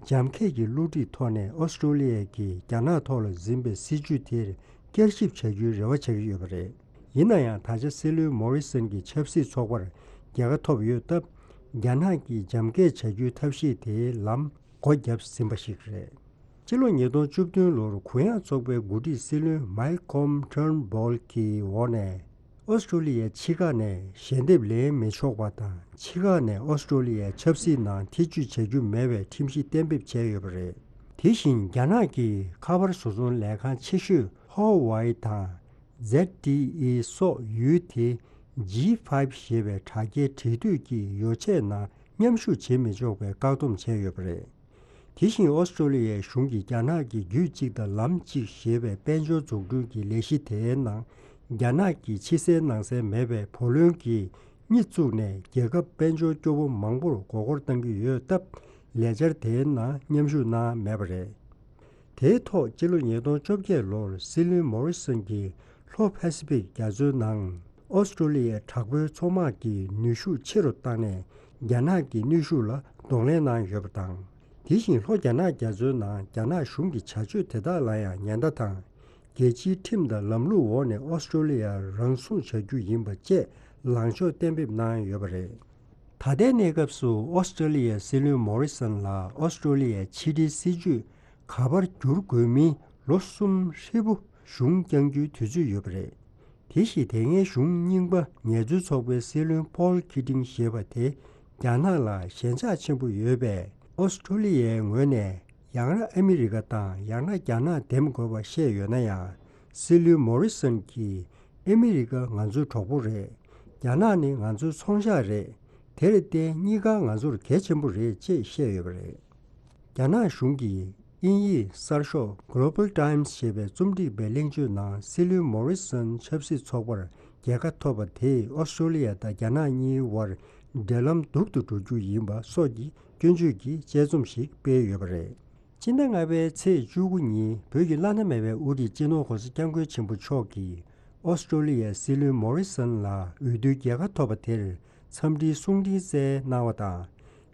རྒྱ་སྐད་ཀྱི་བསླུ་བྲིད་ཐོག་ནས་ཨོ་སི་ཀྲོ་ལི་ཡ་གིས་རྒྱ་ནག་ཐོག་ལ་འཛིན་པའི་སྲིད་ཇུས་དེར་བསྐྱར་ཞིབ་བྱ་རྒྱུའི་རེ་བ་བྱ་གི་ཡོད་པ་རེད། ཡིན་ན་ཡང་ད་ཆ་སྲིད་བློན་མོ་རི་སོན་གྱི་ཆབ་སྲིད་ཚོགས་པར་རྒྱལ་ཁ་ཐོབ་ཡོད་སྟབས། རྒྱ་ནག་གིས་རྒྱ་སྐད་བྱ་རྒྱུའི་ཐབས་ཤེས་དེའི་ལམ་སྒོ་བརྒྱབ་ཟིན་པ་ཞིག་རེད། སྤྱི་ལོ་ཉིས་སྟོང་བཅུ་བདུན་ལོར་གུ་ཡངས་ཚོགས་པའི་འགོ་ཁྲིད་སྲིད་བློན་མཱལ་ཀོམ་ཊརན་བྷོལ་གྱི་འོག་ནས། ཨོ་སི་ཀྲོ་ལི་ཡའི་ཕྱི་ཁ་ནས་ཞལ་འདེབས་ལེན་མི་ཆོག་པ་དང་། ཕྱི་ཁ་ནས་ཨོ་སི་ཀྲོ་ལི་ཡའི་ཆབ་སྲིད་ནང་ཐེ་བྱུས་བྱ་རྒྱུ་མེད་པའི་ཁྲིམས་གཞི་གཏན་འབེབས་བྱས་ཡོད་པ་རེད། དེ་བཞིན་རྒྱ་ནག་གི་ཁ་པར་བཟོ་ཚོང་ལས་ཁང་ཆེ་ཤོས་ཧོ་ཝའི་དང་ཛེད་ཊི་ཨི་སོགས་ཡུལ་དེ་ཇི་ཕའིབ་ཞེས་པའི་དྲ་རྒྱའི་འབྲེལ་མཐུད་ཀྱི་ཡོ་ཆས་ནང་མཉམ་ཞུགས་བྱེད་མི་ཆོག་པའི་བཀག་སྡོམ་བྱས་ཡོད་པ་རེད། དེ་བཞིན་ཨོ་སི་ཀྲོ་ལི་ཡའི་གཞུང་གིས་རྒྱ་ནག་གི་རྒྱུད་གཅིག་དང་ལམ་གཅིག་ཞེས་པའི་དཔལ་འབྱོར་འཛུགས་སྐྲུན་གྱི་ལས་གཞི་དེའི་ནང་། རྒྱ་ནག་གི་ཕྱི་གསལ་ནང་གསལ་མེད་པའི་བུ་ལོན་གྱི་གཉིས་བཙུགས་ནས་རྒྱལ་ཁབ་དཔལ་འབྱོར་སྐྱོ་བོ་མང་པོར་མགོ་སྐོར་གཏང་གི་ཡོད་སྟབས། ལས་འཆར་དེའི་ནང་མཉམ་ཞུགས་གནང་མེད་པ་རེད། དེའི་ཐོག་སྤྱི་ལོ་ཉིས་སྟོང་བཅོ་བརྒྱད་ལོར་སྲིད་བློན་མོ་རི་སོན་གྱིས་ལྷོ་པ་སི་ཕིག་རྒྱ་མཚོའི་ནང་ཨོ་སི་ཀྲོ་ལི་ཡའི་དྲག་པོའི་མཚོ་དམག་གི་ནུས་ཤུགས་ཆེ་རུ་བཏང་ནས། རྒྱ་ནག་གི་ནུས་ཤུགས་ལ་གདོང་ལེན་གནང་ཡོད་པ་དང་། དེ་བཞིན་ལྷོ་རྒྱ་ནག་རྒྱ་མཚོའི་ནང་རྒྱ་ནག་གཞུང་གི་བྱ་སྤྱོད་དེ་དག་ལ་ཡང་ཉེན་བརྡ་དང་། རྒྱལ་སྤྱིའི་ཁྲིམས་དང་ལམ་ལུགས་འོག་ནས་ཨོ་སི་ཀྲོ་ལི་ཡ་རང་སྲུང་བྱ་རྒྱུ་ཡིན་པ་བཅས་ལངས་ཕྱོགས་གཏན་འབེབས་གནང་ཡོད་པ་རེད། ད་ལྟའི་གནས་སྐབས་སུ་ཨོ་སི་ཀྲོ་ལི་ཡའི་སྲིད་བློན་མོ་རི་སོན་ལ་ཨོ་སི་ཀྲོ་ལི་ཡའི་ཕྱི་འབྲེལ་སྲིད་ཇུས་ག་པར་བསྒྱུར་དགོས་མིན་ལོ་གསུམ་ཧྲིལ་པོ་གཞུང་བསྐྱང་རྒྱུའི་དུས་ཚོད་ཡོད་པ་རེད། དེ་བཞིན་དེ་སྔའི་གཞུང་རྙིང་པ་ངལ་རྩོལ་ཚོགས་པའི་སྲིད་བློན་ཕོལ་ཁི་ཏིང་ཞེས་པ་དེ་རྒྱ་ནག་ལ་ཞེན་ཆགས་ཆེན་པོ་ཡོད་པས། ཨོ་སི་ཀྲོ་ལི་ཡའི་ངོས་ནས་ཡང་ན་ཨ་མི་རི་ཀ་དང་ཡང་ན་རྒྱ་ནག་འདེམས་དགོས་པ་བཤད་ཡོད་ན་ཡང་། སྲིད་བློན་མོ་རི་སོན་གྱིས་ཨ་མི་རི་ཀ་ང་ཚོའི་གྲོགས་པོ་རེད། རྒྱ་ནག་ནི་ང་ཚོའི་ཚོང་ཤག་རེད། དེར་བརྟེན་གཉིས་ཀ་ང་ཚོར་གལ་ཆེན་པོ་རེད་ཅེས་བཤད་ཡོད་པ་རེད། རྒྱ་ནག་གཞུང་གིས་དབྱིན་ཡིག་གསར་ཤོག་Global Times ཞེས་པའི་རྩོམ་སྒྲིག་པའི་གླེང་བརྗོད་ནང་སྲིད་བློན་མོ་རི་སོན་ཆབ་སྲིད་ཚོགས་པར་རྒྱལ་ཁ་ཐོབ་པ་དེས་ཨོ་སི་ཀྲོ་ལི་ཡ་དང་རྒྱ་ནག་གཉིས་དབར་འབྲེལ་ལམ་སྡུག་ཏུ་འགྲོ་རྒྱུ་ཡིན་པ་སོགས་ཀྱི་སྐྱོན་བརྗོད་ཀྱི་དཔྱད་རྩོམ་ཞིག་སྤེལ་ཡོད་པ་རེད། སྤྱི་ཟླ་ལྔ་པའི་ཚེས་བཅུ་དགུ་ཉིན་བོད་ཀྱི་བླ་ན་མེད་པའི་དབུ་ཁྲིད་སྤྱི་ནོར་༸གོང་ས་༸སྐྱབས་མགོན་ཆེན་པོ་མཆོག་གིས་ཨོ་སི་ཀྲོ་ལི་ཡའི་སྲིད་བློན་མོ་རི་སོན་ལ་འོས་བསྡུའི་རྒྱལ་ཁ་ཐོབ་པ་དེར་འཚམས་འདྲིའི་གསུང་འཕྲིན་སྩལ་གནང་བ་དང་།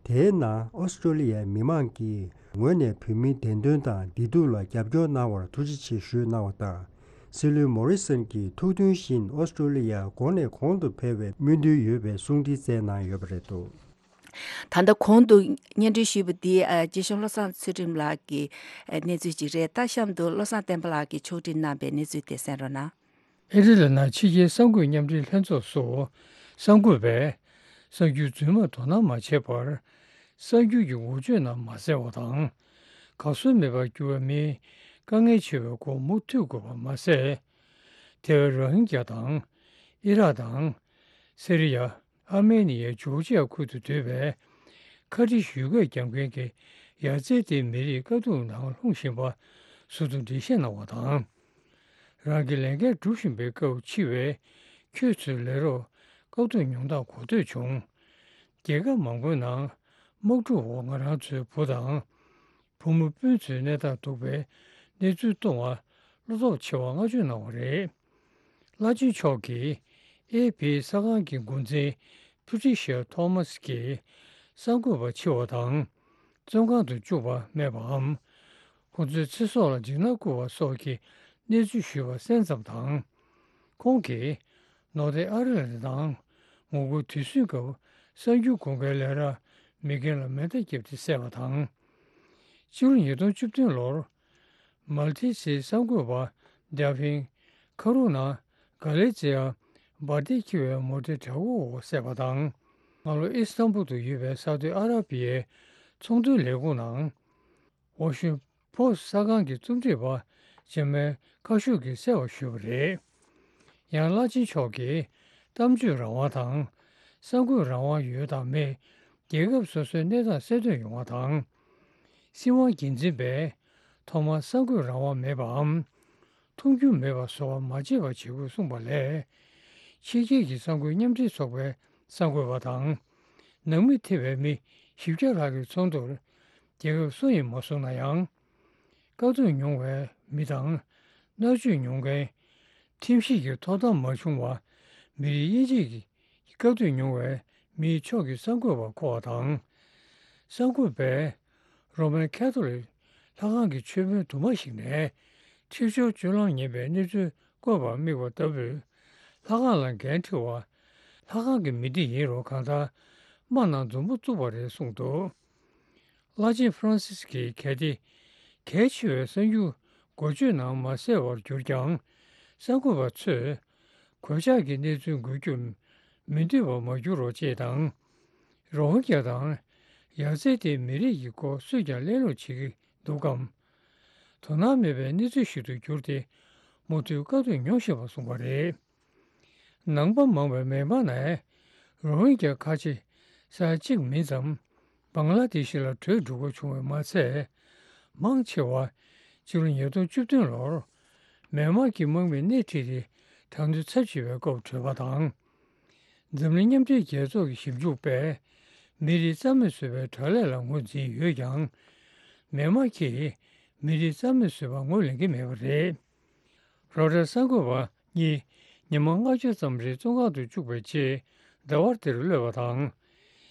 དེའི་ནང་ཨོ་སི་ཀྲོ་ལི་ཡའི་མི་མང་གི་ངོས་ནས་བོད་མིའི་བདེན་དོན་དང་བདེ་སྡུག་ལ་རྒྱབ་སྐྱོར་གནང་བར་ཐུགས་རྗེ་ཆེ་ཞུས་གནང་བ་དང་། སྲིད་བློན་མོ་རི་སོན་གྱིས་ཐུགས་མཐུན་བཞིན་ཨོ་སི་ཀྲོ་ལི་ཡར་གོང་ནས་གོང་དུ་འཕེལ་བའི་སྨོན་འདུན་ཡོད་པའི་གསུང་འཕྲིན་སྩལ་གནང་ཡོད་པ་རེད་འདུག། ད་ལྟ་གོང་དུ་སྙན་སྒྲོན་ཞུས་པ་འདི་ཨ་རྗེ་གཞུང་བློ་བཟང་ཚུལ་ཁྲིམས་ལགས་ཀྱི་ཨ་གནས་ཚུལ་ཅིག་རེད། ད་གཤམ་དུ་བློ་བཟང་བསྟན་པ་ལགས་ཀྱིས་ཕྱོགས་སྒྲིག་གནང་པའི་གནས་ཚུལ་དེ་གསན་རོགས་གནང་། ཨི་ཊ་ལི་ནང་ཕྱི་རྒྱལ་གསར་འགོད་མཉམ་འབྲེལ་ལྷན་ཚོགས་སུ་གསར་འགོད་པས་གསར་འགྱུར་རྫུན་མ་དོ་སྣང་མ་བྱས་པར་གསར་འགྱུར་གྱི་འགོ་བརྗོད་ནང་མ་གསལ་བ་དང་། གར་སོང་མེད་པར་གྱུར་བའི་མི་དཀའ་ངལ་ཆེ་བའི་སྐོར་མུ་མཐུད་དགོས་པ་མ་ཟད། ཐེ་ཝན་རོ་ཧིན་གྱ་དང་། ཨི་རག་དང་། སི་རི་ཡ། ཨར་མེ་ནི་ཡའི་ཇོར་ཇི་ཡ་ཁུལ་དུ་སྡོད་པའི་ཁ་ཏི་ཞི་གོས་རྒྱག་མཁན་གྱི་ཡ་ཙེ་ཏི་མི་རིགས་དཀའ་སྡུག་ནང་ལྷུང་བཞིན་པ་ཟུར་དུ་འགྲེལ་བཤད་གནང་བ་དང་། རང་གི་ལས་འགན་སྒྲུབ་བཞིན་པའི་སྐབས་འཆི་བས་ཁྱོད་ཚོའི་ལས་རོགས་དཀའ་སྡུག་མྱོང་སྟངས་གོ་ཐོས་བྱུང་། རྒྱལ་ཁབ་མང་པོའི་ནང་དམག་འཁྲུག་འོག་ང་རང་ཚོའི་བུ་དང་། བུ་མོ་སྤུན་ཚོའི་གནས་སྟངས་སྡུག་པའི་གནས་ཚུལ་གཏོང་བར་བློ་སྟོབས་ཆེ་བ་བསྔགས་བརྗོད་གནང་བ་རེད། བླ་ཆེན་མཆོག་གིས་ཨེ་ཕི་གསར་ཁང་གི་འགོ་འཛིན་ཕུ་ཊི་ཤ་ཐོ་མཱ་སི་ཀྱིས་གསར་འགོད་པ་འཆི་བ་དང་བཙོན་ཁང་དུ་བཅུག་པ་སྨྲས་པའམ། ཁོ་ཚོའི་ཚེ་སྲོག་ལ་འཇིགས་སྣང་བསྐུལ་བ་སོགས་ཀྱི་གནས་ཚུལ་ཞུས་པ་གསན་ཙམ་དང་། ཁོང་གིས་ནོར་དེ་ཨ་རི་ལ་དང་ངོ་རྒོལ་དུས་ཟིང་སྐབས་གསར་འགྱུར་དགོངས་འགལ་ལས་ར་མེ་རྐྱེན་ལ་མེ་མདའ་བརྒྱབ་སྟེ་བསད་པ་དང་། སྤྱི་ལོ་ཉིས་སྟོང་བཅུ་བདུན་ལོར་མལ་ཏི་སིའི་གསར་འགོད་པ་ཌེ་ཕིན་ཁ་རུ་ན་ག་ལེ་ཛི་ཡ་འབར་མདེལ་འཁྱེར་བའི་མོ་ཊའི་བྲག་འོག་བསད་པ་དང་། སྔ་ལོ་ཨི་སི་ཐན་བུལ་དུ་ཡོད་པའི་སའུ་ཏི་ཨ་ར་པི་ཡའི་ཚོང་དོན་ལས་ཁུངས་ནང་ཝ་ཤིང་པོ་སི་གསར་ཁང་གི་རྩོམ་སྒྲིག་པ་ཇར་མན་ཁ་ཤུག་གིས་གསལ་བར་ཞུས་པ་རེད། ཡང་བླ་ཆེན་མཆོག་གིས་གཏམ་བརྗོད་རང་དབང་དང་གསར་འགོད་རང་དབང་ཡོད་དང་མེད་རྒྱལ་ཁབ་སོ་སོའི་གནས་སྟངས་གསལ་སྟོན་ཡོང་བ་དང་། སྲིད་དབང་སྒེར་འཛིན་པས་ཐོག་མར་གསར་འགོད་རང་དབང་མེད་པའམ་མཐོང་རྒྱུ་མེད་པ་བཟོ་བ་མ་བྱེད་པ་བྱེད་དགོས་གསུངས་པ་ལས། ཕྱི་རྒྱལ་གྱི་གསར་འགོད་མཉམ་འབྲེལ་ཚོགས་པའི་གསར་འགོད་པ་དང་། ནང་མི་ཐེ་བའི་མི་བཞི་བརྒྱ་ལྷག་གི་ཚོགས་འདུར་རྒྱལ་ཁབ་སུ་ཡིན་མ་གསུངས་ན་ཡང་། བཀག་སྡོམ་མྱོང་བའི་མི་དང་། མནར་གཅོད་མྱོང་མཁན། ཁྲིམས་ཞིབ་ཀྱི་ཐོབ་ཐང་མ་བྱུང་བ། མི་རིགས་དབྱེ་འབྱེད་ཀྱི་བཀག་སྡོམ་མྱོང་བའི་མིའི་ཕྱོགས་ཀྱི་གསར་འགོད་པ་བསྐོ་བ་དང་། གསར་འགོད་པས་རོ་མན་ཁ་ཐོ་ལིག་ལྷ་ཁང་གི་མཆོད་དཔོན་དུ་མ་ཞིག་ནས་འཁྲིག་སྦྱོར་སྤྱོད་ལམ་ངན་པའི་གནས་ཚུལ་བཀོད་པར་དམིགས་པ་ལྟ་བུས་ལྷ་ཁང་ལ་འགན་འཁྲི་བ། ལྷ་ཁང་གི་མི་སྡེ་ཡིན་རུང་གང་ལྟར་དམག་ནང་མཛུབ་མོ་བཙུགས་པ་རེད་གསུངས་འདུག་བླ་ཆེན་ཧྥ་རན་སིས་ཀྱིས་གལ་ཏེ་གལ་ཆེ་བའི་གསར་འགྱུར་འགོ་བརྗོད་ནང་མ་གསལ་བར་གྱུར་ཀྱང་། གསར་འགོད་པ་ཚོས་གོད་ཆག་གི་གནས་ཚུལ་འགོད་རྒྱུར་མི་འདོད་པ་མ་འགྱུར་རོགས་ཅེས་དང་། རོ་ཧིན་གྱ་དང་ཡ་ཙེ་ཏེ་མི་རིགས་ཀྱི་སྐོར་སུས་ཀྱང་གླེང་སློང་བྱེད་ཀྱི་འདུག་གམ། དོ་སྣང་མེད་པའི་གནས་ཚུལ་ཞིག་ཏུ་གྱུར་ཏེ་མུ་མཐུད་བཀག་སྡོམ་མྱོང་བཞིན་པ་གསུངས་པ་རེད། ནང་པ་མང་བའི་མེན་མར་ནས་རོ་ཧིན་གྱ་ཁ་ཆེ་ས་ཡ་གཅིག་མིན་ཙམ་བང་ལ་དེ་ཤི་ལ་བྲོས་འགྲོ་དགོས་བྱུང་བས་མ་ཚད། མང་ཆེ་བ་ཕྱི་ལོ་ཉིས་སྟོང་བཅུ་བདུན་ལོར་མེན་མར་གྱི་དམག་མིས་སྣེ་ཁྲིད་དེ་དྲག་གནོན་ཚབས་ཆེ་བའི་སྐབས་བྲོས་པ་དང་། འཛམ་གླིང་མཉམ་འབྲེལ་རྒྱལ་ཚོགས་ཀྱི་ཞིབ་འཇུག་པས་མི་རིགས་རྩ་མེད་བཟོ་བའི་དྲག་ལས་ལ་ངོས་འཛིན་ཡོད་ཀྱང་། མེན་མར་གྱིས་མི་རིགས་རྩ་མེད་བཟོ་བར་ངོས་ལེན་གྱི་མེད་པ་རེད། རོའི་ཊར་གསར་འགོད་པ་གཉིས་ཉི་མ་ལྔ་བཅུ་ཙམ་རིང་བཙོན་ཁང་དུ་བཅུག་པའི་རྗེས་ཟླ་བ་འདིར་གློད་པ་དང་།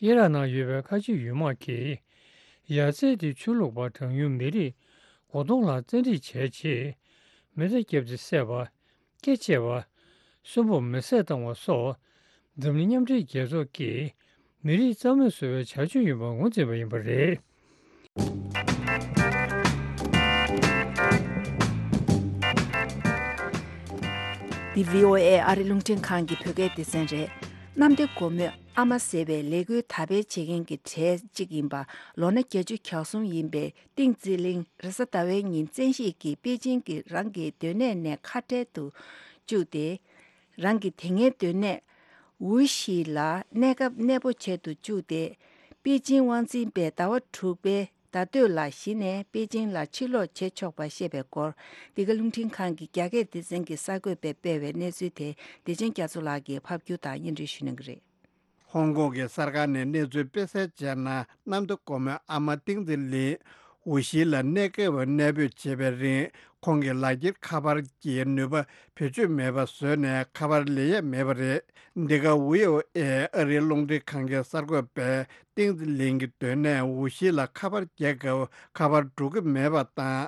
ཨི་རག་ནང་ཡོད་པའི་ཁ་ཆེ་ཡུལ་དམག་གིས་ཡ་ཙེ་ཏེ་ཆོས་ལུགས་པ་གྲངས་ཉུང་མི་རིགས་དགུ་སྟོང་ལྷག་བཙན་ཁྲིད་བྱས་རྗེས་མེ་མདའ་བརྒྱབ་སྟེ་བསད་པ། སྐེ་བཅད་པ། གསོན་པོར་མེ་བསྲེགས་བཏང་བ་སོགས་འཛམ་གླིང་མཉམ་འབྲེལ་རྒྱལ་ཚོགས་ཀྱིས་མི་རིགས་རྩ་མེད་བཟོ་བའི་བྱ་སྤྱོད་ཡིན་པར་ངོས་འཛིན་པ་ཡིན་པ་རེད། འདི་བྷི་ཨོ་ཨེ་ཨ་རི་རླུང་འཕྲིན་ཁང་གི་བོད་སྐད་སྡེ་ཚན་རེད། གནམ་བདེ་སྒོ་མོའི་ཨ་མ་ཟེར་བའི་ལས་འགུལ་དར་སྤེལ་བྱེད་མཁན་གྱི་གྲས་གཅིག་ཡིན་པ་ལོ་ན་བརྒྱད་ཅུ་གྱ་གསུམ་ཡིན་པའི་ཏིང་ཙི་ལིང་རེས་གཟའ་ཟླ་བའི་ཉིན་བཙན་ཤེད་ཀྱིས་པེ་ཅིང་གི་རང་གི་སྡོད་གནས་ནས་ཁ་བྲལ་དུ་བཅུག་སྟེ། རང་གི་དེ་སྔའི་སྡོད་གནས་ཝུ་ཤི་ལ་གནས་སྐབས་གནས་སྤོ་བྱེད་དུ་བཅུག་སྟེ། པེ་ཅིང་དབང་འཛིན་པས་ཟླ་བ་དྲུག་པའི་ཟླ་སྟོད་ལ་གཞི་ནས་པེ་ཅིང་ལ་ཕྱིར་ལོག་བྱེད་ཆོག་པ་བཤད་པའི་སྐོར། འདི་ག་རླུང་འཕྲིན་ཁང་གི་རྒྱ་སྐད་སྡེ་ཚན་གྱི་གསར་འགོད་པས་སྤེལ་བའི་གནས་ཚུལ་དེ་བདེ་ཆེན་རྒྱ་མཚོ་ལགས་ཀྱིས་ཕབ་སྒྱུར་དང་སྙན་སྒྲོན་ཞུ་གནང་གི་རེད། ཧོང་ཀོང་གི་གསར་ཁང་ནས་གནས་ཚུལ་སྤེལ་གསལ་བྱས་ན། གནམ་བདེ་སྒོ་མོའི་ཨ་མ་ཏིང་ཙི་ལིན་ཝུ་ཤི་ལ་གནས་སྐབས་གནས་སྤོས་བྱེད་པའི་རིང་། ཁོང་གི་ལག་འཁྱེར་ཁ་པར་གྱི་ནུས་པ་བེད་སྤྱོད་མེད་པ་བཟོས་ནས་ཁ་པར་ལེན་ཡས་མེད་པ་རེད། འདི་ག་བྷི་ཨོ་ཨེ་ཨ་རིའི་རླུང་འཕྲིན་ཁང་གི་གསར་འགོད་པས་ཏིང་ཙི་ལིན་གྱི་སྡོད་གནས་ཝུ་ཤི་ལ་ཁ་པར་རྒྱག་སྐབས་ཁ་པར་འགྲོ་གི་མེད་པ་དང་།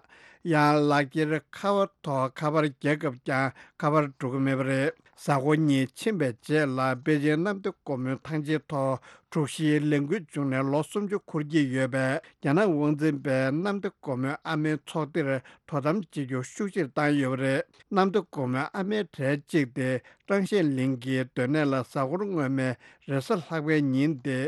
ཡང་ལག་འཁྱེར་ཁ་པར་ཐོག་ཁ་པར་རྒྱག་སྐབས་ཀྱང་ཁ་པར་འགྲོ་གི་མེད་པ་རེད། གཟའ་འཁོར་གཉིས་ཕྱིན་པའི་རྗེས་ལ་པེ་ཅིང་གནམ་བདེ་སྒོ་མོའི་ཐང་ཆེན་ཐོག་དྲུག་བཞིའི་ལས་འགུལ་བྱུང་ནས་ལོ་སུམ་ཅུ་འཁོར་གྱི་ཡོད་པས། རྒྱ་ནག་དབང་འཛིན་པས་གནམ་བདེ་སྒོ་མོའི་ཨ་མའི་ཚོགས་སྡེར་དོ་དམ་བྱེད་རྒྱུ་ཤུགས་ཆེར་བཏང་ཡོད་པ་རེད། གནམ་བདེ་སྒོ་མོའི་ཨ་མའི་གྲས་གཅིག་སྟེ་ཀྲང་ཤན་ལིང་གི་སྡོད་གནས་ལ་གཟའ་འཁོར་སྔོན་མའི་རེས་གཟའ་ལྷག་པའི་ཉིན་ཏེ།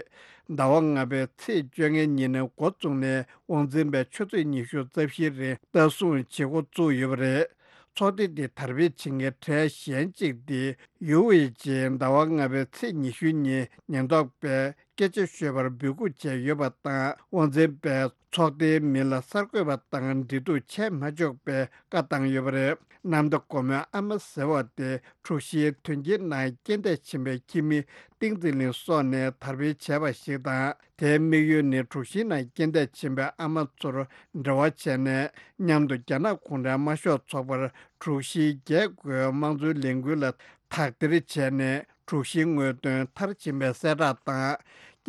ཟླ་བ་ལྔ་པའི་ཚེས་བཅོ་ལྔའི་ཉིན་ནས་འགོ་བཙུགས་ནས་དབང་འཛིན་པས་ཆུ་ཚོད་ཉི་ཤུ་རྩ་བཞིའི་རིང་ལྟ་སྲུང་བྱེད་འགོ་བཙུགས་ཡོད་པ་རེད། ཚོགས་སྡེ་འདི་དར་སྤེལ་བྱེད་མཁན་གྲས་གཞན་གཅིག་སྟེ་ཡུའུ་ཝེ་ཅིས་ཟླ་བ་ལྔ་པའི་ཚེས་ཉི་ཤུའི་ཉིན་ཉེན་རྟོག་པས་སྐད་ཆ་ཤོད་པར་འབོད་སྐུལ་བྱས་ཡོད་པ་དང་། དབང་འཛིན་པས་ཚོགས་སྡེའི་མི་ལ་གསར་འགོད་པ་དང་འབྲེལ་གཏུག་བྱས་མ་ཆོག་པའི་བཀའ་བཏང་ཡོད་པ་རེད། གནམ་བདེ་སྒོ་མོའི་ཨ་མ་ཟེར་བ་དེ་དྲུག་བཞིའི་དོན་རྐྱེན་ནང་རྐྱེན་འདས་ཕྱིན་པའི་ཁྱིམ་མི་ཏིང་ཙི་ལིན་སོགས་ནས་དར་སྤེལ་བྱས་པ་ཞིག་དང་། དེའི་དམིགས་ཡུལ་ནི་དྲུག་བཞིའི་ནང་རྐྱེན་འདས་ཕྱིན་པའི་ཨ་མ་ཚོར་འབྲེལ་བ་བྱས་ནས། མཉམ་དུ་རྒྱ་ནག་གུང་ཁྲན་དམར་ཤོག་ཚོགས་པར་དྲུག་བཞིའི་རྒྱལ་སྒོའི་དམངས་གཙོའི་ལས་འགུལ་ལ་དག་ཐེར་བྱས་ནས། དྲུག་བཞིའི་དངོས་དོན་མཐར་ཕྱིན་པའི་གསལ་བསྒྲགས་དང་།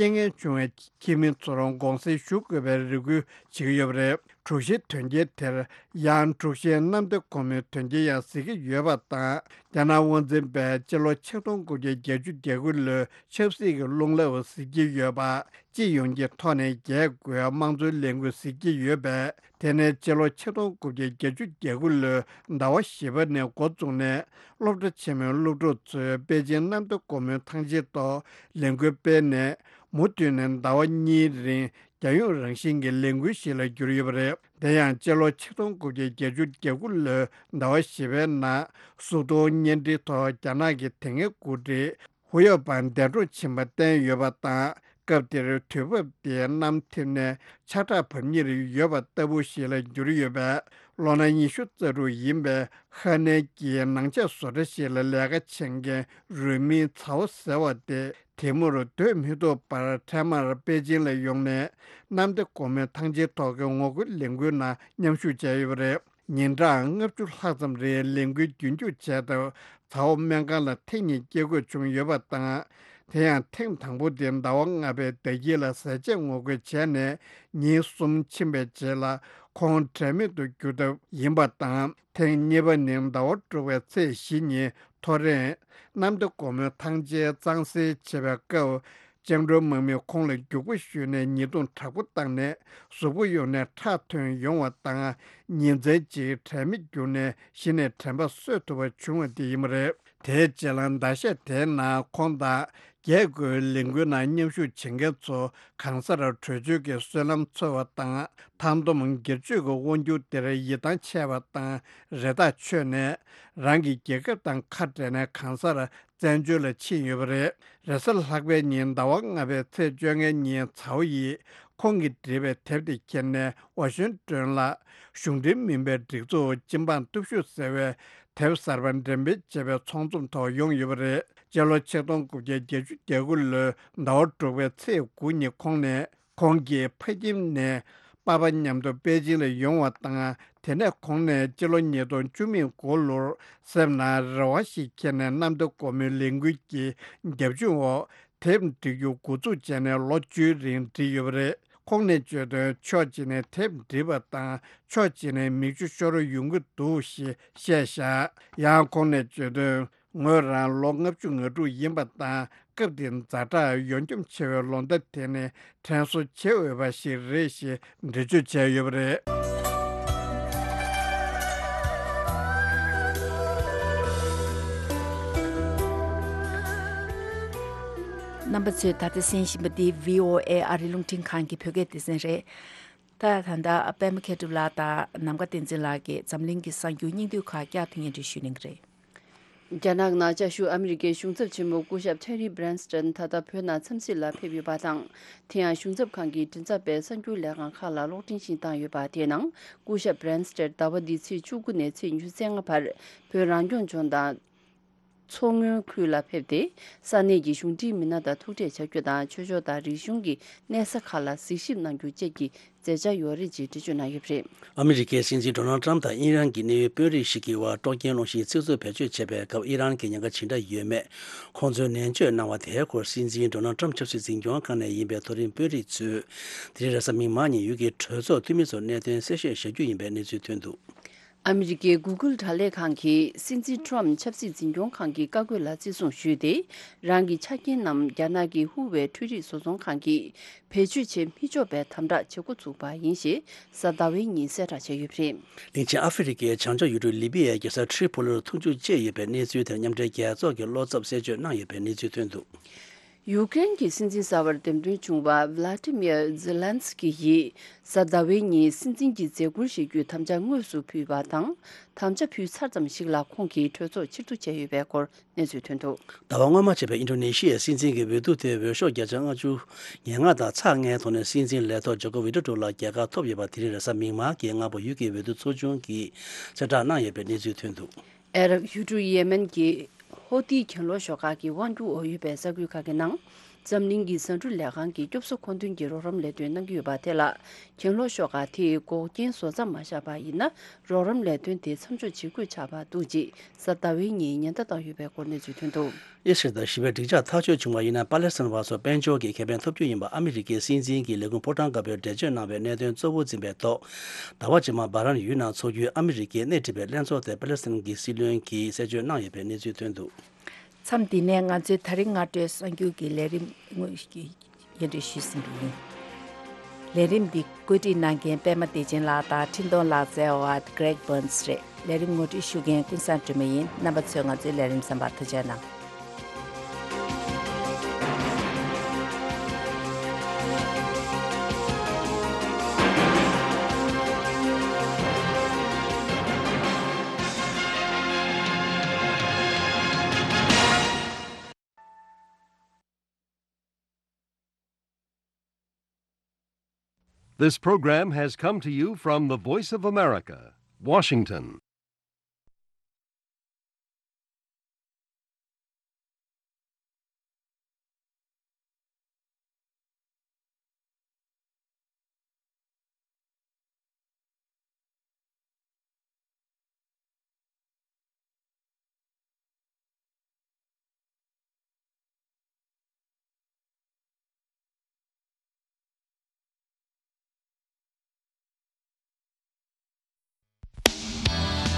རྐྱེན་ངན་བྱུང་བའི་ཁྱིམ་མི་ཚོར་དགོངས་སེལ་ཞུ་དགོས་པའི་རེ་སྐུལ་བྱེད་ཀྱི་ཡོད་པ་རེད། དྲུག་བཞི་དོན་རྐྱེན་དེར་ཡང་དྲུག་བཞིའི་གནམ་བདེ་སྒོ་མོའི་དོན་རྐྱེན་ཡང་གཟིགས་ཀྱི་ཡོད་པ་དང་། རྒྱ་ནག་དབང་འཛིན་པས་སྤྱི་ལོ་ཆིག་སྟོང་དགུ་བརྒྱ་བརྒྱད་ཅུ་གྱ་དགུ་ལོའི་ཆབ་སྲིད་ཀྱི་རླུང་རླབས་གཟིགས་ཀྱི་ཡོད་པ། སྤྱི་ཡོངས་ཀྱི་ཐོག་ནས་རྒྱལ་སྒོའི་དམངས་གཙོའི་ལས་འགུལ་གཟིགས་ཀྱི་ཡོད་པས། དེ་ནས་སྤྱི་ལོ་ཆིག་སྟོང་དགུ་བརྒྱ་བརྒྱད་ཅུ་གྱ་དགུ་ལོའི་ཟླ་བ་བཞི་པ་ནས་འགོ་བཙུགས་ནས། སློབ་གྲྭ་ཆེན་མོའི་སློབ་ཕྲུག་ཚོས་པེ་ཅིང་གནམ་བདེ་སྒོ་མོའི་ཐང་ཆེན་ཐོག་ལས་འགུལ་སྤེལ་ནས། མུ་མཐུད་ནས་ཟླ་བ་གཉིས་རིང་རྒྱལ་ཡོངས་རང་བཞིན་གྱི་ལས་འགུལ་ཞིག་ལ་གྱུར་ཡོད་པ་རེད། དེ་ཡང་སྤྱི་ལོ་ཆིག་སྟོང་དགུ་བརྒྱ་བརྒྱད་ཅུ་གྱ་དགུ་ལོའི་ཟླ་བ་བཞི་པའི་ནང་གཟུགས་མཐོང་བརྙན་འཕྲིན་ཐོག་རྒྱ་ནག་གི་དེ་སྔའི་འགོ་ཁྲིད་ཧུའུ་ཡའོ་པན་འདས་གྲོངས་ཕྱིན་པ་བསྟན་ཡོད་པ་དང་། སྐབས་དེར་དུས་བབ་དེའི་གནམ་ཐིབས་ནས་ཆར་དྲག་བབས་ཉེར་ཡོད་པ་ལྟ་བུ་ཞིག་ལ་གྱུར་ཡོད་པས། ལོ་ན་ཉི་ཤུ་རྩ་དྲུག་ཡིན་པའི་ཧ་ནན་གྱིས་ནང་ཆས་བཟོ་གྲྭ་ཞིག་ལ་ལས་ཀ་བྱེད་མཁན་རུས་མིང་ཚའོ་ཟེར་བ་དེ། དེ་མུར་སྡོད་མི་ཐུབ་པར་འཕྲལ་མར་པེ་ཅིང་ལ་ཡོང་ནས། གནམ་བདེ་སྒོ་མོའི་ཐང་ཆེན་ཐོག་གི་ངོ་རྒོལ་ལས་འགུལ་ནང་མཉམ་ཞུགས་བྱས་ཡོད་པ་རེད། ཉིན་གྲངས་ལྔ་བཅུ་ལྷག་ཙམ་རིང་ལས་འགུལ་རྒྱུན་སྐྱོང་བྱས་སྟབས། ཚའོ་སྨན་ཁང་ལ་ཐེངས་གཉིས་སྐྱེལ་དགོས་བྱུང་ཡོད་པ་དང་། དེ་ཡང་ཐེངས་དང་པོ་དེ་ཟླ་བ་ལྔ་པའི་ཟླ་དཀྱིལ་ལ་ཟས་བཅད་ངོ་རྒོལ་བྱས་ནས། ཉིན་གསུམ་ཕྱིན་པའི་རྗེས་ལ་ཁོང་དྲན་མེད་དུ་གྱུར་སྟབས་ཡིན་པ་དང་། ཐེངས་གཉིས་པ་ནི་ཟླ་བ་དྲུག་པའི་ཚེས་བཞི་ཉིན་ཐོ་རེངས། གནམ་བདེ་སྒོ་མོའི་ཐང་ཆེན་གཙང་སེལ་བྱེད་པའི་སྐབས། བཅིངས་འགྲོལ་དམག་མིས་ཁོང་ལ་རྒྱུག་པ་གཞུས་ནས་ཉེས་རྡུང་དྲག་པོ་བཏང་ནས། གཟུགས་པོ་ཡོངས་ནས་ཁྲག་ཐོན་ཡོང་བ་དང་། ཉིན་མཚན་གཅིག་དྲན་མེད་གྱུར་ནས་གཞི་ནས་དྲན་པ་གསོས་ཐུབ་པ་བྱུང་བ་དེ་ཡིན་པ་རེད། དེའི་རྗེས་ལ་ཟླ་ཤས་དེའི་ནང་ཁོང་དང་རྒྱལ་སྒོའི་ལས་འགུལ་ནང་མཉམ་ཞུགས་བྱེད་མཁན་ཚོ་གང་སར་བྲོས་བྱོལ་གྱི་བསོད་ནམས་འཚོལ་བ་དང་། མཐའ་སྡོམ་སྒེར་གཅོད་ཀྱི་དབང་སྒྱུར་དེར་ཡིད་ཐང་ཆད་པ་དང་རེ་ཐག་ཆོད་ནས། རང་གི་རྒྱལ་ཁབ་དང་ཁ་བྲལ་ནས་གང་སར་བཙན་བྱོལ་ལ་ཕྱིན་ཡོད་པ་རེད། རེས་གཟའ་ལྷག་པའི་ཉིན་ཟླ་བ་ལྔ་པའི་ཚེས་བཅོ་ལྔའི་ཉིན་ཚའོ་ཡིས་ཁོང་གིས་བྲིས་པའི་དེབ་དེ་ཁྱེར་ནས་ཝ་ཤིང་ཏོན་ལ་གཞུང་འབྲེལ་མིན་པའི་སྒྲིག་འཛུགས་སྤྱི་འབངས་སྟོབས་ཤུགས་ཟེར་བའི་དེབ་གསར་པ་འགྲེམས་སྤེལ་བྱས་པའི་ཚོགས་འཛོམས་ཐོག་ཡོང་ཡོད་པ་རེད། སྤྱི་ལོ་ཆིག་སྟོང་དགུ་བརྒྱ་བརྒྱད་ཅུ་གྱ་དགུ་ལོའི་ཟླ་བ་དྲུག་པའི་ཚེས་དགུ་ཉིན་ཁོང་ནས། ཁོང་གིས་ཕ་ཁྱིམ་ནས་པ་ཕ་མཉམ་དུ་པེ་ཅིང་ལ་ཡོང་བ་དང་། དེ་ནས་ཁོང་ནས་སྤྱི་ལོ་ཉིས་སྟོང་བཅུ་མེད་དགུ་ལོར་སེམས་ནང་རེ་བ་ཞིག་འཁྱེར་ནས་གནམ་བདེ་སྒོ་མོའི་ལས་འགུལ་གྱི་རྒྱབ་ལྗོངས་འོག་དེབ་འབྲི་རྒྱུ་འགོ་འཛུགས་བྱས་ནས་ལོ་བཅུའི་རིང་བྲིས་ཡོད་པ་རེད། ཁོང་ནས་བརྗོད་དོན། ཕྱོགས་གཅིག་ནས་དེབ་འབྲི་བ་དང་ཕྱོགས་གཅིག་ནས་མིག་ཆུ་ཤོར་ཡོང་གི་འདུག་ཞེས་བཤད་བཞག་ཡང་ཁོང་ནས་བརྗོད་དོན། ངོས་རང་ལོ་ལྔ་བཅུ་ང་དྲུག་ཡིན་པ་དང་། སྐབས་དེའི་ཛ་དྲག་ཡོ་འཁྱོམ་ཆེ་བའི་ལོ་ཟླ་དེ་ནི་དྲན་གསོ་བྱེད་འོས་པ་ཞིག་རེད་ཞེས་འགྲེལ་བརྗོད་བྱས་ཡོད་པ་རེད། རྣམ་པ་ཚོས་ད་ལྟ་གསན་བཞིན་པ་འདི་བྷི་ཨོ་ཨེ་ཨ་རི་རླུང་འཕྲིན་ཁང་གི་བོད་སྐད་སྡེ་ཚན་རེད། ད་ད་ལྟ་པད་མ་མཁས་གྲུབ་ལགས་དང་ནམ་མཁའ་བསྟན་འཛིན་ལགས་ཀྱིས་འཛམ་གླིང་གི་གསར་འགྱུར་སྙིང་བསྡུས་ཁག་བསྐྱར་ཐོན་ཡན་འདྲི་ཞུ་གནང་གི་རེད། རྒྱ་ནག་ནང་བཅའ་བཞུགས་ཨ་མི་རི་ཀའི་གཞུང་ཚབ་ཆེན་མོ་སྐུ་ཞབས་ཐེ་རི་སྦྲན་སྟན་ད་ལྟ་བོད་ནང་འཚམས་གཟིགས་ལ་ཕེབས་ཡོད་པ་དང་། དེ་ཡང་གཞུང་ཚབ་ཁང་གི་མགྲིན་ཚབ་པས་གསར་འགྱུར་ལས་ཁང་ཁག་ལ་གློག་འཕྲིན་ཞིག་བཏང་ཡོད་པ། དེའི་ནང་སྐུ་ཞབས་སྦྲན་སྟན་ཟླ་བ་འདིའི་ཚེས་བཅུ་དགུ་ནས་ཚེས་ཉི་ཤུ་རྩ་ལྔ་བར་བོད་རང་སྐྱོང་ལྗོངས་དང་། མཚོ་སྔོན་ཁུལ་ལ་ཕེབས་ཏེ། ས་གནས་ཀྱི་གཞུང་འབྲེལ་མི་སྣ་དང་ཐུག་འཕྲད་བྱ་རྒྱུ་དང་། ཆོས་ཕྱོགས་དང་རིག་གཞུང་གི་གནས་ས་ཁག་ལ་གཟིགས་ཞིབ་གནང་རྒྱུ་བཅས་ཀྱི་མཛད་འཆར་ཡོད་རེད་ཅེས་འགྲེལ་བརྗོད་གནང་ཡོད་པ་རེད། ཨ་མི་རི་ཀའི་སྲིད་འཛིན་ཌོ་ནལ་ཊམ་དང་ཨི་རན་གྱི་གནད་ཡོད་དཔོན་རིགས་ཤིག་གིས་ཝ་ཀྲོ་ཀན་རླུང་ཤིང་ཚིག་མཛོད་བེད་སྤྱོད་བྱས་པའི་སྐབས་ཨི་རན་གྱི་ཉེན་ཁ་ཇི་འདྲ་ཡོད་མེད་ཁོང་ཚོས་ནན་བརྗོད་གནང་བ་དེའི་སྐོར། སྲིད་འཛིན་ཌོ་ནལ་ཊམ་ཆབ་སྲིད་འཛིན་སྐྱོང་ཁང་ནས་ཡིན་པའི་མཐོ་རིམ་དཔོན་རིགས་ཚོས་དེ་རིང་རེས་གཟའ་མིག་དམར་ཉིན་ཡུལ་གྱི་གྲོས་ཚོགས་འཐུས་མི་ཚོར་གནད་དོན་གསལ་བཤད་བྱ་རྒྱུ་ཡིན་པའི་གནས་ཚུལ་ཐོན་འདུག། ཨ་མི་རི་ཀའི་གུ་གུལ་དྲ་ལས་ཁང་གིས་སྲིད་འཛིན་ཊམ་ཆབ་སྲིད་འཛིན་སྐྱོང་ཁང་གི་བཀའ་བཀོད་ལ་བརྩི་སྲུང་ཞུས་ཏེ། རང་གི་ཆ་རྐྱེན་རྣམས་རྒྱ་ནག་གི་ཧུ་ཝེ་འཕྲུལ་རིག་བཟོ་ཚོང་ཁང་གིས་བེད་སྤྱོད་བྱེད་མི་ཆོག་པའི་དམ་དྲག་བྱེད་འགོ་ཚུགས་པ་ཡིན་ཞེས་གཟའ་ཟླ་བའི་ཉིན་གསལ་བསྒྲགས་བྱས་ཡོད་པ་རེད། གླིང་ཆེན་ཨ་ཧྥེ་རི་ཁའི་བྱང་ཕྱོགས་ཡུལ་གྲུ་ལི་པི་ཡའི་རྒྱལ་ས་ཁྲི་པོ་ལིར་འཐུང་ཆུ་བཅད་ཡོད་པའི་གནས་ཚུལ་དེར་མཉམ་འབྲེལ་རྒྱལ་ཚོགས་ཀྱི་བློ་འཚབ་གསལ་བརྗོད་གནང་ཡོད་པའི་གནས་ཚུལ་ཐོན་འདུག། ཡུ་ཀེ་རེན་གྱི་སྲིད་འཛིན་གསར་པར་འདེམས་ཐོན་བྱུང་བ་ཝི་ལ་ཏི་མིར་ཛེ་ལན་སི་ཀི་ཡིས་གཟའ་ཟླ་བའི་ཉིན་སྲིད་འཛིན་གྱི་མཛད་ཁུར་བཞེས་རྒྱུའི་དམ་བཅའ་དངོས་སུ་ཕུལ་བ་དང་། དམ་བཅའ་ཕུལ་ཚར་ཙམ་ཞིག་ལ་ཁོང་གིས་གྲོས་ཚོགས་ཕྱིར་བསྡུ་བྱས་ཡོད་པའི་སྐོར་གནས་ཚུལ་ཐོན་འདུག། ཟླ་བ་སྔོན་མ་བྱས་པའི་ཨིན་ཌོ་ནེ་ཤི་ཡའི་སྲིད་འཛིན་གྱི་འོས་བསྡུ་དེ་འོས་ཤོག་བརྒྱ་ཆ་ལྔ་བཅུ་ང་ལྔ་དང་ཚེག་ལྔའི་ཐོག་ནས་སྲིད་འཛིན་ལས་ཐོག་ཇོ་ཀོ་ཝི་ཌོ་ཌོ་ལ་རྒྱལ་ཁ་ཐོབ་ཡོད་པ་དེ་རིང་རེས་གཟའ་མིག་དམར་གྱི་སྔ་པོ་ཡུལ་གྱི་འོས་བསྡུ་ཚོགས་ཆུང་གིས་གསལ་བསྒྲགས་གནང་ཡོད་པའི་གནས་ཚུལ་ཐོན་འདུག། ཨ་རབ་ཡུལ་གྲུ་ཡེ་མེན་གྱི་ཧོ་ཏི་གྱེན་ལོག་ཤོག་ཁག་གི་དབང་སྒྱུར་འོག་ཡོད་པའི་ས་ཁུལ་ཁག་གི་ནང་ འཛམ་གླིང་གི་ཟ་འབྲུ་ལས་ཁང་གིས་སྐྱོབ་གསོ་མཁོ་འདོན་གྱི་རོགས་རམ་ལས་དོན་གནང་གི་ཡོད་པ་དེ་ལ། གྱེན་ལོག་ཤོག་ཁག་དེས་འགོག་རྐྱེན་བཟོ་མཚམས་མ་བཞག་པ་ཡིན་ན། རོགས་རམ་ལས་དོན་དེ་མཚམས་འཇོག་བྱེད་དགོས་ཆགས་པ་འདུག་ཅེས་གཟའ་ཟླ་བའི་ཉིན་ཉེན་བརྡ་བཏང་ཡོད་པའི་སྐོར་གནས་ཚུལ་ཐོན་འདུག་ཨི་སི་རལ་དང་ཞི་བའི་འགྲིག་འཇགས་ཐག་གཅོད་བྱུང་བ་ཡིན་ན། པ་ལེ་སི་ཐན་བ་ཚོར་དཔལ་འབྱོར་གྱི་ཁེ་ཕན་ཐོབ་རྒྱུ་ཡིན་པ་ཨ་མི་རི་ཀའི་སྲིད་འཛིན་གྱིས་ལས་ཁུངས་ཕོ་བྲང་དཀར་པོར་འགྲེལ་བརྗོད་གནང་བའི་གནད་དོན་གཙོ་བོ་འཛིན་པའི་ཐོག་ཟླ་བ་རྗེས་མར་སྦ་རན་ཡུལ་ནང་འཚོགས་རྒྱུའི་ཨ་མི་རི་ཀའི་སྣེ་ཁྲིད་པའི་ལྷན་ཚོགས་དེ་པ་ལེ་སི་ཐན་གྱི་སྲིད་བློན་གྱིས་གསལ་བརྗོད་གནང་ཡོད་པའི་གནས་ཚུལ་ཐོན་འདུག་མཚམས་འདི་ནས་ང་ཚོའི་ད་རིང་སྔ་དྲོའི་གསར་འགྱུར་གྱི་ལས་རིམ་དངོས་ཀྱི་སྙན་སྒྲོན་ཞུས་ཟིན་པ་ཡིན། ལས་རིམ་འདི་བཀོད་སྒྲིག་གནང་མཁན་པད་མ་བདེ་ཆེན་ལགས་དང་འཕྲིན་གཏོང་ལག་རྩལ་བ་Greg Burns་རེད། ལས་རིམ་ངོ་སྤྲོད་ཞུ་མཁན་ཀུན་བཟང་སྒྲོལ་མ་ཡིན། རྣམ་པ་ཚོས་ང་ཚོའི་ལས་རིམ་གསན་པར་ཐུགས་རྗེ་གནང་། This program has come to you from the Voice of America, Washington.